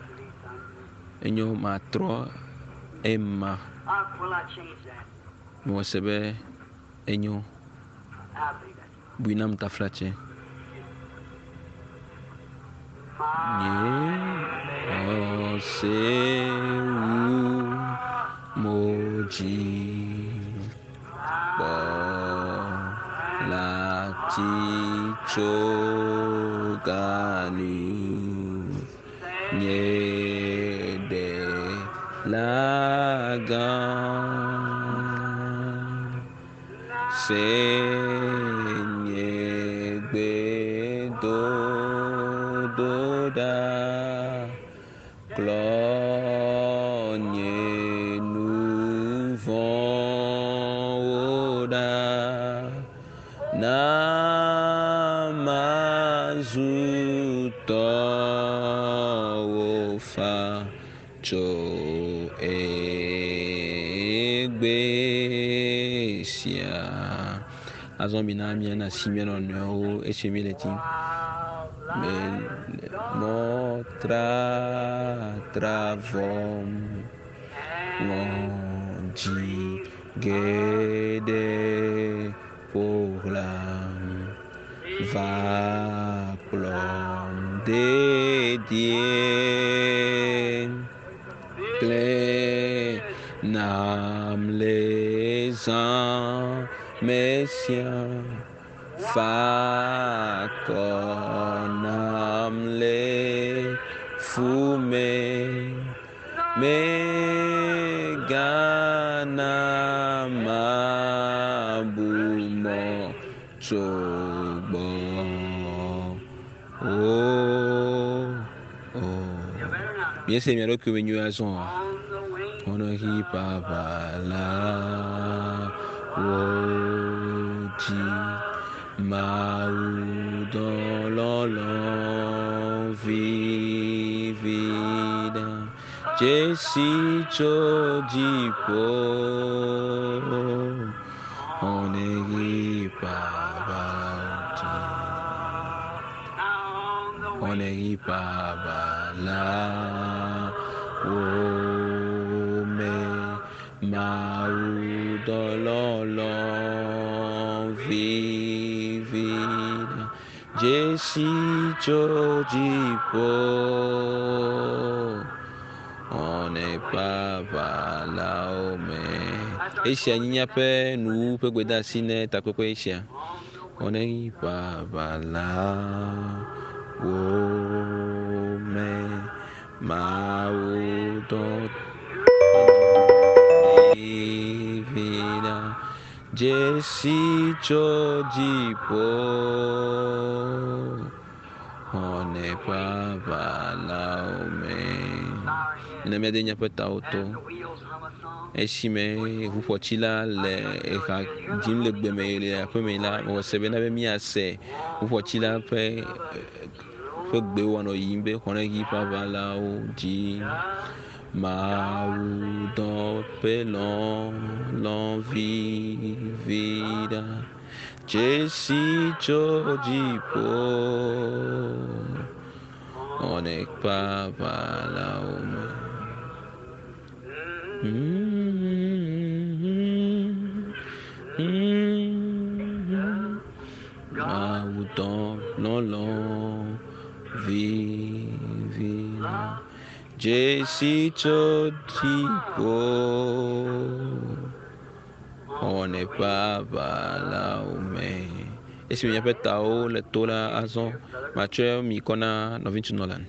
Enyo matrɔ Ema. Mewɔ se be enyo. Bui nam taflatse. Nye xɔse wu mo dzi kpɔ la ti tso ganu nye ɖe la gã. Se nye gbedodoɖa, klɔ nye nu vɔ̃wo ɖa, na mazu tɔwò fa tso egbe sia. Azɔ mina míana asi mía nɔnɔewo esi míele tim. Mɔ tratra vɔm ŋɔdzi geɖe ƒo xlãm va kplɔm dedie. Klẽ nam le zã me sia, fa akɔ nam le fu me. Mègana mabu mɔ tso gbɔ. O, o. Míese mia ɖokui me nyuie azɔ. Xɔnɔhi ƒaƒã wo dzi. Mawu dɔlɔlɔ vivi ɖa. Dzesi tso dziƒo. Xɔnɔhi ƒaƒã dzi. Xɔnɔhi ƒaƒã wo me. Mawu dɔlɔlɔ vivi ɖa. Dzesi tso dziƒo. Xɔnɔhi ƒaƒã wo me. Esia nye míaƒe nuwuwu ƒe gbedeasi ne takpekpe sia. Xɔnɔhi ƒaƒã wo me. Mawu dɔ vivi ɖa. Dzesi tso dziƒo. Xɔnɔhi ƒaƒã wo me. Ne míade míaƒe tawo to. Esime ʋuƒɔtsila le eha dzim le gbeme le aƒeme la, mewɔ se bena be míase ʋuƒɔtsila ƒe ƒe gbe wòanɔ yiyim be xɔnɔhi ƒaƒã wo dzi. Mawu dɔ ƒe lɔlɔ vivi ɖa. Dzesi tso dziƒo. Xɔnɔhi ƒaƒã wo me. Mawu dɔ lɔlɔ vivi ɖa. Dzesi tso dziƒo. Xɔnɔhi ƒaƒã wo me. Esime míaƒe tawo le to la azɔ, matsɔe mi kɔ na nɔviŋutsu Nolan.